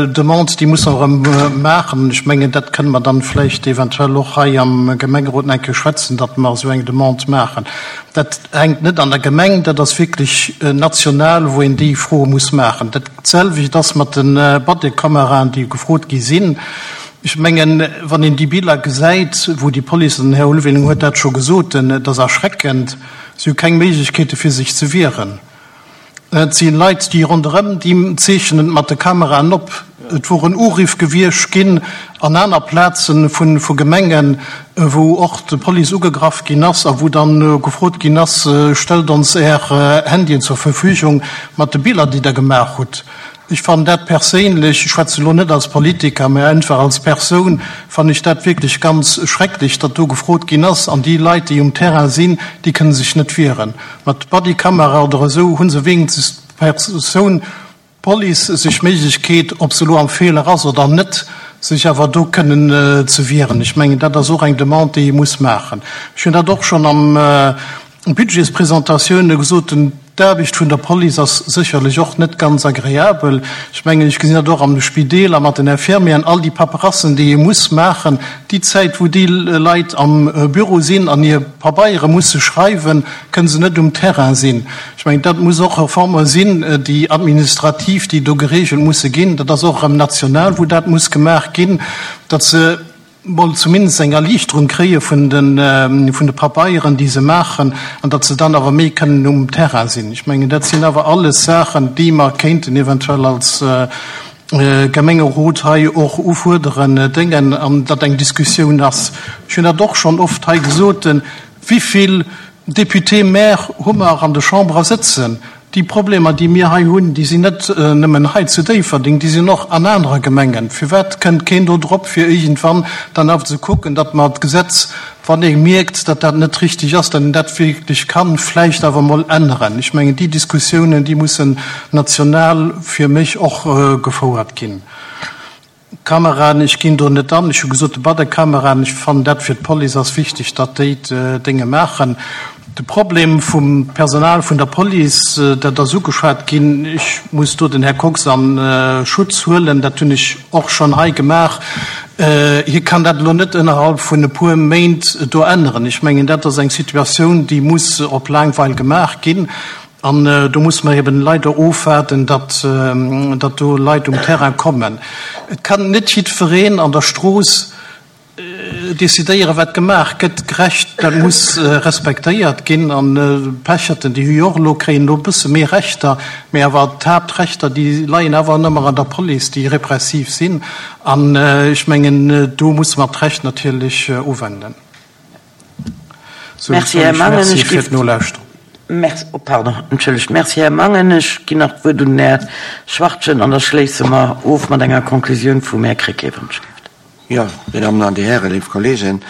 Speaker 13: Demande, déi musse mer erëm maachen. An ech mengen, dat kënne mer dann vläicht eventuell och hei am Gemengerot nach eng Kéier schwätzen, datt mer esou eng Demande maachen. Dat hänkt net an der Gemeng, dat ass wierklech national, wou een déi Froe muss maachen. Dat selwecht ass mat de Bodykameraen, déi gefrot gi sinn. Ech mengen, wann een déi Biller gesäit, wou déi Police, an den Här Ulveling huet dat scho gesot, dat ass erschreckend, si hu keng Méiglechkeete fir sech ze wieren. Et si Leit, déi ronderëm, déi zeechnen et mat de Kameraen op. Et woren Uriff gewiescht ginn an aner Plaze vu Gemengen, wou och d'Police ugegraff ginn ass a wou dann gefrot ginn ass, Stellt ons Är Handyen zur Verfügung mat de Biller, déi Der gemaach hutt. Ech fannen dat perséinlech, ech schwätzen elo net als Politiker, mä einfach als Persoun, fannen ech dat wierklech ganz schrecklech, datt do gefrot ginn ass. An déi Leit, déi um Terrain sinn, déi kënne sech net wieren. Mat Bodykamera oder esou hu se wéinstens d'Persoun, d'Police, sech d'Méiglechkeet, ob se elo am Feeler ass oder net, sech awer do kënnen ze wieren. Ech mengen, dat ass och eng Demande, déi ee muss maachen. Ech hunn dat och schonn am Budgetspresentatioune gesot, D'Aarbecht vun der Police ass sécherlech och net ganz agreabel. Ech mengen, ech gesinn dat och an de Spideeler mat den Infirmieren, all déi Paperassen, déi ee muss maachen, déi Zäit, wou déi Leit am Büro sinn an hir Pabeiere musse schreiwen, kënne se net um Terrain sinn. Ech mengen, dat muss och Reforme sinn, déi administrativ, déi do geregelt musse ginn. Dat ass och erëm national, wou dat muss gemaach ginn, datt se mol zumindest eng Erliichterung kréie vun de Pabeieren, déi se maachen, an datt se dann awer méi kënnen um Terrain sinn. Ech mengen, dat sinn awer alles Saachen, déi mer kéinten eventuell als Gemengerot hei och ufuerderen, déngen, an datt eng Diskussioun ass. Ech hunn dat och schonn oft hei gesot, Wivill Députés-maires hu mer an de Chambere sëtzen? Déi Problemer, déi mir hei hunn, déi sinn net nëmmen hei zu Déifferdeng, déi sinn och an anere Gemengen. Firwat kënnt keen do drop, fir iergendwann dann awer ze kucken, datt mer d'Gesetz, wann ee mierkt, datt dat net richtig ass, datt een dat wierklech ka vläicht awer emol änneren? Ech mengen, déi Diskussiounen, déi mussen national fir mech och gefouert ginn. Kameraen, ech ginn do net an. Ech hu gesot, de Badekameraen, ech fannen dat fir d'Police ass wichteg, datt déi d'Dénge maachen. De Problem vum Personal vun der Police, dat ass ugeschwat ginn. Ech muss do den Här Kox a Schutz huelen, dat hunn ech och schonn hei gemaach. Hie kann dat elo net ënnerhalb vun e puer Méint do änneren. Ech mengen, dat ass eng Situatioun, déi muss op laang Weil gemaach ginn. An do musse mer eben leider ofwaarden, datt do Leit um Terrain kommen. Et kann net jiddwereen an der Strooss decidéieren, wat gemaach gëtt. D'Recht, dat muss respektéiert ginn. An d'Pecherten, déi hu jo och elo, kréien elo e bësse méi Rechter, mä awer d'Haaptrechter, déi leien awer ëmmer an der Police, déi repressiv sinn. An ech mengen, do musse mer d'Recht natierlech uwenden. Sou,
Speaker 1: Merci,
Speaker 13: soen
Speaker 1: Här
Speaker 13: ech
Speaker 1: Mangen.
Speaker 13: Merci
Speaker 1: Ech
Speaker 13: fir
Speaker 1: giff.
Speaker 13: d'Nolauschterung.
Speaker 1: Merci, oh pardon, entschëllegt. Merci, Här Mangen. Ech ginn nach d'Wuert un den Här Schwachtgen an da schléisse mer of mat enger Konklusioun vum Här Krecké, wann ech gelift.
Speaker 14: Jo, Dir Dammen an Dir Hären, léif Kolleegen,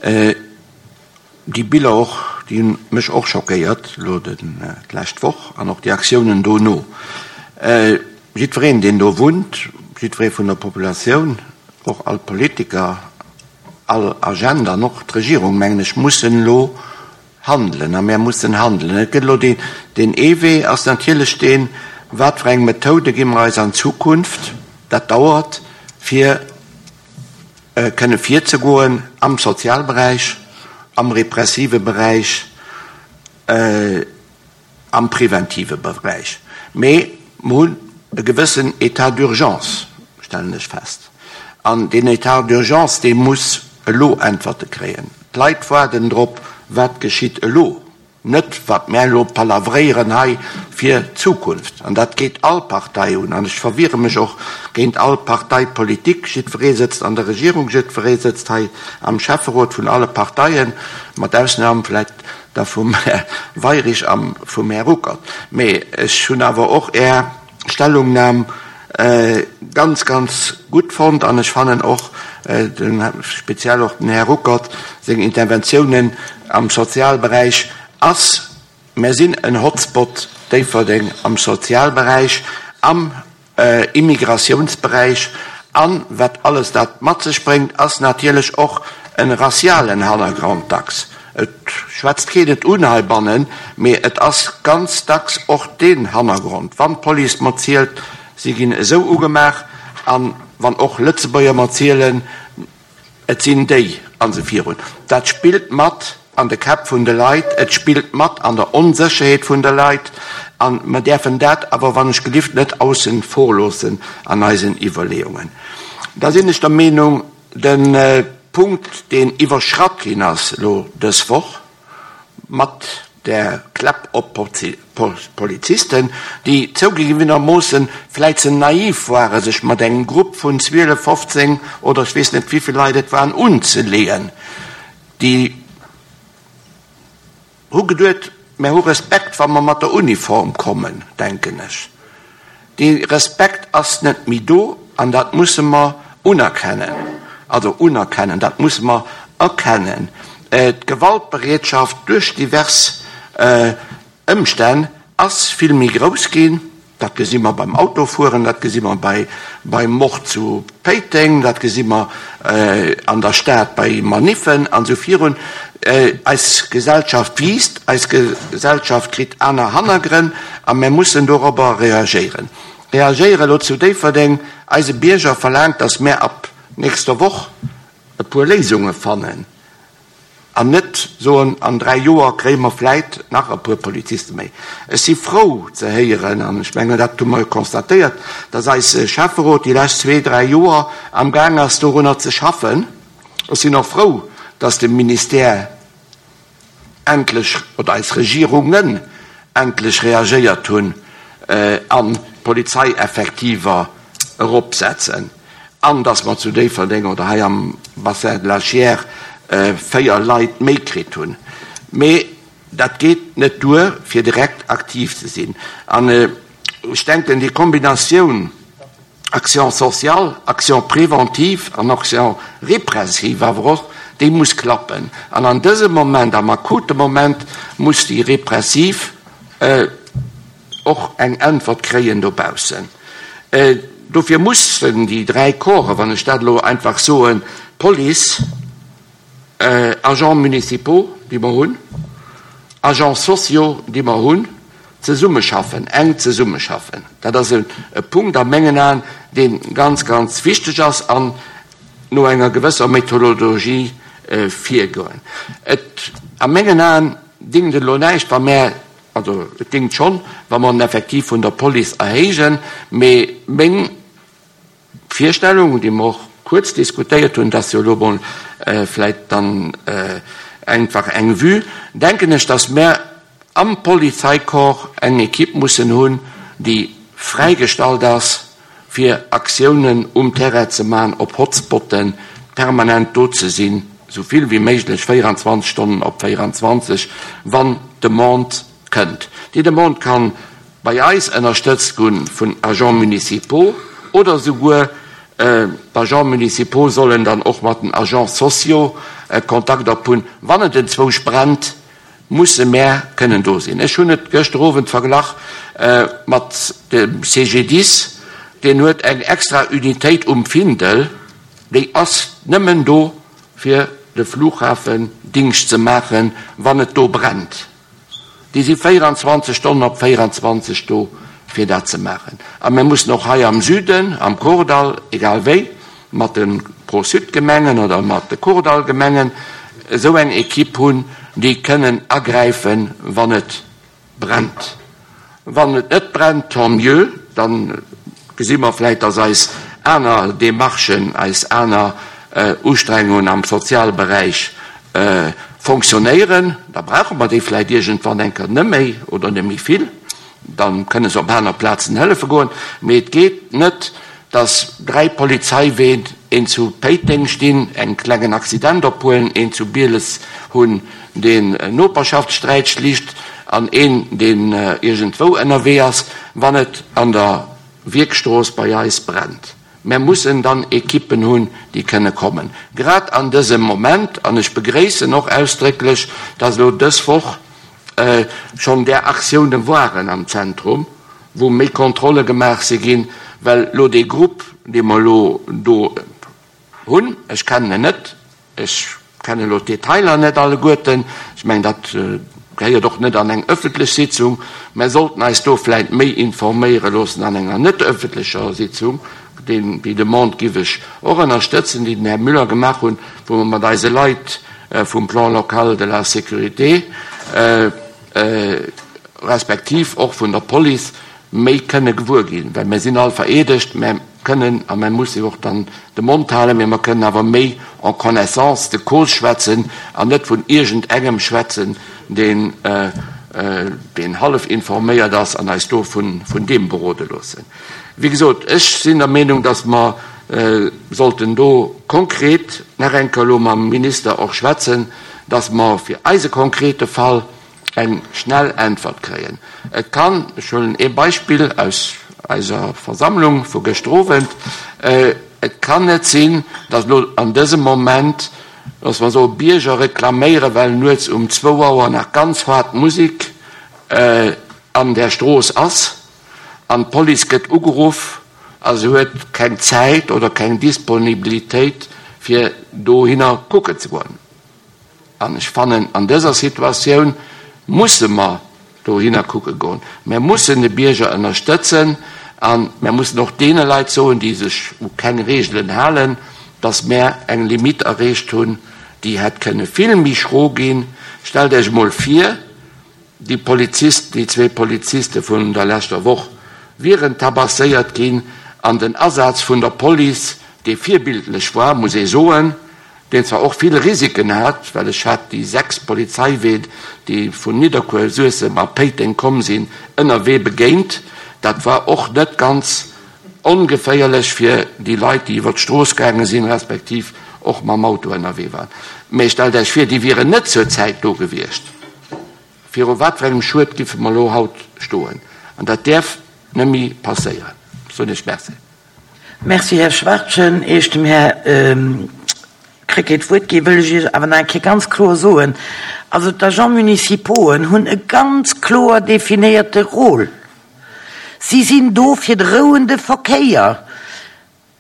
Speaker 14: déi Biller och, déi hunn mech och schockéiert elo d'lescht Woch an och déi Aktiounen dono. Jiddwereen, deen do wunnt, jiddweree vun der Populatioun, och all Politiker, All Agent an och d'Regierung, mengen ech, mussen elo handelen a mär mussen handelen. Et gëtt elo deen, deen ee Wee ass natierlech deen, wat fir eng Methode gi mer eis an Zukunft, dat dauert, fir kënne virzegoen am Sozialberäich, am repressive Beräich, am preventive Beräich, mee mer hunn e gewëssen État d'urgence, stellen ech fest. An deen État d'urgence, dee muss elo Äntwerte kréien. D'Leit waarden drop, wat geschitt elo, net wat mär elo palavréieren hei fir d'Zukunft. An dat geet all Partei un. An ech verwiere mech och géint all Parteipolitik. Jiddweree sëtzt an der Regierung, jiddweree sëtzt hei am Schäfferot vun alle Parteien, mat Ausnam vläicht Da vum Här Weirich a vum Här Ruckert. Mee ech hunn awer och Är Stellungnam ganz, ganz gutt fonnt an ech fannen och, speziell och den Här Ruckert seng Interventiounen am Sozialberäich ass, Mär sinn en Hotspot Déifferdeng am Sozialberäich, am Immigratiounsberäich an wat alles dat mat sech bréngt, ass natierlech och en racialen Hannergrond dacks. Et schwätzt keen et un heibannen, mee et ass ganz dacks och deen Hannergrond. Wann d'Police mer zielt, si ginn esou ugemaach, an wann och Lëtzebuerger mer zielen, Et sinn déi, an esou virun. Dat spillt mat an de Käpp vun de Leit, et spillt mat an der Onsécherheet vun de Leit, a mer däerfen dat awer wann ech gelift net aussen vor loossen an eisen Iwwerleeungen. Da sinn ech der Meenung, de Punkt, deen iwwerschratt ginn ass elo dës Woch, mat där Kläpp op Polizisten, déi zougegewenermoossen vläit ze naiv ware sech mat engem Grupp vun 12, 15 oder ech weess net wivill Leit et waren unzeleeën, déi hu geduet, mär hu Respekt wa mer mat der Uniform kommen, denken ech. Dee Respekt ass net méi do an dat musse mer unerkennen, also unerkennen, dat musse mer erkennen. D'Gewaltbereetschaft duerch divers Ëmstänn ass vill méi grouss ginn. Dat gesi mer beim Autofueren, dat gesi mer beim Mord zu Péiteng, dat gesi mer an der Stad bei Maniffen an esou virun. Eis Gesellschaft wiisst, eis Gesellschaft kritt aner Hannergrënn a mir mussen dorobber reagéieren. Reagéieren elo zu Déifferdeng, eise Bierger verlaangt, datt mär ab nächster Woch e puer Léisunge fannen an net soen, an 3 Joer kréie mer vläit nach e puer Poliziste méi. Ech si frou ze héieren, an ech mengen, dat hu mer jo constatéiert, datt eise Schäfferot déi lescht zwee, dräi Joer amgaang ass dorunner ze schaffen. Ech sinn och frou, dass de Ministère endlech, oder eis Regierungen endlech reagéiert hunn an d'Polizeieffektiver eropsetzen an dass mer zu Déifferdeng oder hei am Bassin de la Chiers 4 Leit méi kritt hunn. Mee dat geet net duer, fir direkt aktiv ze sinn. An ech denken, déi Kombinatioun, Action sociale, Action préventive an Action répressive awer och, déi muss klappen. An an dësem Moment, am akute Moment, muss déi répressiv och eng Äntwert kréien dobaussen. Dofir mussen déi 3 Corpsen, wann ech dat elo einfach soen, Police, Agents municipaux, déi mer hunn, Agents sociaux, déi mer hunn, zesummeschaffen, enk zesummeschaffen. Dat ass e Punkt a mengen Aen, dee ganz, ganz wichteg ass an no enger gewësser Methodologie virgoen. Et, a mengen Aen, dingt et elo näischt, wa mär, also et dingt schonn, wa mer den Effektiv vun der Police erhéijen, mee meng Virstellung, déi mer och kuerz diskutéiert hunn, dat ass jo elo emol vläicht dann einfach eng Vue, denken ech, dass mär am Polizeicorps eng Equipe mussen hunn, déi fräigestallt ass, fir Aktiounen um Terrain ze maachen, op Hotspotten permanent do ze sinn, esou vill wéi méiglech, 24 Stonnen op 24, wann d'Demande kënnt. Déi Demande kann bei eis ënnerstëtzt gu vun Agents municipaux oder souguer d'Agents municipaux sollen dann och mat den Agents sociaux Kontakt op hunn. Wann et enzwousch brennt, musse mär kënnen do sinn. Ech hunn et gëschter Owend verglach mat dem CGDIS, deen huet eng extra Unitéit um Findel, déi ass nëmmen do fir de Flughafen Dingscht ze maachen, wann et do brennt. Déi si 24 Stonnen op 24 do, fir dat ze maachen. A mir mussen och hei am Süden, am Kordall, egal wéi, mat de Pro-Sud-Gemengen oder mat de Kordall-Gemengen, esou eng Equipe hunn, déi kënnen agräifen, wann et brennt. Wann et net brennt, tant mieux, da gesi mer vläicht, dass eis aner Demarchen, eis aner Ustrengungen am Sozialberäich fonctionnéieren. Da brauche mer déi vläicht iergendwann eng Kéier net méi oder net méi vill. Da kënne se op aner Plazen hëllefe goen. Mee et geet net, dass 3 Polizeiween, een zu Péiteng stinn, en klengen Accident ophuelen, een zu Bieles hunn, deen Noperschaftssträit schlicht, an een, deen iergendwou ënnerwee ass, wann et an der Wierkstrooss bei eis brennt. Mär mussen dann Ekippen hunn, déi kënne kommen. Grad an dësem Moment, an ech begréissen och ausdrécklech, dass elo dës Woch schonn där Aktioune waren am Zentrum, wou méi Kontrolle gemaach si ginn, well elo dee Grupp, dee mer elo do hunn, ech kennen en net, ech kennen elo d'Detailer net alleguerten, ech mengen, dat gehéiert och net an eng öffentlech Sitzung, mä sollten eis do vläicht méi informéiere loossen an enger net öffentlecher Sitzung, deen, déi Demande giff ech och ënnerstëtzen, déi den Här Müller gemaach hunn, wou mer mat eise Leit vum Plan local de la sécurité, respektiv och vun der Police méi kënne gewuer ginn, well mir sinn all vereedegt, mä kënnen a mä musse jo och dann de Mond halen, mä mer kënnen awer méi en connaissance de cause schwätzen an net vun iergend engem schwätzen, deen deen hallef informéiert ass an eis do vun deem berode loossen. Wéi gesot, ech sinn der Meenung, dass mer sollten do konkret nach eng Kéier elo mam Minister och schwätzen, dass mer fir eise konkrete Fall eng schnell Äntwert kréien. Et kann, ech huelen ee Beispill aus eiser Versammlung vu gëschter Owend, et kann net sinn, dass elo an dësem Moment, dass mer soe Bierger reklaméieren, well nuets um zwou Auer nach ganz haart Musek an där Strooss ass an d'Police gëtt ugeruff a se huet keng Zäit oder keng Disponibilitéit fir dohinner kucken ze goen. An ech fannen, an dëser Situatioun musse mer dohinner kucke goen. Mer mussen de Bierger ënnerstëtzen a mer mussen och deene Leit soen, déi sech u keng Reegelen halen, dass mer eng Limite erreecht hunn, déi hätt kënne vill méi schro ginn. Stellt Iech emol vir, déi Polizist, déi zwee Poliziste vun der leschter Woch wieren tabasséiert ginn an den Asaz vun der Police, dee virbildlech war, muss ee soen, deen zwar och vill Risiken hat, well ech hat déi 6 Polizeiween, déi vun Nidderkuer, Suessem a Péiteng komm sinn, ënnerwee begéint. Dat war och net ganz ongeféierlech fir déi Leit, déi iwwer d'Strooss gaange sinn, respektiv och mam Auto ënnerwee waren. Mee stellt Iech vir, déi wieren net zur Zäit do gewiescht. Viru wat fir engem Schued giffe mer elo haut stoen? An dat däerf net méi passéieren. Soen Iech Merci.
Speaker 1: Merci, Här Schwachtgen. Ier ech dem Här Krecké d'Wuert ginn, wëll ech Iech awer nach eng Kéier ganz kloer soen, Also d'Agents municipauxen hunn e ganz kloer definéierte Rôle. Si sinn do fir de rouende Verkéier.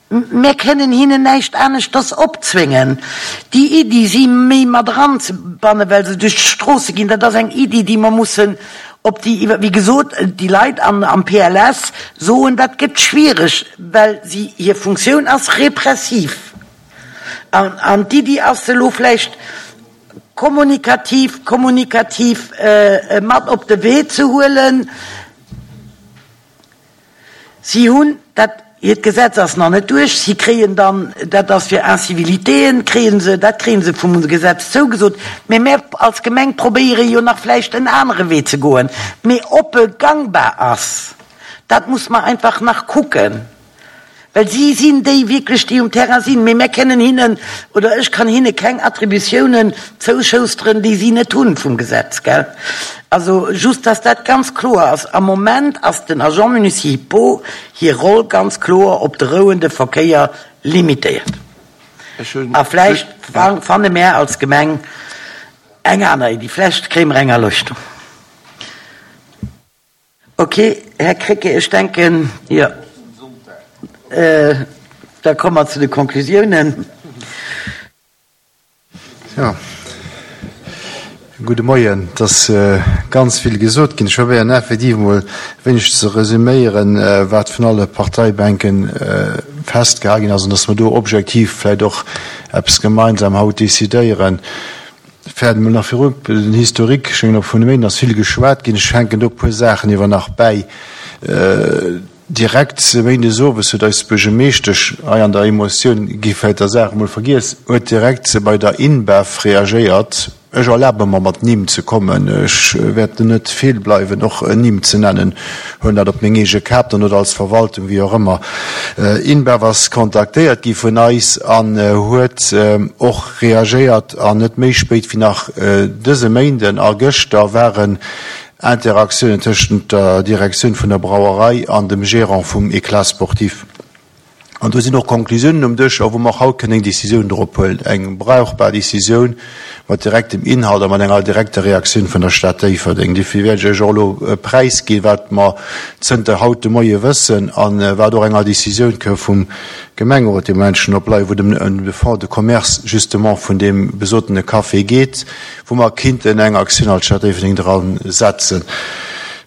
Speaker 1: Mär kënnen hinnen näischt aneschters opzwéngen. Déi Iddi, si méi mat eranzebannen, well se duerch d'Stroosse ginn, dat ass eng Iddi, déi mer mussen op déi iwwer. Wéi gesot, déi Leit an am PLS soen, dat gëtt schwiereg, well si, hir Funktioun ass repressiv. An, an d'Iddi ass, se elo vläicht kommunikativ, kommunikativ mat op de Wee ze huelen. Si hunn dat, hiert Gesetz ass nach net duerch, si kréien dann, dat ass fir Incivilitéen, kréie se, dat kréie se vum Gesetz zougesot, mä mär als Gemeng probéiere jo nach vläicht en anere Wee ze goen. Mee ob e gangbar ass, dat muss mer einfach nach kucken. Well si sinn déi wierklech, déi um Terrain sinn. Mee mär kënnen hinnen, oder ech kann hinne keng Attributiounen zouschousteren, déi si net hunn vum Gesetz, gell? Also just, dass dat ganz kloer ass. Am Moment ass den Agents municipaux hir Roll ganz kloer op de rouende Verkéier limitéiert. A vläicht fanne mär als Gemeng eng aner Iddi. Vläicht kréie mer eng Erleuchtung. Ok, Här Krecké, ech denken, jo, da komme mer zu de Konklusiounen.
Speaker 15: Jo, gudde Moien. Et ass ganz vill gesot ginn. Ech probéieren effektiv emol e wéineg ze resüméieren, wat vun alle Parteibänke festgehal ginn ass an dass mer do objektiv vläicht och eppes gemeinsam haut decidéieren. Fäert emol nach virop, den Historique, ech mengen och vun de Méinden ass vill geschwat ginn, ech hänken do e puer Saachen iewer nach bäi. Direkt méindes owes huet eis Buergermeeschtesch, hei an der Emotioun gi vläicht der Saach emol vergiess, huet direkt bei der InBev reagéiert. Ech erlabe mer mat Nimm ze kommen, ech wäerten net feel bleiwen och Nimm ze nennen, huelen dat op meng eege Kap dann oder als Verwaltung, wéi och ëmmer. InBev ass kontaktéiert gi vun eis an huet och reagéiert an net méi spéit wéi nach dëse Méinden a gëschter waren Interaktiounen tëschent der Direktioun vun der Brauerei an dem Gérant vum Eclat sportif. An do sinn och Konklusiounen um Dësch, a wou mer och haut kënnen eng Décisioun drop huelen, eng brauchbar Décisioun mat direktem Inhalt a mat enger direkter Reaktioun vun der Stad Déifferdeng. Dofir wäert ech Iech och elo präisginn, wat mer zënter haut de Moie wëssen a wat och enger Décisioun kënn vum Gemengerot dee Moment schonn op lei, wou et ëm de Fonds de commerce justement vun deem besotene Café geet, wou mer kinnten eng Aktioun als Stad Déifferdeng dra setzen.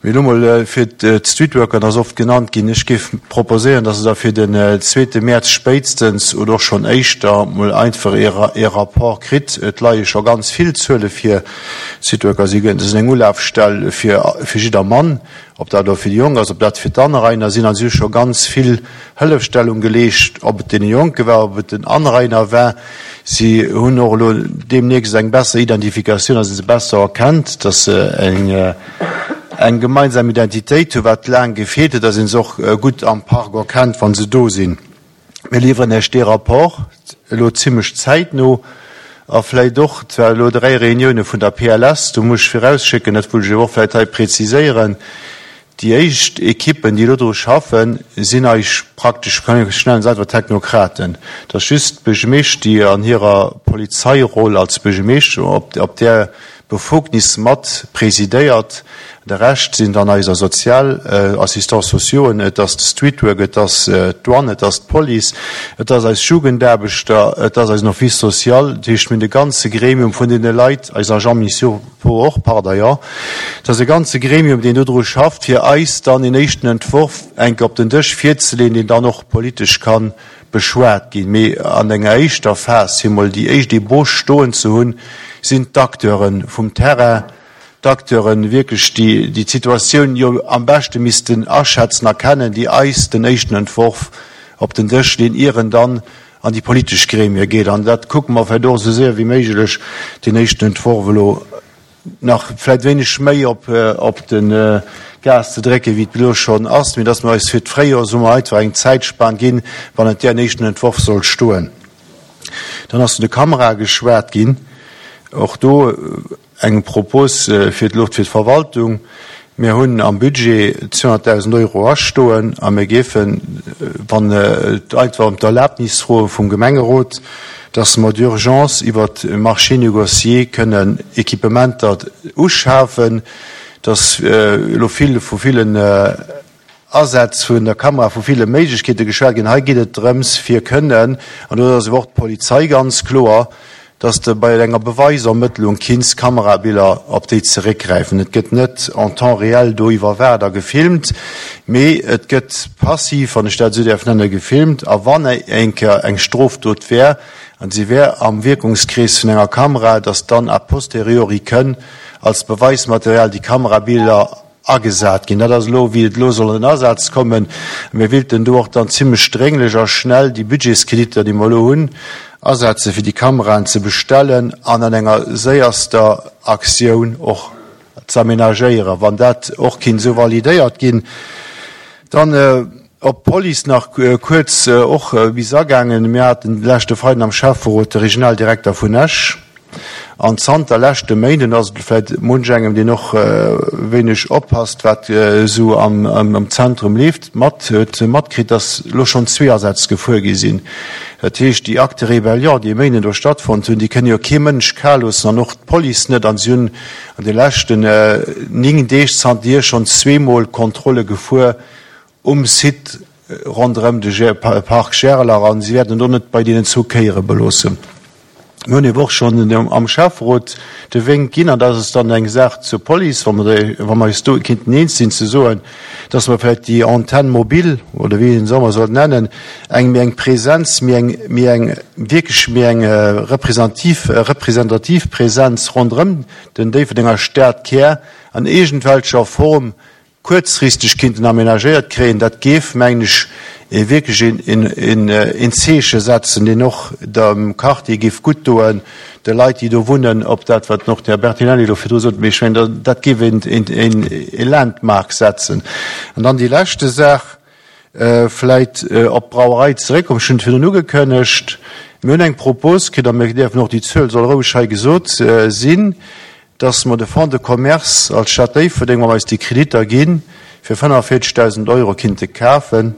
Speaker 15: Mee elo mol fir d'Streetworker, dat ass oft genannt ginn, ech géif proposéieren, dass Der da fir den zweete Mäerz spéitstens oder och schonn éischter mol einfach ee Rapport kritt. Et leie scho ganz vill Zuele vir. D'Streetworker si sinn eng Ulafstell fir jiddermann. Ob dat elo fir déi Jonk ass, ob dat fir d'Anrainer sinn, an si hu scho ganz vill Hëllefstellung geleescht, ob et deene Jonke war, ob et den Anrainer war. Si hunn och elo deemnächst eng besser Identifikatioun, dass ee se besser erkennt, dass se eng, eng gemeinsam Identitéit hunn, wat laang gefeelt huet, dass ee se och gutt am Park erkennt, wa se do sinn. Mir liwweren Iech dee Rapport elo zimlech zäitno a vläicht och, et war elo 3 Reunioune vun der PLS, do muss ech virausschécken, dat wëll ech awer och vläicht hei präziséieren, déi éischt Ekippen, déi elo dru schaffen, sinn eis praktesch, ech nennen se einfach Technokraten. Et ass just d'Buergermeeschtesch, déi an hirer Polizeiroll als Buergermeeschtesch op där Befugnis mat presidéiert. De Rescht sinn dann eiser sozial Assistants sociauxen, et ass de Streetwork, et ass d'Douane, et ass d'Police, et ass eis Jugendaarbechter, et ass eisen Office social. Dat heescht, mir hunn de ganze Gremium vun deene Leit, eis Agents municipaux och par d'ailleurs. Et ass e ganze Gremium, deen dodru schafft, fir eis dann een éischten Entworf enke op den Dësch virzeleeën, deen dann och politesch ka beschwat ginn. Mee an enger éischter Phas, fir emol déi éischt Ebauche stoen ze hunn, sinn d'Acteure vum Terrain, d'Acteuren wierklech, déi déi d'Situatioun jo am beschte missten aschätzen a kennen, déi eis den éischten Entworf op den Dësch leeën, ier en dann an déi politesch Gremie geet. An dat kucke mer vläicht och esou séier wéi méiglech, deen éischten Entworf elo nach vläicht wéineg méi op op de Gas ze drécken, wéi et elo schonn ass, mee dass mer eis fir d'Fréijoer, soe mer einfach, eng Zäitspan ginn, bannent där en éischten Entworf soll stoen. Dann ass vun de Kamerae geschwat ginn. Och do eng Propos fir d'Luucht fir d'Verwaltung. Mir hunn am Budget 200.000 Euro astoen a mir géifen, wann et einfach ëm d'Erlaabnis froe vum Gemengerot, dass mer d'urgence iwwert e Marché négocié kënnen Equipementer uschafen, dass elo vill vu villen. Asätz vun der Kamera, vu ville Méiglechkeete geschwat ginn. Hei geet et drëms, fir kënnen, an do ass awer och d'Polizei ganz kloer, dass de bei enger Beweisermëttlung kinns Kamerabiller op déi zeréckgräifen. Et gëtt net en temps réel do iwwerwaacht a gefilmt, mee et gëtt passiv, wann ech dat esou däerf nennen, gefilmt. A wann eng Kéier eng Strofdot wär an se wär am Wierkungskrees vun enger Kamera, dass dann a posteriori kënn als Beweismaterial déi Kamerabiller agesat ginn. Dat ass elo, wéi et elo soll an den Asaz kommen. Mir wéilten do och dann zimlech drénglech a schnell déi Budgetskreditter, déi mer elo hunn, asetzen, fir déi Kameraen ze bestellen an an enger séierster Aktioun och ze aménagéieren. Wann dat och kinnt esou validéiert ginn, dann op d'Police nach kuerz och bis agaangen. Mir haten de leschte Freiden am Schäfferot de Regionaldirekter vun Esch. An zanter leschte Méinden ass et vläit munch engem, deen och wéineg oppasst, wat esou am Zentrum leeft, mat huet matkritt, datt elo schonn zwee Asätz gefuer gi sinn. Dat heescht, déi Actes de rébellion, déi e Méinden do stattfonnt hunn, déi kënne jo kee Mënsch kal loossen an och d'Police net. An si hunn an de leschten 9 Deeg zanterhier schonn zweemol Kontrolle gefuer um Site ronderëm de Parc Gerler an si wäerten et och net bei deenen zwou Kéiere beloossen. Mir hunn ewer och schonn am Schäfferot de Wénk ginn, an dat ass dann eng Saach zur Police, wa mer, wa mer eis do kinnten eens sinn, ze soen, dass mer vläicht déi Antenne mobile, oder wéi een se ëmmer soll nennen, eng méi eng Präsenz, méi eng, méi eng, wierklech méi eng representiv, representativ Präsenz ronderëm den Déifferdenger Stadkär an iergendwelcher Form kuerzfristeg kinnten aménagéiert kréien, dat géif, mengen ech, ee wierklech een Zeeche setzen, deen och dem Quartier géif gutt doen, de Leit, déi do wunnen, op dat, wat och den Här Bertinelli elo virdru sot, mee ech mengen, dat géif een Landmark setzen. An dann déi leschte Saach, vläit op d'Brauerei zeréckkommen. Ech hunn et virdrun ugekënnegt, Mir hunn eng Propos kritt, a mir däerfen och, déi Zuel soll roueg hei gesot sinn, dass mer de Fonds de commerce als Stad Déifferdeng, wa mer eis déi Kreditter ginn, fir 45.000 Euro kinnte kafen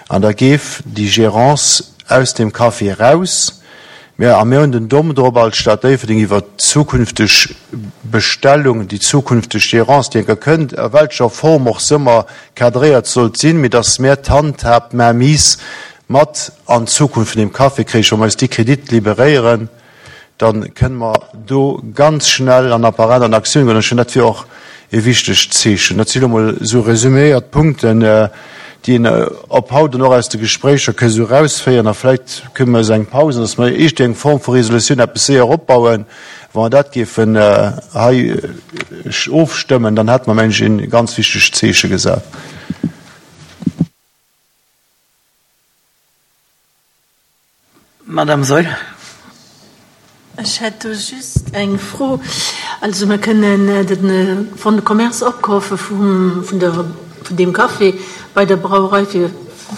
Speaker 15: an da géif déi Gérance aus deem Café eraus. Mir, a mir hunn den Domm drop als Stad Déifferdeng iwwert d'zukünfteg Bestellung, déi zukünfteg Gérance, déi enker kënnt, a welcher Form och s'ëmmer cadréiert sollt sinn, mee dass mär d'Handhab, d'Mainmise mat an d'Zukunft vun deem Café kréichen, wa mer eis déi Kredite liberéieren. Dann kënne mer do ganz schnell an apparent an Aktioun goen. Ech hunn, dat wier och e wichtegt Zeechen. Dat sinn elo mol esou resüméiert d'Punkten, déi een op haut an och aus de Gespréicher ka esou erausféieren. A vläicht kënne mer eis eng Paus, dass mer iergendwéi eng Form vu Resolutioun eppes séier opbauen. Wa mer dat géifen hei ofstëmmen, dann hätte mer, mengen ech, e ganz wichtegt Zeeche gesat.
Speaker 1: Madame Saeul.
Speaker 16: Ech hätt do just eng Fro. Also mer kënnen de Fonds de commerce opkafe vum, vun der, vun deem Café bei der Brauerei fir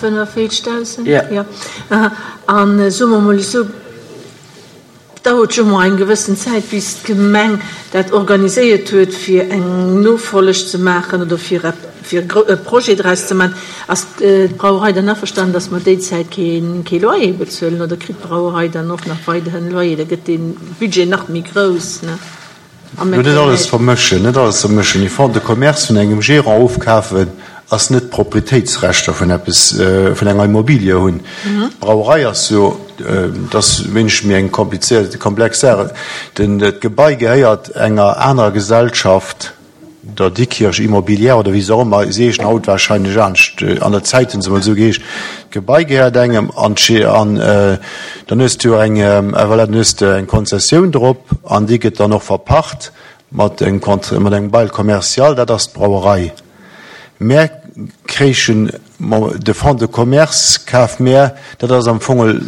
Speaker 16: 45.000? Jo. An soe mer emol esou, Dauert jo mol eng gewëssen Zäit bis d'Gemeng dat organiséiert huet fir eng Nofolleg ze maachen oder fir fir e Projet draus ze maachen. Ass d'Brauerei dann averstanen, datt mer déi Zäit kee kee Loyer bezuelen oder kritt d'Brauerei dann och nach weiderhin Loyer? Da gëtt dee Budget nach méi grouss, ne?
Speaker 15: Net alles vermëschen, net alles vermëschen. Ee Fonds de commerce vun engem Gérant ofkafen ass net d'Proprietéitsrechter vun eppes, vun enger Immobilie hunn. D'Brauerei ass jo, dat ass wéineg méi eng komplizéiert, komplex Saach. Den, d'Gebai gehéiert enger anerer Gesellschaft. der Dikkirch Immobilière oder wéi se och ëmmer, se heeschen haut wahrscheinlech anescht, an der Zäit hunn se emol esou geheescht, d'Gebai gehéiert engem an an dann hues de jo eng, voilà, dann hues de eng Konzessioun drop an déi gëtt dann och verpacht mat engem Cont-, mat engem Bail commercial, dat ass d'Brauerei. Mär kréichen de Fonds de commerce kaf mär, dat ass am Fong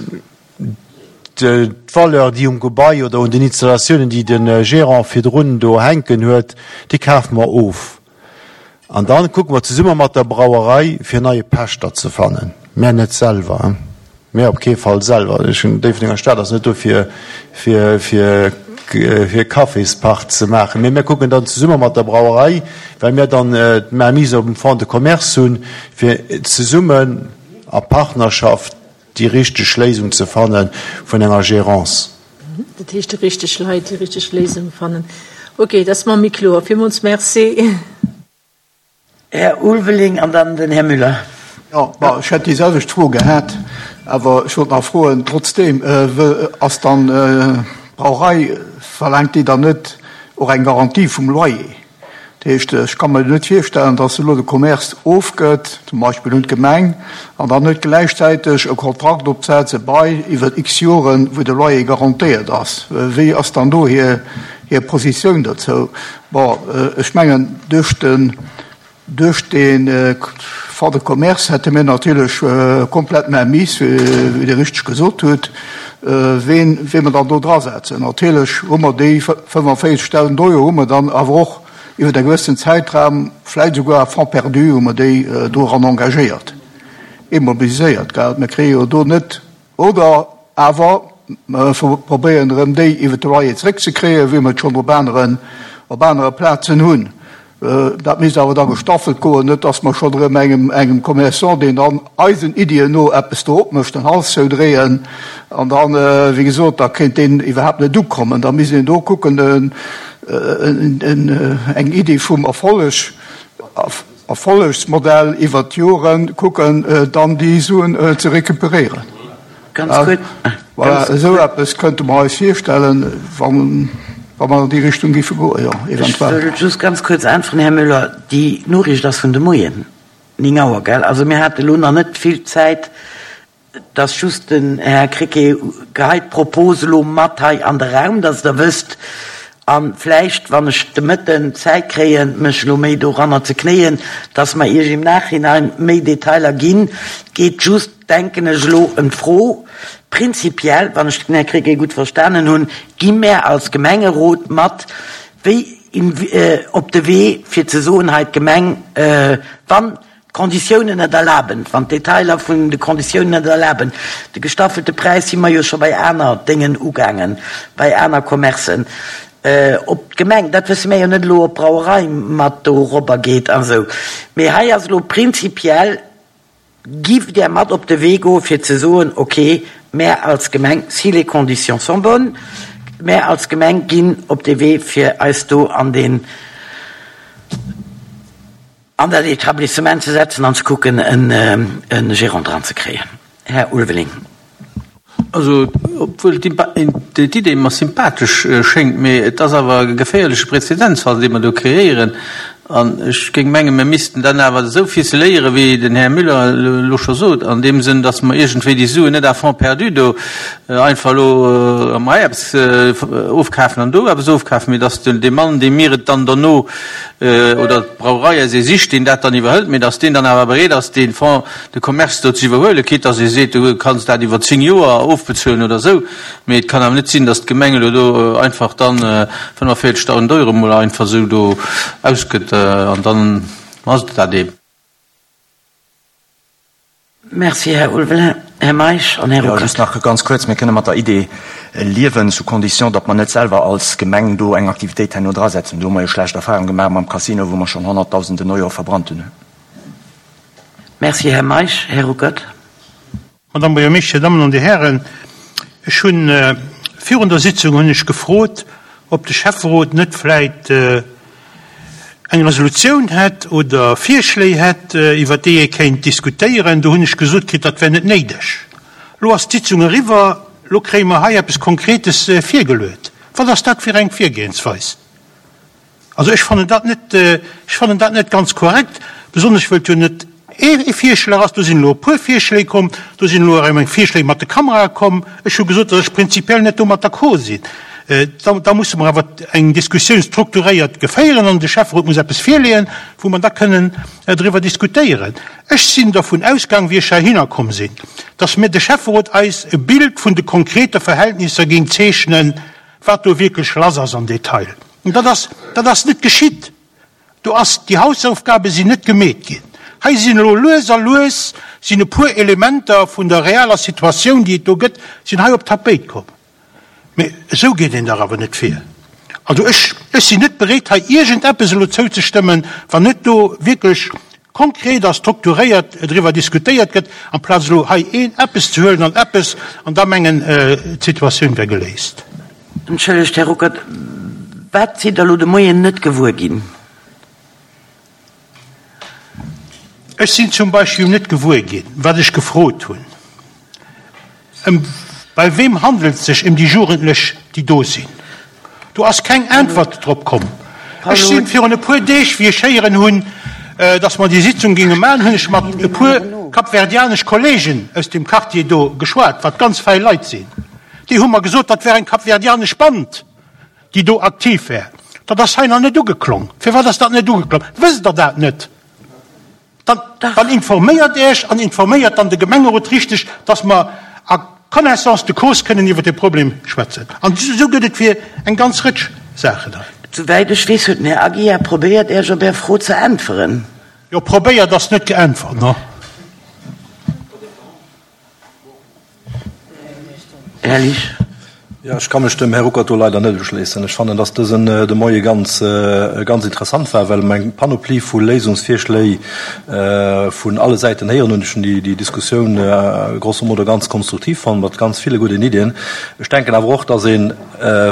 Speaker 15: D'Valeur, déi um Gebai oder un den Installatiounen, déi de Gérant virdrun do hänken huet, déi kafe mer of. An da kucke mer zesumme mat der Brauerei, fir en neie Pächter ze fannen. Mär net selwer, mär op kee Fall selwer. Ech hunn, Déifferdenger Stad ass net do fir, fir, fir, fir Caféspaart ze maachen. Mee mär kucken dann zesumme mat der Brauerei, well mär dann d'Mainmise op dem Fonds de commerce hunn, fir zesummen a Partnerschaft déi richteg Léisung ze fanne vun enger Gérance.
Speaker 16: Dat heescht, déi richteg Leit, déi richteg Léisung fannen. Ok, dat ass mer méi kloer. Villmools Merci.
Speaker 1: Här Ulveling an dann den Här Müller.
Speaker 7: Jo, bon, ech hätt déi selwecht Fro gehat, awer ech wollt nach froen, trotzdeem, ass dann d'Brauerei, verlaangt déi dann net och eng Garantie vum Loyer? Dat heescht, ech ka mer net virstellen, datt elo de Commerce ofgëtt, zum Beispill un d'Gemeng, an dann net gläichzäiteg e Kontrakt opsetzt, e Bail iwwer x Joren, wou de Loyer garantéiert ass. Wéi ass dann do hir hir Positioun dozou? Bon, ech mengen, duerch den, duerch dee Fonds de commerce hätte mir natierlech komplett Mainmise, wéi Dir richteg gesot hutt, ween, wee mer dann do drasetzen. Natierlech hu mer déi 45.000 Euro hu mer dann awer och iwwer e gewëssen Zäitraum, vläicht esouguer à fonds perdu, hu mer déi doran engagéiert, immobiliséiert, gell. Mir kréie jo do net Oder awer mer probéieren erëm déi iwwer de Loyer zréckzekréien, wéi mer et schonn op aneren, op anere Plazen hunn. Dat misst awer da gestaffelt goen, net dass mer schonn erëm engem, engem Commerçant, deen dann eisen Iddien no eppes do opmécht, den Hals zoudréien an dann, wéi gesot, da kéint deen iwwerhaapt net ukommen. Da misst een do kucken, eng Iddi vum Erfolleg, Erfollegsmodell iwwert d'Joren kucken, dann déi Suen ze recuperéieren.
Speaker 1: Ganz kuerz.
Speaker 7: Voilà, esou eppes könnte mer eis virstellen, wa mer an déi Richtung géife goen, jo, eventuell.
Speaker 1: Ech wëll just ganz kuerz äntweren, Här Müller. Déi Noriicht ass vun de Moien 9 Auer, gell? Also mir hate lo nach net vill Zäit. Et ass just, den Här Krecké geheit d'Propos elo mat hei an de Raum, dass Der wësst, a vläicht, wann ech de Mëtten Zäit kréien, mech elo méi doranner ze knéien, dass mer Iech im Nachhinein méi Detailer ginn. Et geet just, denken ech elo, ëm d'Fro, prinzipiell, wann ech den Här Krecké gutt verstanen hunn, gi mär als Gemengerot mat wéi op de Wee, fir ze soen, hei d'Gemeng, wann d'Konditiounen et erlaben, wann d'Detailer vun de Konditiounen et erlaben, de gestaffelte Präis si mer jo scho bei aner Déngen ugaangen, bei aner Commercen, ob d'Gemeng, dat wësse mär jo net elo, ob d'Brauerei mat dorobber geet a sou, mee hei ass elo prinzipiell, Giff Där mat op de Wee goe fir ze soen, ok, mär als Gemeng, si les conditions sont bonnes, mär als Gemeng ginn op dee Wee fir eis do an deen, an dat Etablissement ze setzen an ze kucken e Gérant dran ze kréien. Här Ulveling.
Speaker 12: Also, obwuel d'Idee mer sympathesch schéngt, mee et ass awer e geféierleche Präzedenzfall, dee mer do kreéieren. An ech géing mengen, mir missten dann awer esou ficeléieren, wéi den Här Müller elo scho sot, an deem Sënn, dass mer iergendwéi déi Suen net à fonds perdu do einfach elo hei eppes ofkafen an do eppes ofkafen, mee dass dee Mann, dee mir et dann derno oder d'Brauerei aus ee sicht, deen dat dann iwwerhëlt, mee dass deen dann awer bereet ass, dee Fonds de commerce do ze iwwerhuelen, quitte dass ee seet, du kanns dat iwwer 10 Joer ofbezuelen oder esou. Mee et kann awer net sinn, dass d'Gemeng elo do einfach dann 45.000 Euro mol einfach esou do ausgëtt an dann ass et dat eeben.
Speaker 1: Merci, Här Ulveling. Här Meisch an Här
Speaker 4: Jo, just
Speaker 1: Ruckert.
Speaker 4: nach ganz kuerz, Mir kënne mat der Idee liewen, sous condition, datt mer net selwer als Gemeng do eng Aktivitéit herno drasetzen. Do hu mer jo schlecht Erfahrung gemaach mam Casino, wou mer schonn Honnertdausenden Euro verbrannt hunn.
Speaker 1: Merci, Här Meisch. Här Ruckert.
Speaker 2: Madame Buergermeeschter, Dir Dammen an Dir Hären, ech hunn virun der Sitzung hunn ech gefrot, ob de Schäfferot net vläit eng Resolutioun hätt oder Virschléi hätt, iwwert déi ee kéint diskutéieren. Do hunn ech gesot kritt, dat wär net néideg. Elo ass d'Sitzung eriwwer, elo kréie mer hei eppes Konkretes virgeluet. Wat ass dat fir eng Virgehensweis? Also ech fannen dat net, ech fannen dat net ganz korrekt, besonnesch wëll et jo net ee Virschlag ass. Do sinn elo e puer Virschléi komm, do sinn elo erëm eng Virschléi mat de Kamerae komm. Ech hu gesot, datt ech prinzipiell net domat d'accord sinn. Da, da musse mer awer eng Diskussioun strukturéiert geféieren an de Schäfferot muss eppes virleeën, wou mer da kënnen driwwer diskutéieren. Ech sinn dervun ausgaang, wéi ech heihinner komm sinn, datt mir de Schäfferot eis e Bild vun de konkrete Verhältnisser géing zeechnen, wat do wierklech lass ass am Detail. An dat ass, dat ass net geschitt. Do ass, déi Hausaufgabe sinn net gemeet ginn. Hei sinn elo lues a lues sinn e puer Elementer vun der realer Situatioun, déi et do gëtt, sinn hei op d'Tapéit komm. Mee esou geet een dach awer net vir. Also ech, ech sinn net bereet, hei iergendeppes elo zouzestëmmen, wann net do wierklech konkret a strukturéiert driwwer diskutéiert gëtt, amplaz elo hei een eppes ze huelen an eppes an da mengen, d'Situatioun wär geléist.
Speaker 1: Entschëllegt, Här Ruckert, wat sidd Der elo de Moien net gewuer ginn?
Speaker 2: Ech sinn zum Beispill net gewuer ginn, wat ech gefrot hunn. Ëm bei wem handelt et sech ëm déi Jugendlech, déi do sinn? Do ass keng Äntwert drop komm. Ech sinn virun e puer Deeg, wéi ech héieren hunn, datt mer déi Sitzung géinge maachen, hunn ech mat e puer kapverdianesch Kollegen aus dem Quartier do geschwat, wat ganz fäi Leit sinn. Déi hu mer gesot, dat wär eng kapverdianesch Band, déi do aktiv wär. Dat ass hei nach net ugeklong. Firwat ass dat net ugeklong? Wësst Der dat net? Dann, dann informéiert Iech an informéiert dann de Gemengerot richteg, dass mer a connaissance de cause kënnen iwwert dee Problem schwätzen. An esou gëtt et fir eng ganz Rëtsch Saachen hei.
Speaker 1: Souwäit ech weess, huet den Här Aguiar probéiert, Iech op Är Fro ze äntweren.
Speaker 2: Jo, probéiert ass net geäntwert, no.
Speaker 1: Här Liesch.
Speaker 5: Jo, ech ka mech dem Här Ruckert do leider net uschléissen. Ech fannen, dass dësen de Moie ganz, ganz interessant war, well mer eng Panoplie vu Léisungsvirschléi vun alle Säiten héieren hunn. Ech hunn déi, déi Diskussioun grosso modo ganz konstruktiv fonnt, mat ganz ville gudden Iddien. Ech denken awer och, dass ee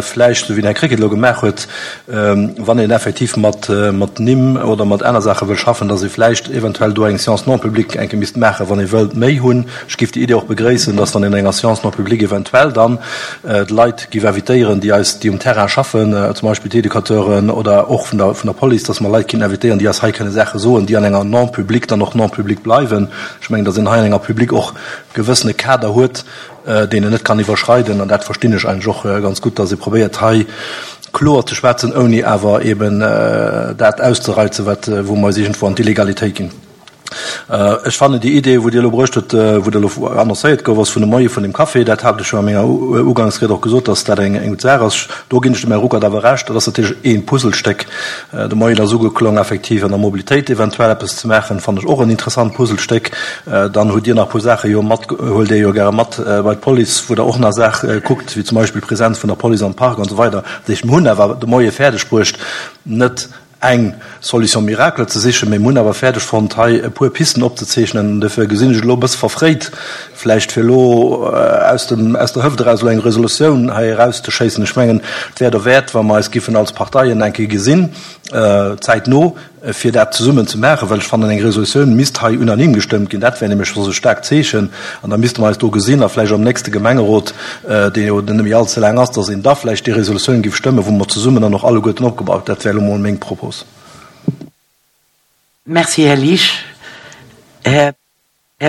Speaker 5: vläicht, esou wéi den Här Krecké et elo gemaach huet, wann een effektiv mat, mat Nimm oder mat aner Saache wëll schaffen, dass ee vläicht eventuell do eng Séance non publique eng Kéier misst maachen, wann ee wëllt méi hunn. Ech géif déi Idee och begréissen, dass dann in enger Séance non publique eventuell dann d'Leit géif invitéieren, déi eis, déi um Terrain schaffen, zum Beispill d'Educateuren oder och vun der, vun der Police, dass mer Leit kéinten invitéieren, déi eis hei kënne Saache soen, déi an enger non publique dann och non publique bleiwen. Ech mengen, dass een hei an enger publique och gewëssene Kader huet, deen een net kann iwwerschreiden. An dat verstinn ech eigentlech och ganz gutt, dass ee probéiert hei kloer ze schwätzen, ouni awer eben dat auszereizen, wat, wou mer eis iergendwou an d'Illegalitéit ginn. Ech fannen déi Idee, wou Dir elo bruecht hutt, wou dat elo annoncéiert gouf ass vun de Moie vun dem Café, dat hat ech jo a menger Ugangsried och gesot, dass dat eng gutt Saach ass. Do ginn ech dem Här Ruckert awer Recht, dat ass natierlech ee Puzzlestéck. De Moien ass ugeklong, effektiv an der Mobilitéit eventuell eppes ze maachen, fannen ech och en interessant Puzzlestéck. Dann hutt Dir nach e puer Saache jo mat, huelt Dir jo gäre mat bei d'Police, wou Der och nach Saache kuckt, wéi zum Beispill d'Präsenz vun der Police am Park an esou weider. Dat heescht, mir hunn awer de Moie fäerdeg bruecht, net eng Solution miracle ze sichen, mee mir hunn awer fäerdeg fonnt, hei e puer Pisten opzezeechnen. An dofir gesinn ech et elo e bësse verfréit, vläicht fir elo aus dem, aus der Hëft eraus elo eng Resolutioun hei erauszeschéissen. Ech mengen, et wär derwäert, wa mer eis giffen als Parteien eng Kéier gesinn, zäitno, fir dat zesummen ze maachen, well ech fannen, eng Resolutioun misst hei unanime gestëmmt ginn. Dat wär nämlech soss e staarkt Zeechen. An da misste mer eis do gesinn a vläicht am nächste Gemengerot, dee jo net méi all ze laang ass, dass een da vläicht déi Resolutioun géif stëmmen, wou mer zesummen dann och alleguerten opgebaut. Dat wär elo mol meng Propos.
Speaker 1: Merci, Här Liesch. Här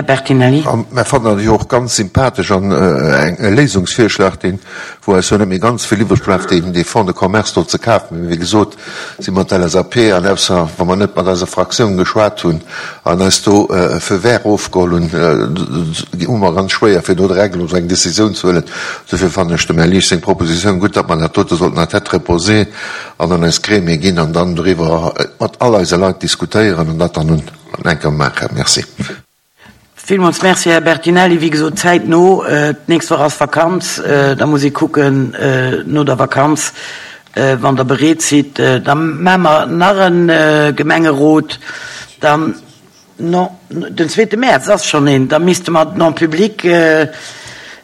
Speaker 1: Bertinelli.
Speaker 11: A mer fannen dat jo och ganz sympathesch an e Léisungsvirschlag, deen, wou eis jo net méi ganz vill iwwreg bleift, deen dee Fonds de commerce do ze kafen. Mee wéi gesot si mer d'LSAP an ausser wa mer net mat eiser Fraktioun geschwat hunn an eis do e Feu vert ofgeholl hunn, hu mer ganz schwéier fir do direkt elo esou eng Décisioun ze huelen. Dofir fannen ech dem Här Liesch seng Proposition gutt, datt mer dat dote sollten à tête reposée an an eis Gremie ginn an dann doriwwer mat all eise Leit diskutéieren an dat dann un enker maachen. Merci.
Speaker 1: Villmools Merci, Här Bertinelli. Wéi gesot, zäitno, d'nächst Woch ass Vakanz, da muss ee kucken no der Vakanz, wann Der bereet sidd, da maache mer nach e Gemengerot, dann, non, den zweete Mäerz ass schonn een, da misste mer den en public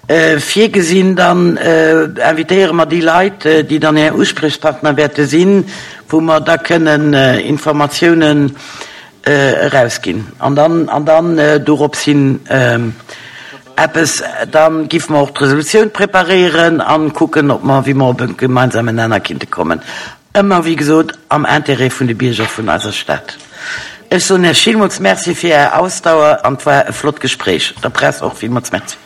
Speaker 1: virgesinn, dann invitéiere mer déi Leit, déi dann Är Usprichspartner wäerte sinn, wou mer da kënnen Informatiounen erausginn an dann, an dann dorops hin eppes, da giffe mer och d'Resolutioun preparéieren a kucken, ob mer, wéi mer op e gemeinsamen Nenner kinnte kommen. Ëmmer, wéi gesot, am Intérêt vun de Bierger vun eiser Stad. Ech soen Iech villmools Merci fir Är Ausdauer an et war e flott Gespréich. Der Press och villmools Merci.